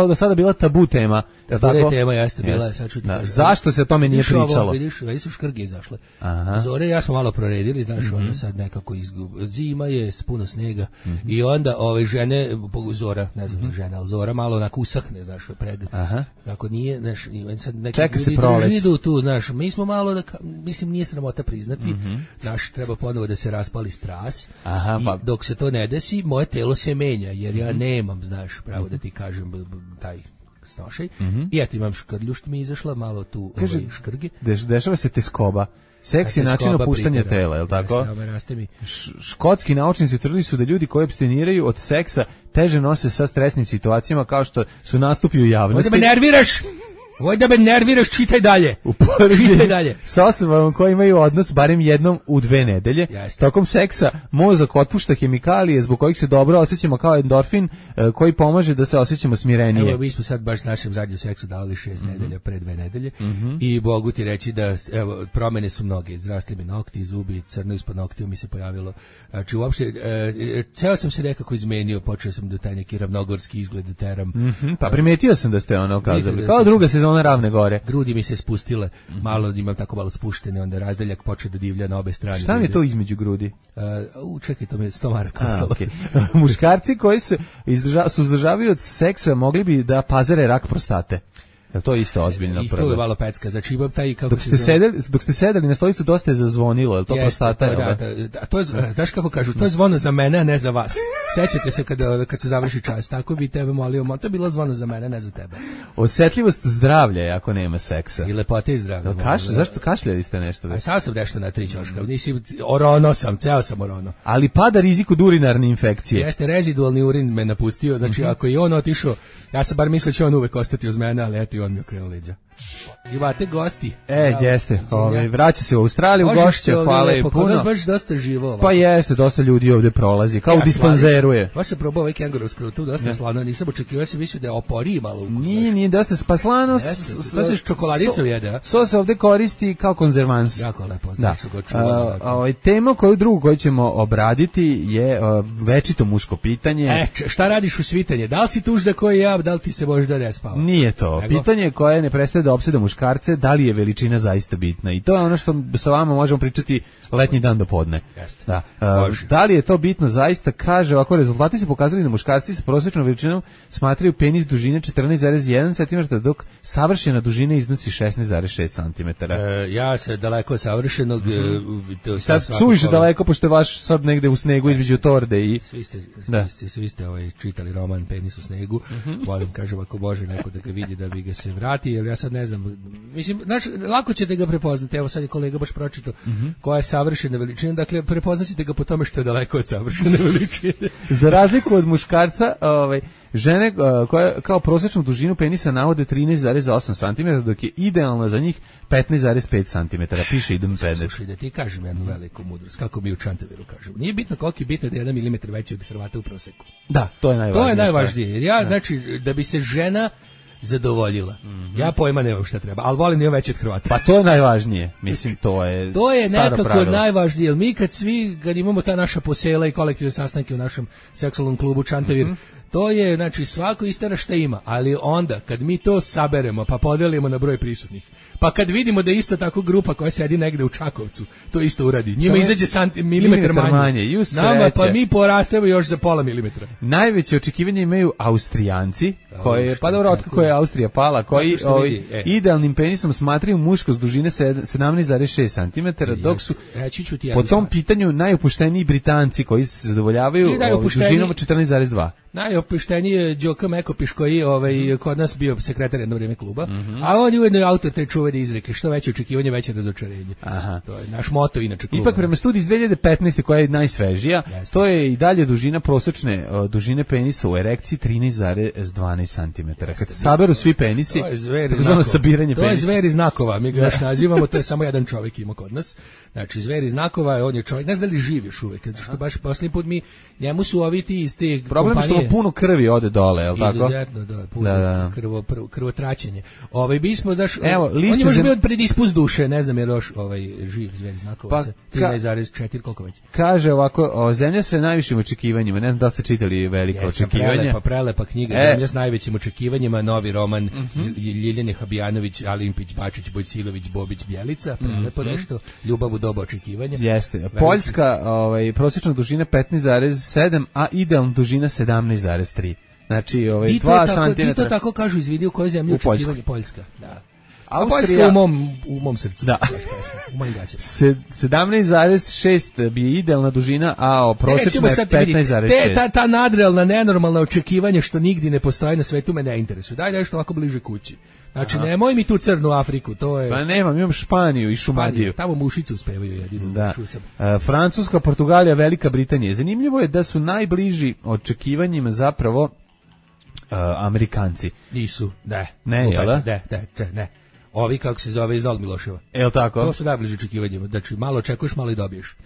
do sada bila tabu tema. Tabu tema jeste bila, sad ću ti kažem. Zašto se o tome nije pričalo? Vidiš su škrge izašle. Zore ja smo malo proredili, znaš, ono sad nekako zima je, puno snega. I onda žene, Zora, ne znam žena, ali Zora malo onako usahne, znaš, pred. Kako nije, znaš, sad neki ljudi idu tu, znaš, mi smo malo, mislim, nije sramota priznati, znaš, treba ponovo da se raspali stras. I dok se to ne desi, moje telo se menja, jer ja nemam, znaš, pravo da ti kažem, taj snošaj. I eto imam škrlju što mi je izašla, malo tu škrge. Dešava se teskoba. Seks je način opuštanja tela, je li tako? Škotski naučnici utvrdili su da ljudi koji apstiniraju od seksa teže nose sa stresnim situacijama kao što su nastupi u javnosti. Ovdje me nerviraš! Voj da me nerviraš, čitaj dalje. Čitaj dalje. Sa osobama koji imaju odnos barem jednom u 2 nedelje. Tokom seksa mozak otpušta hemikalije zbog kojih se dobro osjećamo kao endorfin koji pomaže da se osjećamo smirenije. Evo, mi smo sad baš našem zadnjem seksu dali 6 nedelja, pre 2 nedelje i mogu ti reći da evo, promene su mnoge. Izrasli mi nokti, zubi, crno ispod noktiju mi se pojavilo. Znači, uopšte, ceo sam se nekako izmenio, počeo sam da taj neki ravnogorski izgled da teram. Pa primetio sam da ste ono kazali. Kao druga sezona Ravne gore. Grudi mi se spustile, malo imam tako malo spuštene, onda razdeljak počeo da divlja na obe strane. Šta mi je to između grudi? Čekaj, to mi je 100 maraka ostalo. Okay. Muškarci koji su izdržavaju od seksa mogli bi da pazare rak prostate. Je to isto ozbiljno? I to je malo pecka. Znači imam taj kako dok ste sedeli na stolicu dosta je zazvonilo, je li to prostata? Da, to je, znaš kako kažu, to je zvono za mene, a ne za vas. Sećate se kad se završi čas, tako bi tebe molio, to je bilo zvono za mene, ne za tebe. Osetljivost zdravlja je ako nema seksa. I lepote i zdravlja. Zašto kašljali ste nešto? Sad sam nešto na 3 ćoška, orono sam, ceo sam orono. Ali pada rizik od urinarne infekcije. Jeste, rezidualni urin me napustio, znači ako je on otišao, ja sam bar mislio će on uvek ostati uz mene, ali eto i on mi okrenuo leđa. Imate gosti. Jeste. Vraća se u Australiju, gošće, hvala i puno. Možeš baš dosta živo. Pa jeste, dosta ljudi ovde prolazi, kao u dispanzeru je. Baš se probao ovaj kengurov tu dosta slano, nisam očekivao, sam mislio da je oporiji malo ukus. Nije dosta spaslano. To se s čokoladicom jede. Sos se ovde koristi kao konzervans. Jako lepo, znači su ga čuvali. Tema koju ćemo obraditi je večito muško pitanje. Šta radiš u svitanje? Da li si tužda koji ja, da li ti se možda ne spava? Nije to. Pitanje koje ne prestaje da opseda muškarce, da li je veličina zaista bitna. I to je ono što sa vama možemo pričati letnji dan do podne. Da. Da li je to bitno zaista? Kaže, ovako, rezultati su pokazali da muškarci sa prosječnom veličinom smatraju penis dužine 14,1 cm, dok savršena dužina iznosi 16,6 cm. Ja se daleko od savršenog... Sad suviše daleko, pošto je vaš sad negde u snegu između torde i... Svi ste čitali roman Penis u snegu. Volim, kažem, ako može neko da ga vidi, da bi ga se vrati, jer ja sad ne znam, mislim, lako ćete ga prepoznati, evo sad je kolega baš pročitao koja je savršena veličina, dakle prepoznaćete ga po tome što je daleko od savršene veličine. Za razliku od muškarca, žene koje kao prosječnu dužinu penisa navode 13,8 cm, dok je idealna za njih 15,5 cm, piše Idem Pedet. Slušaj, da ti kažem jednu veliku mudrost, kako mi u Čantaviru kažemo. Nije bitno koliko je bitno da je 1 milimetar veći od Hrvata u proseku. Da, to je najvažnije. To je najvažnije, jer ja, znači, da bi se žena zadovoljila. Ja pojma nemam šta treba, ali volim nije veći od Hrvata. Pa to je najvažnije. Mislim, to je nekako pravilo. najvažnije, jer mi kad imamo ta naša posela i kolektivne sastanke u našem seksualnom klubu Čantavir, to je, znači, svako istera šta ima, ali onda, kad mi to saberemo, pa podelimo na broj prisutnih, pa kad vidimo da je isto tako grupa koja sedi negde u Čakovcu, to isto uradi. Njima izađe milimetar manje. Nama, pa mi porastemo još za pola milimetra. Najveće očekivanje imaju Austrijanci, koji, pa dobro, otkako je Austrija pala, koji idealnim penisom smatraju muškost dužine 17,6 cm, dok su po tom pitanju najopušteniji Britanci koji se zadovoljavaju dužinom 14,2. Najopušteniji je Đoka Mekopiš koji kod nas bio sekretar jedno vrijeme kluba, a on je ujedno autor te čuvene izreke, što veće očekivanje, veće razočarenje. To je naš moto inače kluba. Ipak prema studiji iz 2015. koja je najsvežija, to je i dalje dužina prosječne dužine penisa u erekciji 13,12 cm. Kad se saberu svi penisi, to je zver iz znakova, mi ga još nazivamo, to je samo jedan čovjek ima kod nas. Znači, zver iz znakova, on je čovjek, ne znam da li živi još uvijek, što baš posljednji put njemu su ovi ti iz te problem kompanije. Što puno krvi ode dole, je li tako? Izuzetno, puno krvotraćenje. Bismo, znaš, on je možda bio predispust duše, ne znam je još živ zver iz znakova, 13,4, koliko već. Kaže ovako, zemlja sa najvišim očekivanjima, ne znam da ste čitali velika očekivanja. Prelepa knjiga, Zemlja s najvećim očekivanjima, novi roman Ljiljane Habijanović, Alimpić, Bačić, Bojsilović, Bobić, Bjelica, prelepo nešto, ljubav u doba očekivanja. Jeste. Poljska, prosječna dužina 15,7, a idealna dužina 17,3. Znači, 2 cm. I to tako kažu, izvidi u kojoj zemlji očekivanje Poljska. Da. Poljska u mom srcu. Da. U mojim gaćama. 17,6 bi idealna dužina, a prosječna je 15,6. Ta nadrealna, nenormalna očekivanja što nigdje ne postoji na svetu me ne interesuju. Daj nešto ovako bliže kući. Znači, nemoj mi tu crnu Afriku, to je... Pa imam Španiju i Šumadiju. Tamo mušice uspevaju jedino, da. Francuska, Portugalija, Velika Britanija. Zanimljivo je da su najbliži očekivanjima zapravo Amerikanci. Nisu, ne, jel da? Ne. Ovi, kako se zove, iz Novog Miloševa. Jel tako? To su najbliži očekivanjima. Znači, malo očekuješ, malo i dobiješ.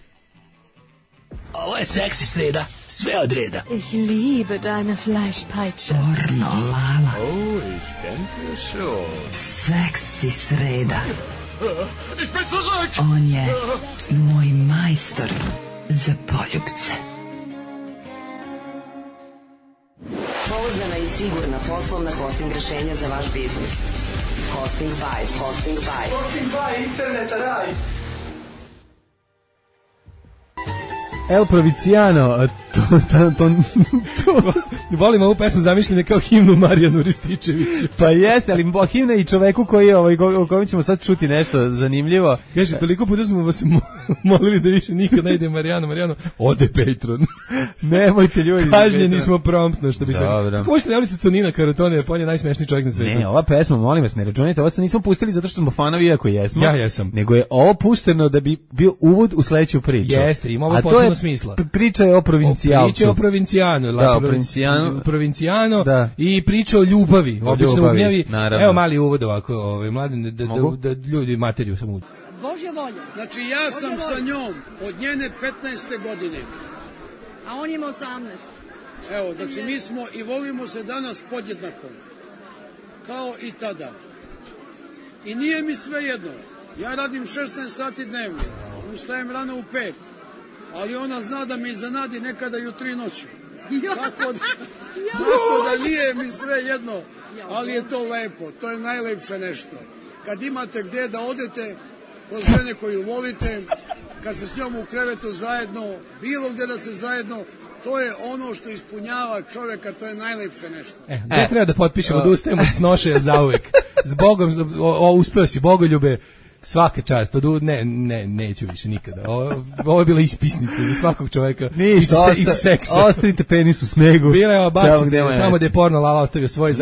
Ovo je seksi sreda, sve od reda. Ich liebe deine Fleischpeitsche. Pornolala. Oh, ich denke schon. Seksi sreda. Ich bin zurück! On je moj majstor za poljubce. Pouzdana i sigurna poslovna hosting rešenja za vaš biznis. Hosting by. Hosting by, internet raj. El Provinciano, Volim ovu pesmu, zamišljene kao himnu Marijanu Rističeviću. Pa jeste, ali himna i čoveku koji o kojem ćemo sad čuti nešto zanimljivo. Kaže, toliko puta smo vas molili da više nikad ne ide Marijano, ode Patreon. Nemojte ljudi. Kažnjeni smo promptno, što bi se... Kako možete najaviti Tonina Karotone, on je najsmešniji čovjek na svijetu. Ne, ova pesma, molim vas, ne računajte, ovo se nismo pustili zato što smo fanovi, iako jesmo. Ja jesam. Nego je ovo pušteno da bi bio uvod u sledeću priču. Jeste, ima ovo potpuno smisla. Priča je o provincijalcu. Priča o Provinciano. Da, Provinciano da. I priča o ljubavi. Obično u gnjavi. Naravno. Evo mali uvod ovako, mladen, da ljudi materiju samo uđu. Božja volja. Znači ja sam sa njom od njene 15. godine. A on ima 18. Evo, znači mi smo i volimo se danas podjednako. Kao i tada. I nije mi sve jedno. Ja radim 16 sati dnevno. Ustajem rano u 5. Ali ona zna da mi iznenadi nekada i u 3 noći. Tako da nije mi sve jedno, ali je to lepo, to je najlepše nešto. Kad imate gdje da odete, kod žene koju volite, kad se s njom u krevetu zajedno, bilo gdje da se zajedno, to je ono što ispunjava čovjeka, to je najlepše nešto. Gdje treba da potpišemo da ustajemo od snošaja zauvek? S Bogom, uspeo si, Bogoljube. Svaka čast, neću više nikada. Ovo je bila ispisnica za svakog čovjeka. Ništa, iz seksa. Ostavite penis u snegu. Bila je bacite, tamo gde je porno Lala ostavio svoj,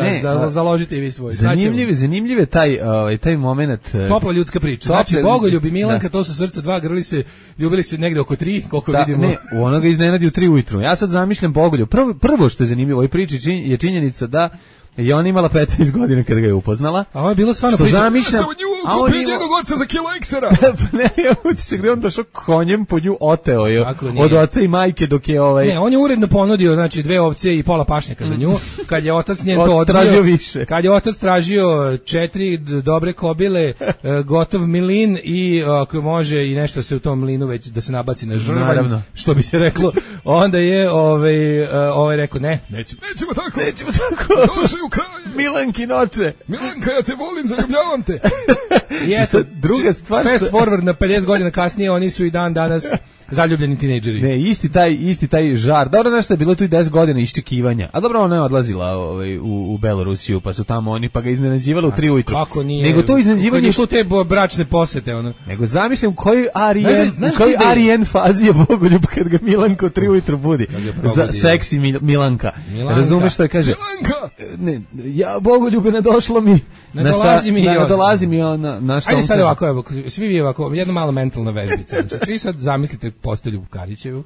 založite i vi svoj. Zanimljiv je taj moment. Topla ljudska priča. Znači, Bogoljub i Milanka, to su srca dva, ljubili se negde oko 3, koliko vidimo. Ne, ono ga iznenadi u 3 ujutru. Ja sad zamišljam Bogoljub. Prvo što je zanimljivo u ovoj priči je činjenica da i ona imala 15 godina kada ga je upoznala. A ovo je bilo stvarno priča. Ja sam u nju kupio njenog oca za kilo eksera. Ne, utisak gde on došao konjem po nju oteo je od oca i majke dok je Ne, on je uredno ponudio, znači 2 ovce i pola pašnjaka za nju. Kad je otac njen to odbio. Tražio više. Kad je otac tražio 4 dobre kobile, gotov milin i ako može i nešto se u tom mlinu već da se nabaci na žrvanj, što bi se reklo, onda je rekao nećemo tako. U kraju. Milanki noće. Milanka, ja te volim, zaljubljavam te. I eto, druga stvar. Fast forward na 50 godina kasnije, oni su i dan danas zaljubljeni tinejdžeri. Ne, isti taj žar. Dobro, nešto je bilo tu i 10 godina iščekivanja. A dobro, ona je odlazila u Belorusiju, pa su tamo oni, pa ga iznenađivali u 3 ujutru. Kako nije? Nego to iznenađivanje... Kako te bračne posete, ono? Nego zamišljam koji Arijen fazi je Bogoljub kad ga Milanka u 3 ujutru budi. Za seksi Milanka. Razumeš što je kaže? Milanka! Ne, ja Bogoljube ne došlo mi. Ne dolazi mi na što. Ajde sad ovako, evo, svi vi ovako, jedna malo mentalna vežbica. Znači, svi sad zamislite postelju Karića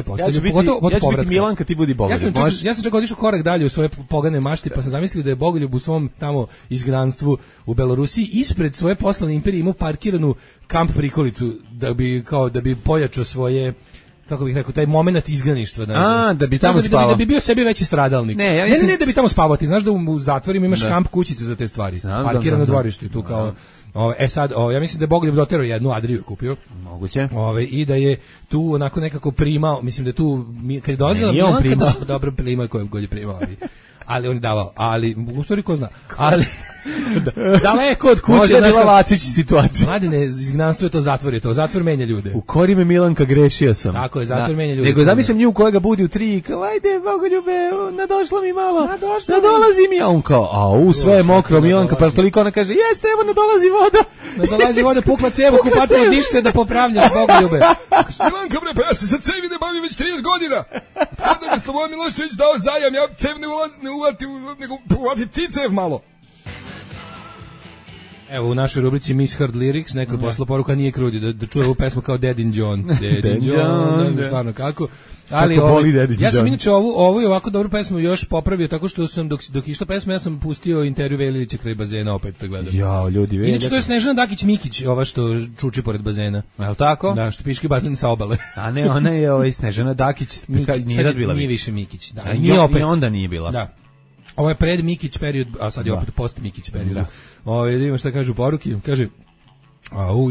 postelju, pogotovo ja ću biti Milanka, ti budi Bogoljub. Ja sam čak otišao korak dalje u svoje pogane mašti, pa sam zamislio da je Bogoljub u svom tamo izgnanstvu u Belorusiji ispred svoje poslovne imperije imao parkiranu kamp prikolicu da bi pojačao svoje, kako bih rekao, taj moment izganištva. Da bi tamo spavao. Da bi bio sebi veći stradalnik. Ne, da bi tamo spavao. Ti znaš da u zatvorima imaš kamp kućice za te stvari. Parkirano dvorište tu kao... sad, ja mislim da je Bogoljub doterao jednu Adriju kupio. Moguće. I da je tu onako nekako primao, mislim da je tu, kad je dolazila Milanka, da dobro primao koji god je primao, ali on je davao, ali u stvari ko zna, ali Daleko od kuće. Možda je bila Vacić situacija. Mladine, izgnanstvo je to, zatvor je to. Zatvor menja ljude. U kori me Milanka, grešio sam. Tako je, zatvor menja ljude. Nego zamislim nju kojega budi u 3 i kao, ajde, Bogoljube, nadošla mi malo, nadolazi mi. A on kao, sve je mokro, Milanka, pa toliko ona kaže, jeste, evo, nadolazi voda. Nadolazi voda, pukla cevu, kupatilo, diš se da popravljaš, Bogoljube. Milanka, bre, pa ja se sad cevi ne bavim već 30 godina. Kada mi Slobodan Milošević dao zajam, ja cev ne ulatim, nego ulatim ti cev malo. Evo, u našoj rubrici Miss Heard Lyrics, neko je poslao poruka, nije krudi, da čuje ovu pesmu kao Dead in John. Dead in John, ne znam stvarno kako. Ali ja sam inače ovu i ovako dobru pesmu još popravio, tako što sam, dok išla pesma, ja sam pustio intervju Velilića kraj bazena, opet to gledam. Jao, ljudi, Velja. Inače, to je Snežana Dakić-Mikić, ova što čuči pored bazena. Je li tako? Da, što piški bazen sa obale. A ne, ona je Snežana Dakić, nije bila. Nije više Mikić. Da, nije opet. I onda nije bila. Da. Ovo je pred Mikić period, a sad je opet post Mikić period. Da. Da vidimo šta kažu poruki. Kaže,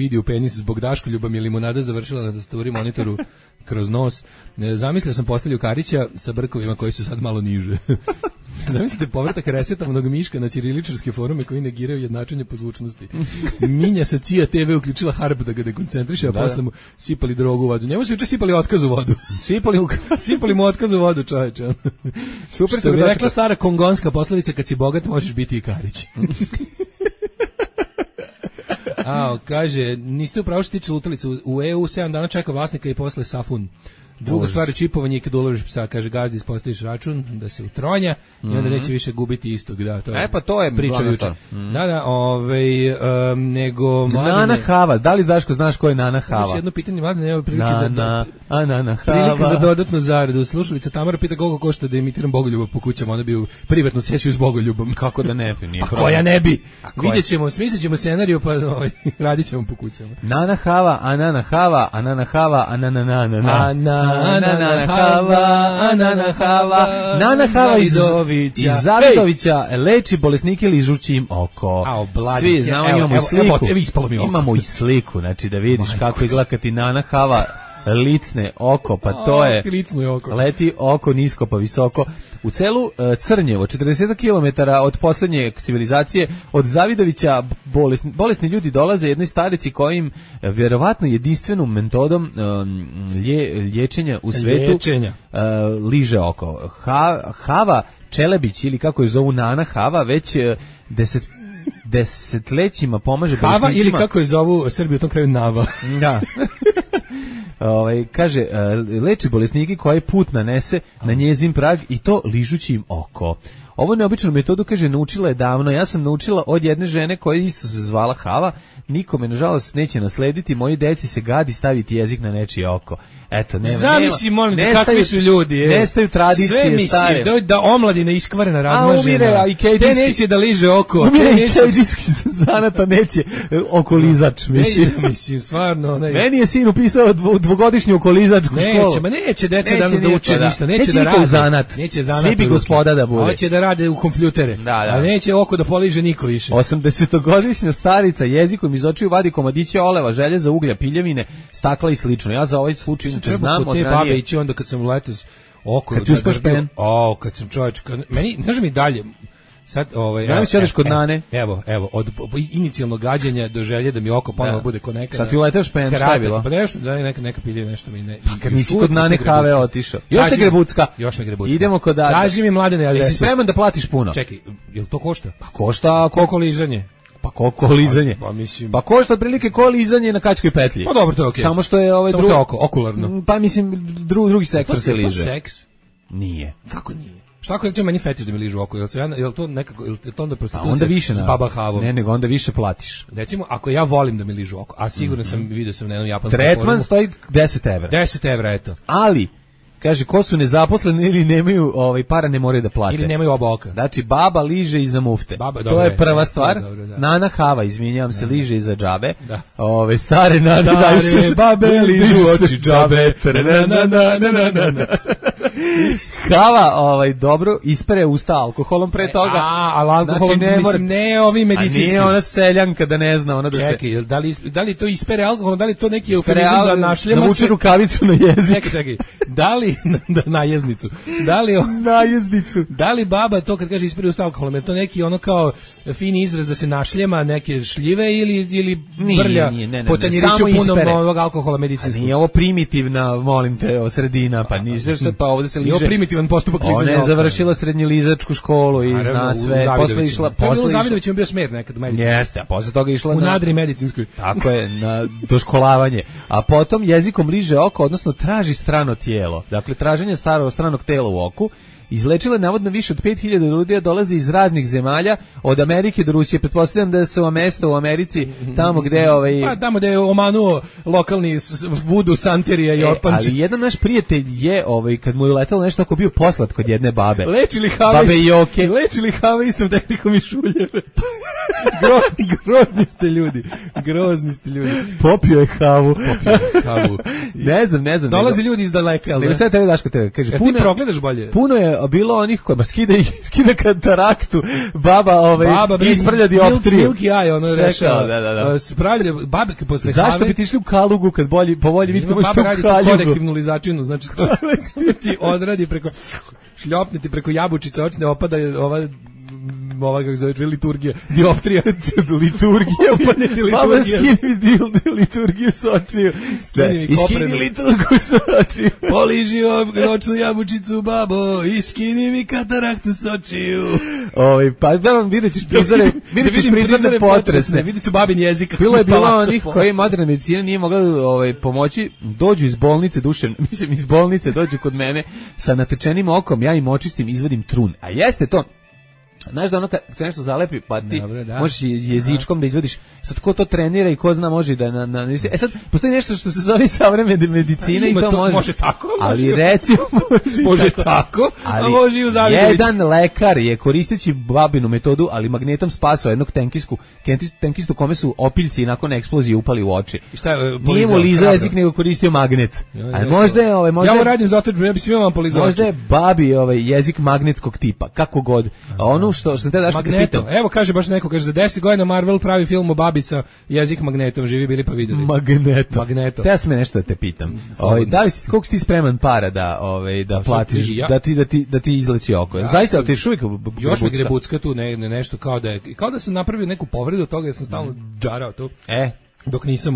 idi u penis zbog Daškoljuba mi je limunada završila na tastaturi monitoru kroz nos. Zamislio sam postavlju Karića sa brkovima koji su sad malo niže. Zamislite povratak resetovanog Miška na ćiriličarske forume koji negiraju jednačenje po zvučnosti. Minja sa CIA TV uključila harp da ga dekoncentriše, a posle mu sipali drogu u vodu. Njemu su juče sipali otkaz u vodu. Sipali mu otkaz u vodu, čoveče. Super, što bi rekla stara kongonska poslovica, kad si bogat možeš biti i Karić. Kaže, niste upravo što tiče lutalicu, u EU 7 dana čeka vlasnika i posle safun. Druga stvar je čipovanje i kad uložiš psa, kaže gazdi, ispostaviš račun da se utronja i onda neće više gubiti istog, da, to je. Pa to je priča juče. Da, nego Mladene. Nana Hava, da li znaš ko je Nana Hava? Još jedno pitanje, Mladene, evo prilike za dodatnu zaradu. Slušalica Tamara pita koliko košta da imitiram Bogoljuba po kućama, ona bi u privatnu sesiju s Bogoljubom. Kako da ne bi? Pa koja ne bi? Vidjet ćemo, smislit ćemo scenariju, pa radit ćemo po kućama. Nana Hava, Anana Hava, Anana Hava, Anana Nana Hava iz Zavidovića leči bolesnike ližući im oko. Svi znamo, imamo i sliku. Imamo i sliku, znači da vidiš kako izgleda kad ti Nana Hava licne oko, pa to je leti oko nisko pa visoko. U celu Crnjevo, 40 km od posljednje civilizacije, od Zavidovića bolesni ljudi dolaze jednoj starici kojim vjerovatno jedinstvenom metodom liječenja u svetu liže oko. Hava Čelebić, ili kako je zovu Nana Hava, već desetlećima pomaže bolesnicima. Hava ili kako je zovu Srbiju u tom kraju Nava. Da. Kaže, leči bolesnike koji put nanese na njezin prag i to ližući im oko. Ovo neobičnu metodu, kaže, naučila je davno. Ja sam naučila od jedne žene koja isto se zvala Hava. Nikome, nažalost, neće naslediti. Moji deci se gadi staviti jezik na nečije oko. Eto, zamisli, molim te, kakvi su ljudi. Nestaju tradicije stare. Sve da omladina iskvarena, razmažena. Umire, te neće da liže oko. Umire i keđijski zanata neće okolizač, mislim. Stvarno. Meni je sin upisao dvogodišnju okolizačku školu. Neće deca danas da uče ništa. Neće da rade. Zanat. Svi bi gospoda da bude. Hoće da rade u kompjutere. A neće oko da poliže niko više. 80-godišnja starica jezikom iz očiju vadi komadiće oleva, željeza, uglja, piljevine, stakla i slično. Ja za ovaj slučaj znam od te babe ići onda kad sam uletao oko. Kad ti uspaš pen? Kad sam čovječ, meni, znaš mi dalje, sad, kod Nane. Evo, od inicijalnog gađanja do želje da mi oko ponovo bude ko nekada. Sad ti uleteš pen, šta je bilo? Pa nešto, da neka pilje, nešto mi ne. Kad nisi kod Nane Have otišao. Još ne Grebucka. Idemo kod Nane. Kaži mi, Mladene, adresu. Jesi spreman da platiš puno? Čekaj, jel to košta? Pa košta. Koliko lizanje? Pa koliko lizanje? Pa košta otprilike ko lizanje na kačkoj petlji. Pa dobro, to je okej. Samo što je okularno. Pa mislim drugi sektor se liže. To seks? Nije. Kako nije? Šta ako recimo meni fetiš da mi ližu oko? Jel to nekako, jel to onda prostitucija? Onda više s Baba Havom? Ne, nego onda više platiš. Recimo, ako ja volim da mi ližu oko, a sigurno sam vidio sam na jednom japanskom tretman stoji 10 evra. 10 evra, eto. Ali kaže, ko su nezaposleni ili nemaju para, ne moraju da plate. Ili nemaju oba oka. Znači, baba liže iza mufte. To je prva stvar. Nana Hava, izvinjavam se, liže iza džabe. Stare nane daju se babe ližu oči džabe. Hava dobro ispere usta alkoholom pre toga. Ali alkoholom, znači, mislim, ne ovi medicinski. A nije ona seljanka da ne zna, ona da se... Čekaj, da li to ispere alkoholom, da li to neki eufemizam za našljema se... Navuče rukavicu na jezik. Čekaj, da li, na jeznicu, na jeznicu. Da li baba to kad kaže ispere usta alkoholom, je to neki ono kao fini izraz da se našljema neke šljive ili brlja po tanjiriću punom ovog alkohola medicinskog? Nije ovo primitivna, molim te, sredina, pa nije se, pa ovde se liže. Nije primitivan postupak lizanja. Ona je završila srednjelizačku školu i zna sve. Posle išla... U Zavidoviću je bio smer nekad u medicinsku. Jeste, a posle toga išla u nadri medicinskoj. Tako je, na doškolavanje. A potom jezikom liže oko, odnosno traži strano tijelo. Dakle, traženje stranog tela u oku. Izlečila je navodno više od 5000 ljudi, dolazi iz raznih zemalja, od Amerike do Rusije. Pretpostavljam da su mesta u Americi tamo gde Pa tamo gde je omanuo lokalni vudu santerija i opanci. Ali jedan naš prijatelj je kad mu je uletelo nešto ako bio poslat kod jedne babe. Lečili hava istom tehnikom i šuljeve. Grozni ste ljudi. Popio je havu. Ne znam. Dolazi ljudi iz daleka, ali ne. Sve tebi Daško tebe kaže. Ti progledaš bolje. Puno je bilo onih kojima skida kataraktu, baba isprlja dioptriju. Milky eye, ono rešao. Spravlja babe posle have. Zašto bi ti išli u Kalugu kad po volji vidite možete u Kaljugu? Baba radi konektivnu lizačinu, znači to ti odradi šljopniti preko jabučice, očne opada ova kako zove liturgija, dioptrija. Liturgija. Baba skini liturgiju s očiju. Skini liturgiju s očiju. Poliži noćnu jabučicu, babo, i skini mi kataraktu s očiju. Pa da vam vidjet ćeš prizore potresne. Vidjet ću babin jezik. Bilo onih koji moderna medicina nije mogla pomoći, dođu iz bolnice iz bolnice dođu kod mene sa natečenim okom, ja im očistim, izvadim trun. A jeste to. Znaš da ono kad se nešto zalepi, pa ti možeš jezičkom da izvadiš. Sad ko to trenira i ko zna može da sad postoji nešto što se zove savremena medicina i to može tako. Ali recimo može tako, a može i u Zavidoviću. Jedan lekar je koristeći babinu metodu, ali magnetom spasao jednog tenkistu kome su opiljci nakon eksplozije upali u oči. Nije mu lizao jezik nego koristio magnet. Ali možda je ja ovo radim zato ja bi svima vam polizao. Možda je babi jezik magnetskog tipa, kako god. Ono što te daš Magneto. Evo kaže baš neko, kaže za 10 godina Marvel pravi film o babi sa jezik magnetom, živi bili pa videli. Magneto. Te ja sam nešto da te pitam. Da li koliko si ti spreman para da platiš da ti izleći oko? Zaista ti šuvik još mi grebucka tu nešto kao da sam napravio neku povredu od toga, ja sam stalno džarao tu. Dok nisam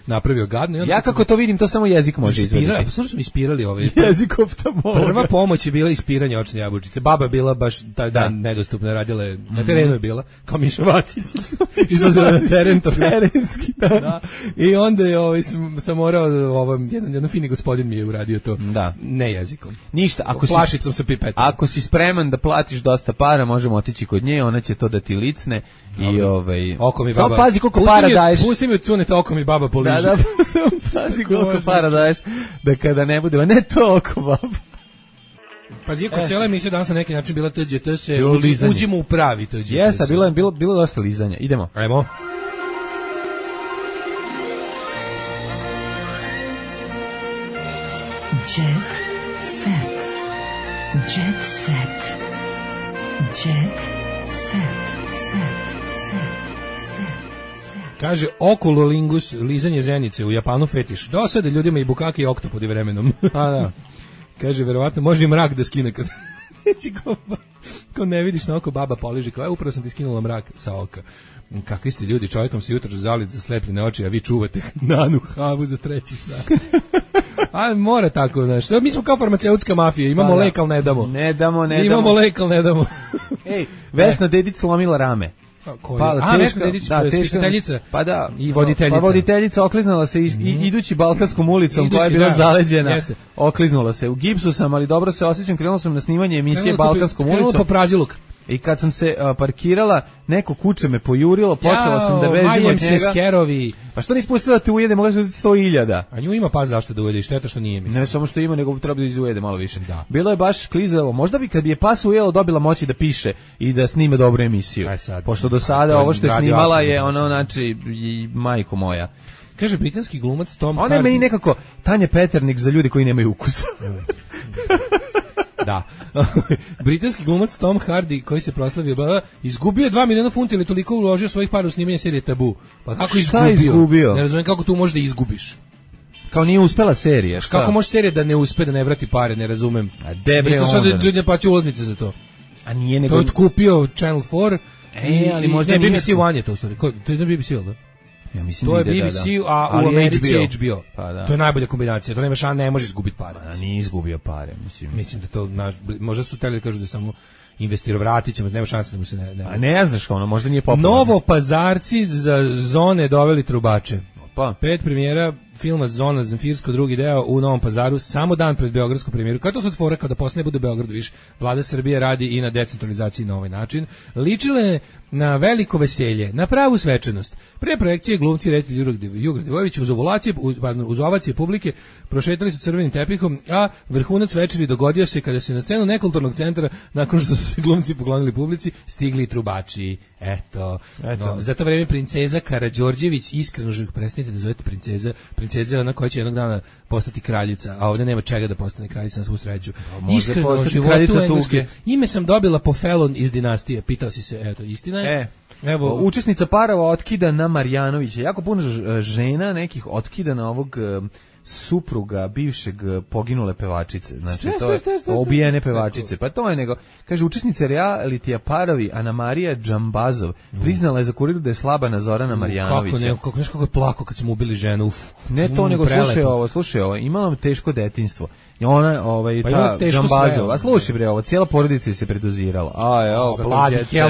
napravio gadno. Ja kako to vidim, to samo jezik može izvediti. Slušaj, smo ispirali jezik oftalmologa. Prva pomoć je bila ispiranje očne jabučice. Baba je bila baš taj dan nedostupna, radila je, na terenu je bila, kao Miša Vacić. Izlazila na teren. Terenski, da. I onda sam morao, jedan fini gospodin mi je uradio to. Da. Ne jezikom. Ništa. Flašicom sa pipetom. Ako si spreman da platiš dosta para, možemo otići kod nje, ona će to da ti licne. I oko mi baba. Samo pazi koliko para daješ. Pusti mi cunete oko mi baba poliži. Da, pazi koliko para daješ da kada ne bude, ne to oko baba. Pazi, kod cijela emisija danas na neki način bila TGT se uđimo u pravi TGT. Jeste, bilo dosta lizanja. Idemo. Ajmo. Jet set. Jet set. Jet set. Kaže oculolingus, lizanje zenice, u Japanu fetiš. Dosade ljudima i bukake i oktopodi vremenom. Pa da. Kaže, verovatno, može i mrak da skine kad... Ko ne vidiš na oko, baba poliži, kao, upravo sam ti skinula mrak sa oka. Kakvi ste ljudi, čovjekom se jutro zalit za slepljene oči, a vi čuvate nanu havu za 3 sat. A mora tako, znaš. Mi smo kao farmaceutska mafija, imamo lek, ali ne damo. Ne damo. Imamo lek, ali ne damo. Ej, Vesna Dedić slomila rame. Vesna Dedić, spiskateljica. Pa da. I voditeljica. Pa voditeljica okliznula se idući Balkanskom ulicom koja je bila zaleđena. Okliznula se. U gipsu sam, ali dobro se osjećam, krenula sam na snimanje emisije Balkanskom ulicom. Krenula po praziluk. I kad sam se parkirala, neko kuće me pojurilo, počela sam da bežim od njega. Skerovi. Pa što nisi pustila da te ujede, mogla se uzeti 100.000. A nju ima pas zašto da ujede, šteta što nije. Ne samo što ima, nego treba da izujede malo više. Da. Bilo je baš klizalo. Možda bi kad bi je pas ujelo dobila moći da piše i da snime dobru emisiju. Pošto do sada ovo što je snimala je ono, znači, i majko moja. Kaže britanski glumac Tom Hardy. Ona je meni nekako Tanja Peternik za ljude koji nemaju ukusa. Da. Britanski glumac Tom Hardy, koji se proslavio, izgubio 2 miliona funti ili toliko uložio svojih para u snimanje serije Tabu. Pa kako izgubio? Ne razumijem kako tu možeš da izgubiš. Kao nije uspela serija, šta? Kako može serija da ne uspe, da ne vrati pare, ne razumem. A debre onda. Sad ljudi ne plaćaju ulaznice za to. A nije nego... To je kupio Channel 4 ali možda nije... BBC One je to u stvari. To je na BBC, da? Ja mislim to je BBC, a u Americi je HBO. Pa da. To je najbolja kombinacija. To nema šanse, ne može izgubiti pare. Pa nije izgubio pare, Mislim da to možda su hteli da kažu da samo investirao, vratit ćemo, nema šanse da mu se ne... A ne znaš kao ono, možda nije popularno. Novopazarci za Zone doveli trubače. Pa. 5 premijera filma Zona Zemfirsko, drugi deo u Novom Pazaru, samo dan pred beogradsku premijeru. Kao to sad fora kada posle ne bude u Beogradu više. Vlada Srbije radi i na decentralizaciji na ovaj način. Ličile na veliko veselje, na pravu svečanost. Pre projekcije glumci reditelj Juraj Divojević uz ovacije publike prošetali su crvenim tepihom, a vrhunac večeri dogodio se kada se na scenu nekulturnog centra, nakon što su se glumci poklonili publici, stigli trubači. Eto. No, za to vreme princeza Karađorđević, iskreno želim prestanite da zovete princeza je ona koja će jednog dana postati kraljica, a ovdje nema čega da postane kraljica na svu sreću. Iskreno životu engleske. Ime sam dobila po Felon iz Dinastije. Pitao si se, eto, istina je. Evo, učesnica parova otkida na Marjanovića. Jako puno žena nekih otkida na ovog supruga bivšeg poginule pevačice. Znači, to je ubijene pevačice. Pa to je nego, kaže, učesnica realitija parovi Anamarija Džambazov priznala je za Kuriru da je slaba na Zorana Marjanovića. Kako je plako kad smo ubili ženu. Ne to, nego slušaj ovo, imala teško detinjstvo. I ona, ta Džambazova, slušaj bre, ovo, cijela porodica se predozirala.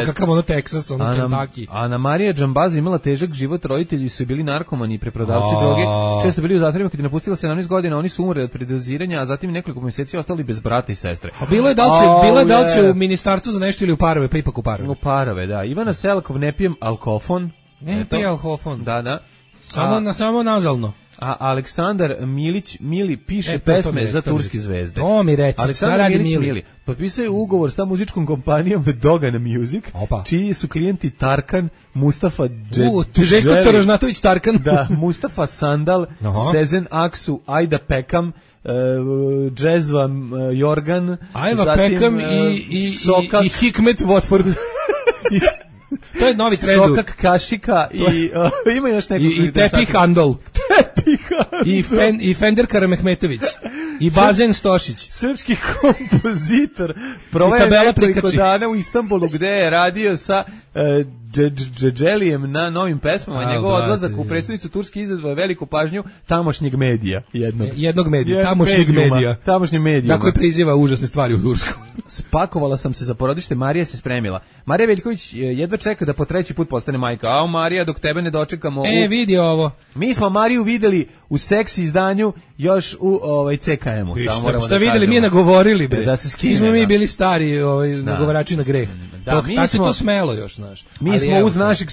Kakav ono Texas, ono Kentucky. Anamarija Džambazov imala težak život, roditelji su bili narkomani i preprodavci droge, često bili u zatvorima kad je napustila 17 godina, oni su umrli od predoziranja, a zatim nekoliko mjeseci ostali bez brata i sestre. A bilo je da li će u ministarstvu za nešto ili u parove, pa ipak u parove. U parove, da. Ivana Selakov, ne pijem alkofon. Ne pijem alkofon. Da. Samo nazalno. A Aleksandar Mili piše pesme za turske zvezde. To mi reci, Aleksandar Mili potpisuje ugovor sa muzičkom kompanijom Dogan Music, čiji su klijenti Tarkan, Mustafa Željko Torožnatović Tarkan. Da, Mustafa Sandal, Sezen Aksu, Ajda Pekam, Džezva Jorgan, Ajva Pekam i Hikmet Watford. To je novi trend. Sokak Kašika i ima još neko. I Tepi Handol. I Fender Karamehmetović. I Bazen Stošić. Srpski kompozitor. Provaje nekoliko dana u Istanbulu gde je radio sa Džedželijem na novim pesmama. Njegov odlazak u predstavnicu Turske izazvao veliku pažnju tamošnjeg medija. Jednog medija. Tamošnjeg medija. Tako je priziva užasne stvari u Tursku. Spakovala sam se za porodište, Marija se spremila. Marija Veljković jedva čeka da po 3. put postane majka. A Marija, dok tebe ne dočekamo... vidi ovo. Mi smo Mariju videli u seksi izdanju još u CKM-u. Šta videli, mi je nagovorili, bre. Da se skine. Mi smo mi bili stari nagovarači na greh. Tako se to smelo još, znaš. Mi smo uz našeg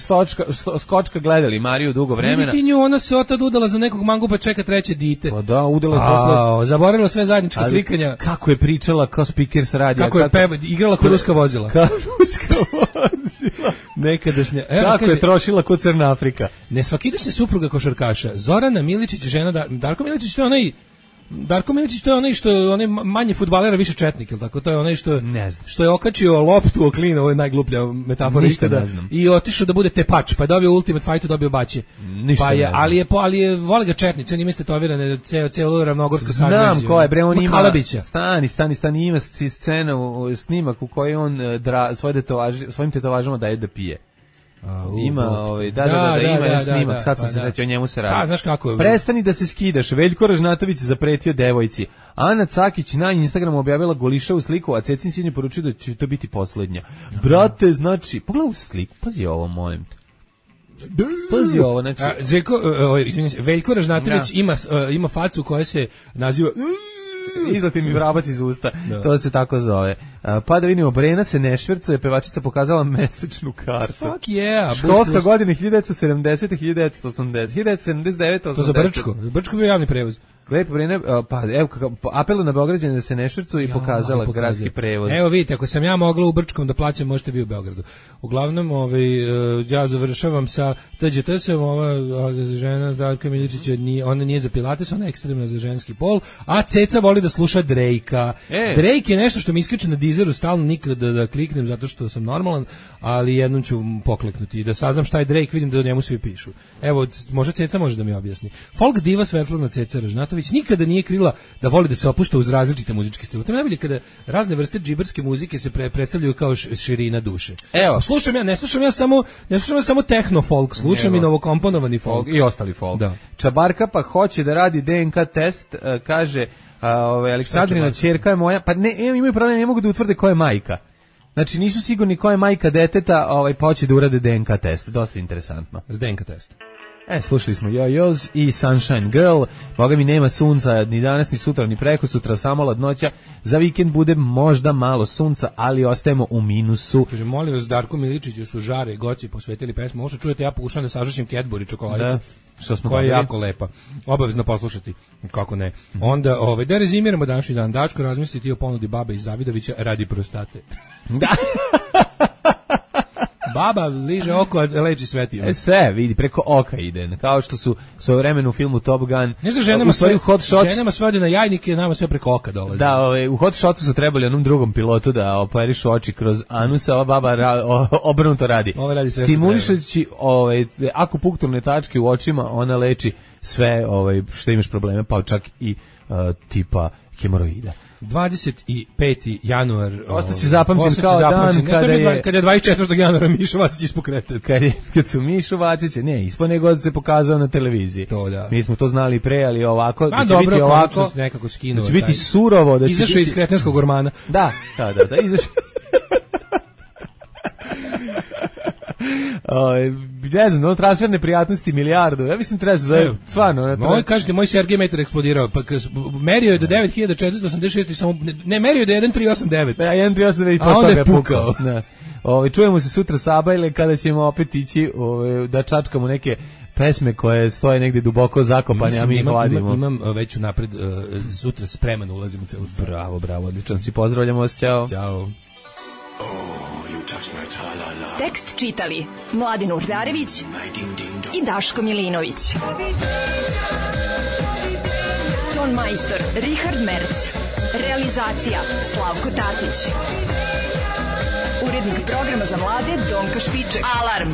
skočka gledali Mariju dugo vremena. Vidi ti nju, ona se otad udala za nekog mangu pa čeka 3. dite. Pa da, udala posle. Zaboravila sve zajednička slikanja. Kako je pričala kao speaker sa radija. Kako je igrala ko ruska vozila. Nekadašnja. Kako je trošila ko Crna Afrika. Nesvakidašnja supruga košarkaša. Zorana Miličić, žena Darko Miličić, to je onaj Darko Miličić, to je onaj što je onaj manje fudbalera, više četnik, ili tako? To je onaj što je okačio loptu o klin, ovo je najgluplja metafora ikada, i otišao da bude tepač, pa je dobio Ultimate Fightu, dobio baće. Pa je, ali je vole ga četnici, on ima tetovirane celo ravnogorsko sažvežje. Znam ko je, bre, on ima Kalabića. Stani, ima scenu, snimak u kojoj on svojim tetovažama daje da pije. Ima ima snimak, sad sam se sjetio, o njemu se radi. Znaš kako je. Prestani da se skidaš, Veljko Ražnatović zapretio devojci. Ana Cakić na Instagramu objavila golišavu sliku, a Cecin sin je poručio da će to biti poslednja. Brate, znači, pogledaj u sliku, pazi ovo, molim te. Pazi ovo, znači. Veljko Ražnatović ima facu koja se naziva... Izlati mi vrabac iz usta, to se tako zove. Pa da vidimo, Brena se ne švercuje, pevačica pokazala mesečnu kartu. Fuck yeah. Školska godina 1970. 1980. 1979. 80. To za Brčko bio javni prevoz. Lepo vreme, pa evo apelu na Beograđane da se ne švercuju i pokazala gradski prevoz. Evo vidite, ako sam ja mogla u Brčkom da plaćam, možete vi u Beogradu. Uglavnom, ja završavam sa TGT-sem, ova žena Darka Miličića, ona nije za pilates, ona je ekstremna za ženski pol, a Ceca voli da sluša Drake-a. Drake je nešto što mi iskače na Deezeru stalno, nikad da kliknem zato što sam normalan, ali jednom ću pokleknuti i da saznam šta je Drake, vidim da o njemu svi pišu. Evo, možda Ceca može da mi objasni. Folk diva Svetlana Ceca Ražnatović nikada nije krila da voli da se opušta uz različite muzičke stilove. To je najbolje kada razne vrste džiberske muzike se predstavljaju kao širina duše. Evo, ne slušam ja samo techno folk, slušam i novokomponovani folk i ostali folk. Da. Čabarka pa hoće da radi DNK test, kaže Aleksandrina ćerka je moja, pa ne, imaju problem, ne mogu da utvrde ko je majka. Znači nisu sigurni ko je majka deteta, pa hoće da urade DNK test. Dosta interesantno. S DNK test. Slušali smo Yo-Yo's i Sunshine Girl. Boga mi nema sunca ni danas, ni sutra, ni preko sutra, samo ladnoća. Za vikend bude možda malo sunca, ali ostajemo u minusu. Kaže, molim vas, Darko Miličiću su Žare i Goci posvetili pesmu. Možda čujete, ja pokušam da sažašim Cadbury čokoladicu. Koja je jako lepa. Obavezno poslušati. Kako ne. Onda, da rezimiramo današnji dan. Dačko, razmisliti o ponudi babe iz Zavidovića radi prostate. Da. Baba liže oko, a leči svetima. Sve, vidi, preko oka ide. Kao što su svojevremeno u filmu Top Gun. Ne znam, ženama sve ode na jajnike, nama sve preko oka dolazi. Da, u Hot Shotsu su trebali onom drugom pilotu da operišu oči kroz anus, a ova baba obrnuto radi. Stimulišući akupunkturne tačke u očima, ona leči sve što imaš probleme, pa čak i tipa hemoroida. 25. januar ostaće zapamćen kao dan kada je 24. januara Mišo Vacić ispokretao. Kad su Mišo Vacić, ne, ispo nego se pokazao na televiziji. To, da. Mi smo to znali pre, ali ovako, da će biti ovako, nekako skinuo. Da će biti surovo, da će izašao iz kretenskog ormana. Da, izašao. Ne znam, transferne prijatnosti milijardu. Ja mislim treba se zove stvarno. Kažete, moj Sergej metar eksplodirao. Pa merio je do 9486 i samo ne merio je do 1389. Da, 1389 i posle toga je pukao. Čujemo se sutra sabajle kada ćemo opet ići da čačkamo neke pesme koje stoje negdje duboko zakopane, a mi ih vadimo. Imam već napred sutra spreman ulazim u celu stvar. Bravo, odlično si, pozdravljamo vas, ćao. Ćao. Tekst čitali Mladin Urdarević i Daško Milinović. Ton majstor Richard Merc. Realizacija Slavko Tatić. Urednik programa za mlade Donka Špiček. Alarm!